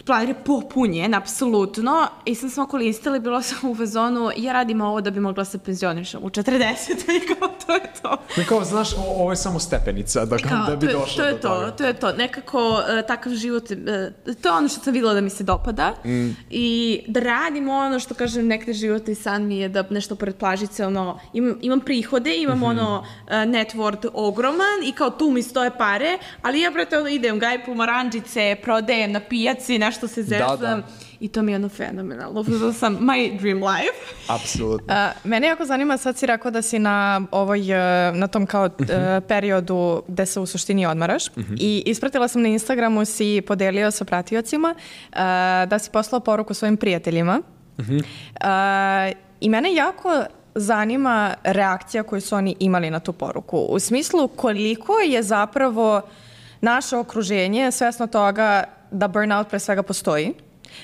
planire popunjen, apsolutno, i sam smo koristili, bilo sam u fazonu, ja radim ovo da bi mogla se penzionišem u četrdeset, i kao, to je to. Mi kao, znaš, o, ovo je samo stepenica da, kao, da bi došlo do to toga. Je to, to je to, nekako uh, takav život, uh, to je ono što sam videla da mi se dopada mm. i da radim ono što, kažem, nekde životni san mi je da nešto pored plažice, ono, imam, imam prihode, imam mm-hmm. ono uh, net worth ogroman i kao tu mi stoje pare, ali ja, brate, ono, idem, gaj pomaranđice, prodajem na pijaci, nešto se zezam. Da, da. I to mi je ono fenomenalno. To sam my dream life. Apsolutno. Uh, mene jako zanima, sad si rekao da si na, ovoj, na tom kao uh-huh. uh, periodu gde se u suštini odmaraš. Uh-huh. I ispratila sam na Instagramu, si podelio sa pratiocima uh, da si poslao poruku svojim prijateljima. Uh-huh. Uh, I mene jako zanima reakcija koju su oni imali na tu poruku. U smislu koliko je zapravo naše okruženje svesno toga da burnout pre svega postoji,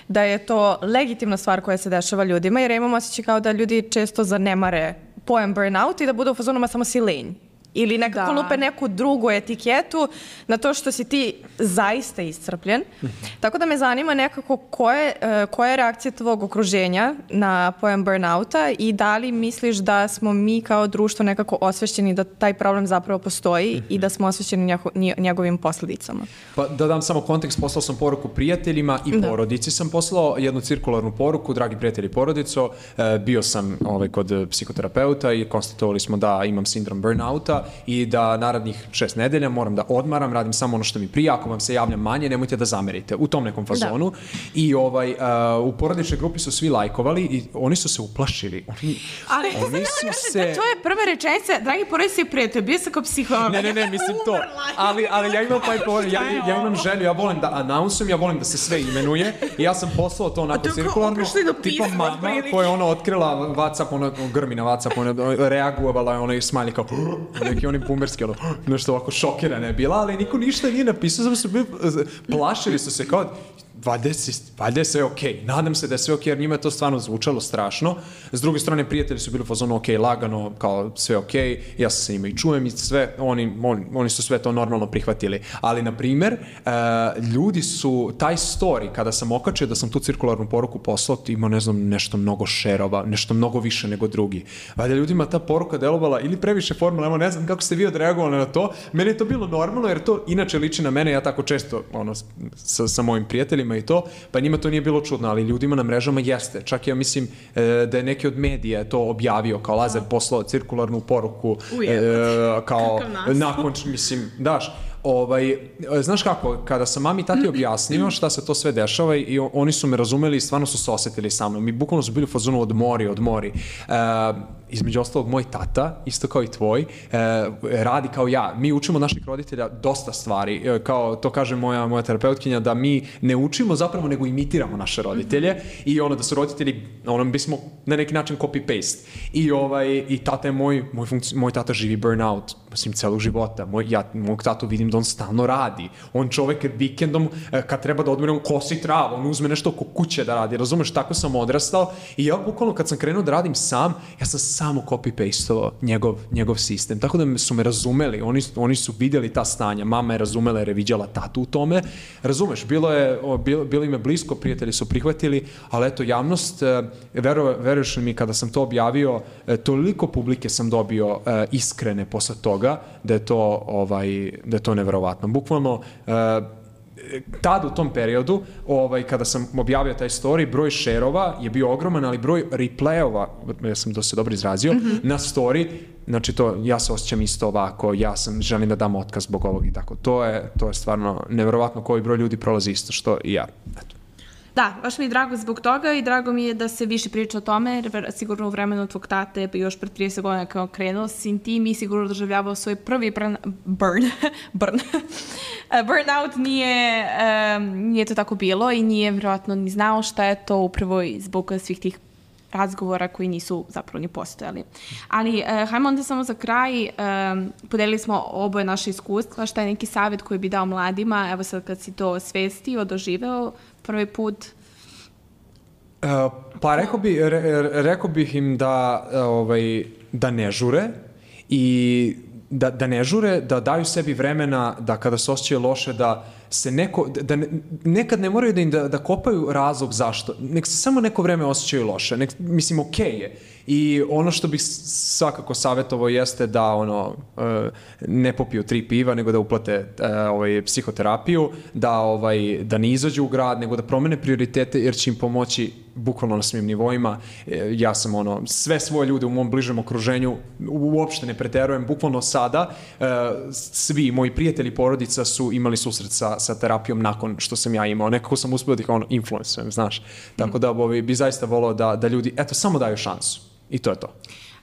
da je to legitimna stvar koja se dešava ljudima, jer ja imam osjećaj kao da ljudi često zanemare pojam burnout i da budu u fazonima samo si lenj. Ili nekako lupe neku drugu etiketu na to što si ti zaista iscrpljen. Tako da me zanima nekako koje, koja je reakcija tvog okruženja na pojam burnouta i da li misliš da smo mi kao društvo nekako osvešćeni da taj problem zapravo postoji mm-hmm. i da smo osvešćeni njegovim posljedicama. Pa da dam samo kontekst, poslao sam poruku prijateljima i da. porodici. Sam poslao jednu cirkularnu poruku, dragi prijatelji i porodico, bio sam ovaj, kod psihoterapeuta i konstatovali smo da imam sindrom burnouta i da narednih šest nedelja moram da odmaram, radim samo ono što mi prija, ako vam se javljam manje, nemojte da zamerite, u tom nekom fazonu. Da. I ovaj, uh, u porodičnoj grupi su svi lajkovali i oni su se uplašili. Oni, ali oni su se... Da, to je prva rečenica, dragi porodici i prijatelji, bio sam kao psiholog. Ne, ne, ne, mislim to. Ali, ali ja imam taj por... ja, ja imam želju, ja volim da announsujem, ja volim da se sve imenuje i ja sam poslao to onako cirkularno, tipa mama koja je ono otkrila WhatsApp, ono grmi na WhatsApp, ono reagovala je ono i smajli kao neki oni bumerski, ono, nešto ovako šokirana je bila, ali niko ništa nije napisao, samo su bili, plašili su se kao, valjda je sve okej, okay. Nadam se da je sve okej, okay, jer njima je to stvarno zvučalo strašno. S druge strane, prijatelji su bili u fazonu okej, okay, lagano, kao sve okej, okay. Ja se sa njima i čujem i sve, oni, oni, oni su sve to normalno prihvatili. Ali, na primer, uh, ljudi su, taj story, kada sam okačio da sam tu cirkularnu poruku poslao, imao, ne znam, nešto mnogo šerova, nešto mnogo više nego drugi. Valjda ljudima ta poruka delovala ili previše formalno, evo ne znam kako ste vi odreagovali na to, meni je to bilo normalno, jer to inače liči na mene, ja tako često, ono, sa, sa mojim prijateljima i to, pa njima to nije bilo čudno, ali ljudima na mrežama jeste. Čak ja mislim e, da je neki od medija to objavio, kao Lazar poslao cirkularnu poruku, e, kao nakon, mislim, daš, ovaj, znaš kako, kada sam mami i tati objasnio šta se to sve dešava i oni su me razumeli i stvarno su se osjetili sa mnom. Mi bukvalno su bili u fazonu odmori, odmori. E, između ostalog, moj tata, isto kao i tvoj, e, radi kao ja. Mi učimo od naših roditelja dosta stvari. E, kao to kaže moja, moja terapeutkinja, da mi ne učimo zapravo, nego imitiramo naše roditelje i ono da su roditelji, ono bismo na neki način copy-paste. I, ovaj, i tata je moj, moj, funkci, moj tata živi burnout, mislim, celog života. Moj, ja mog tatu vidim da on stalno radi. On čovek vikendom, kad treba da odmore, on kosi travu, on uzme nešto oko kuće da radi. Razumeš, tako sam odrastao i ja bukvalno kad sam krenuo da radim sam, ja sam samo copy-pastovao njegov, njegov sistem. Tako da su me razumeli, oni, oni su vidjeli ta stanja, mama je razumela jer je viđala tatu u tome. Razumeš, bilo je, bilo, bilo im je blisko, prijatelji su prihvatili, ali eto, javnost, vero, veruješ li mi, kada sam to objavio, toliko publike sam dobio iskrene posle toga, da je to, ovaj, da je to neverovatno. Bukvalno, tad u tom periodu, ovaj, kada sam objavio taj story, broj šerova je bio ogroman, ali broj replayova, ja sam to se dobro izrazio, mm-hmm. na story, znači to, ja se osjećam isto ovako, ja sam, želim da dam otkaz zbog ovog i tako. To je, to je stvarno neverovatno koji broj ljudi prolazi isto što i ja. Eto. Da, baš mi je drago zbog toga i drago mi je da se više priča o tome, jer sigurno u vremenu tvog tate, pa još pred trideset godina kao krenuo sin ti, mi sigurno doživljavao svoj prvi burn, burn, burn. burnout, nije, um, nije to tako bilo i nije vjerojatno ni znao šta je to upravo zbog svih tih razgovora koji nisu zapravo ni postojali. Ali, uh, hajmo onda samo za kraj, um, podelili smo oboje naše iskustva, šta je neki savjet koji bi dao mladima, evo sad kad si to osvestio, doživeo prvi put? Uh, pa rekao, bi, re, rekao bih im da, ovaj, da ne žure i da, da ne žure, da daju sebi vremena da kada se osjećaju loše, da se neko, da ne, nekad ne moraju da im da, da kopaju razlog zašto, nek se samo neko vreme osjećaju loše, nek, mislim, okej okay je. I ono što bih svakako savjetovao jeste da ono, ne popiju tri piva, nego da uplate ovaj, psihoterapiju, da, ovaj, da ne izađu u grad, nego da promene prioritete, jer će im pomoći bukvalno na svim nivoima. Ja sam ono, sve svoje ljude u mom bližem okruženju uopšte ne preterujem, bukvalno sada svi moji prijatelji i porodica su imali susret sa, sa terapijom nakon što sam ja imao. Nekako sam uspio da ih ono, influencujem, znaš. Tako da ovaj, bi zaista volao da, da ljudi, eto, samo daju šansu. I to je to.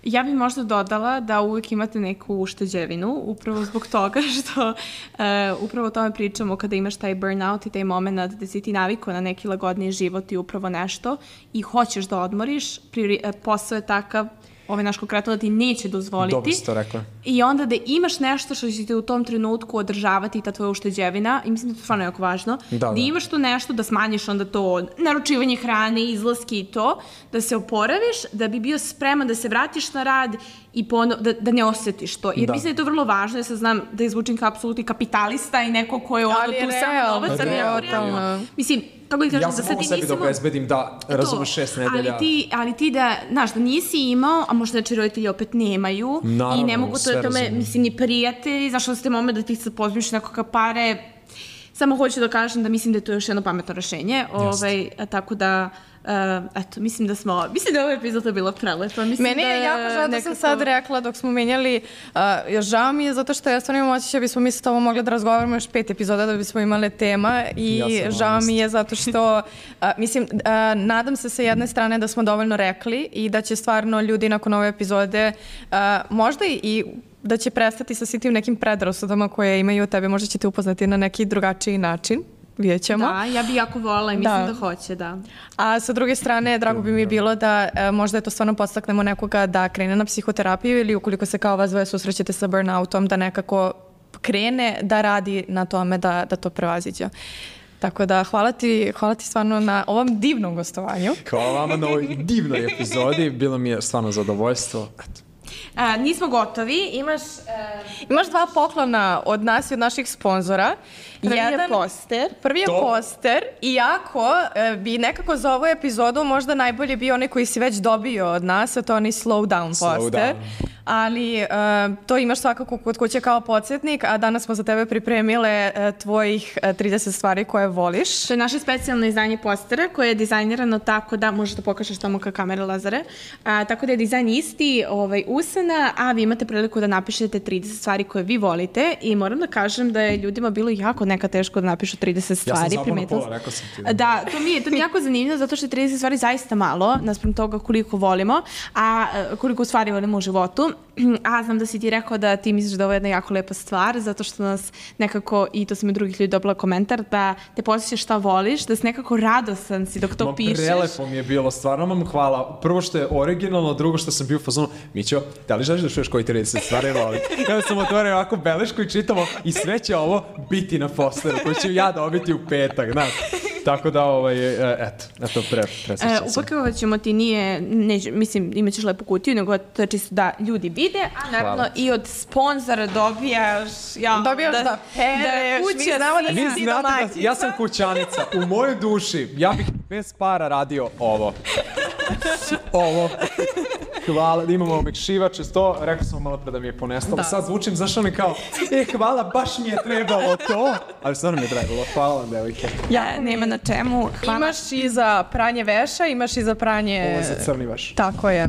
Ja bih možda dodala da uvijek imate neku ušteđevinu, upravo zbog toga što uh, upravo o tome pričamo kada imaš taj burnout i taj moment da si ti navikao na neki lagodniji život i upravo nešto i hoćeš da odmoriš, priori, posao je takav, ovaj naš konkretno da ti neće dozvoliti. Dobro si to rekla. I onda da imaš nešto što će te u tom trenutku održavati, ta tvoja ušteđevina, i mislim da je to stvarno jako važno, da, da. da imaš tu nešto da smanjiš onda to naručivanje hrane, izlaske i to, da se oporaviš, da bi bio spreman da se vratiš na rad i pono, da, da ne osjetiš to. Jer da. mislim da je to vrlo važno, ja sad znam da izvučim kao apsolutni kapitalista i neko ko je ono tu samo novac, ali ja realno, mislim, kako kažem, ja sam da mogu sebi da obezbedim da razumeš šest nedelja. Ali ti, ali ti da, znaš, da nisi imao, a možda znači roditelji opet nemaju. Naravno, i ne mogu to da tome, razumim. mislim, ni prijatelji, znaš, da ste moment da ti se pozmiš nekoga pare. Samo hoću da kažem da mislim da je to još jedno pametno rešenje. Ovaj, tako da, uh, eto, mislim da smo, mislim da je ova epizoda bila prelepa. Meni je da, jako žao da sam sad rekla dok smo menjali, uh, žao mi je zato što ja stvarno imam osjećaj da bismo mi sa ovo mogli da razgovaramo još pet epizoda da bismo imali tema i ja žao mi je zato što, uh, mislim, uh, nadam se sa jedne strane da smo dovoljno rekli i da će stvarno ljudi nakon ove epizode uh, možda i da će prestati sa svim tim nekim predrasudama koje imaju od tebe, možda ćete upoznati na neki drugačiji način. Vidjet ćemo. Da, ja bi jako volila i mislim da, da hoće, da. A sa druge strane, drago bi mi bilo da e, možda je to stvarno podstaknemo nekoga da krene na psihoterapiju ili ukoliko se kao vas dvoje susrećete sa burnoutom, da nekako krene da radi na tome da, da to prevaziđe. Tako da hvala ti, hvala ti stvarno na ovom divnom gostovanju. Hvala vama na ovoj divnoj epizodi, bilo mi je stvarno zadovoljstvo. Eto. A, nismo gotovi, imaš... Uh... Imaš dva poklona od nas i od naših sponzora. Prvi Jedan, je poster. Prvi je to. poster, iako e, bi nekako za ovu epizodu možda najbolje bio onaj koji si već dobio od nas, a to je onaj slow down slow poster. Down. Ali e, to imaš svakako kod kuće kao podsjetnik, a danas smo za tebe pripremile e, tvojih e, trideset stvari koje voliš. To je naše specijalno izdanje postera koje je dizajnirano tako da, možeš da pokažeš tamo ka kamere, Lazare, a, tako da je dizajn isti, ovaj, usana, a vi imate priliku da napišete trideset stvari koje vi volite i moram da kažem da je ljudima bilo jako neka teško da napišu trideset stvari. Ja sam zapao na pola, rekao sam ti. Da, to mi je, to mi je jako zanimljivo zato što je trideset stvari zaista malo, naspram toga koliko volimo, a koliko stvari volimo u životu. A znam da si ti rekao da ti misliš da ovo je jedna jako lepa stvar, zato što nas nekako, i to sam i drugih ljudi dobila komentar, da te posjećaš šta voliš, da si nekako radosan si dok to Ma, pišeš. Prelepo mi je bilo, stvarno vam hvala. Prvo što je originalno, drugo što sam bio u fazonu, Mićo, da li želiš da čuješ koji trideset stvari volim? Ja sam otvorio ovako belešku i čitamo i sve će ovo biti na posteru koji ću ja dobiti u petak, znaš. Tako da, ovaj, eto, eto, pre, presjećam e, se. Upakovat ćemo ti nije, neće, mislim, imat ćeš lepu kutiju, nego to je čisto da ljudi vide, a naravno hvala. I od sponzora dobijaš, ja, dobijaš da, da pereš, da kuće, znamo da vi znate da ja sam kućanica, u mojoj duši, ja bih bez para radio ovo. Ovo. Hvala, da imamo omekšivače, to, rekao sam malo pre da mi je ponestalo. Da. Sad zvučim, zašto mi kao, e, hvala, baš mi je trebalo to. Ali stvarno mi je trebalo, hvala vam, devojke. Ja, nema na čemu, hvala. Imaš i za pranje veša, imaš i za pranje... Ovo je za crni veš. Tako je.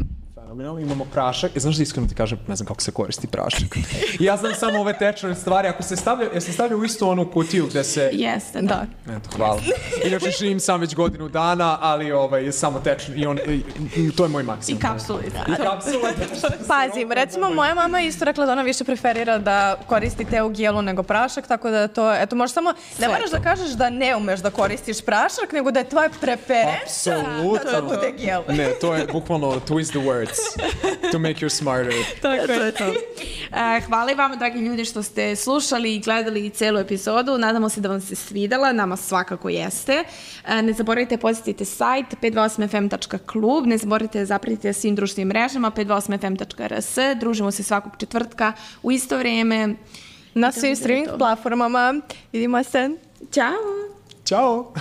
Imamo prašak, i znaš da iskreno ti kažem, ne znam kako se koristi prašak. Ja znam samo ove tečne stvari, ako se stavlja, ja se stavlja u istu onu kutiju gde se... Jeste, da. Eto, hvala. Inače živim sam već godinu dana, ali ovaj, samo tečno, i, on, i, i to je moj maksimum. I kapsule. I kapsule. Pazim, recimo moja mama isto rekla da ona više preferira da koristi te u gelu nego prašak, tako da to, eto, možeš samo, ne moraš da kažeš da ne umeš da koristiš prašak, nego da je tvoja preferenca da to bude gel. Ne, to je bukvalno twist the words. To make you smarter. Tako je to. Uh, hvala i vama, dragi ljudi, što ste slušali i gledali celu epizodu. Nadamo se da vam se svidela, nama svakako jeste. Uh, ne zaboravite posjetite sajt pet dva osam f m tačka klub, ne zaboravite da zapratite svim društvenim mrežama pet dva osam f m tačka r s. Družimo se svakog četvrtka u isto vrijeme. Na svim streaming platformama. Vidimo se. Ćao! Ćao!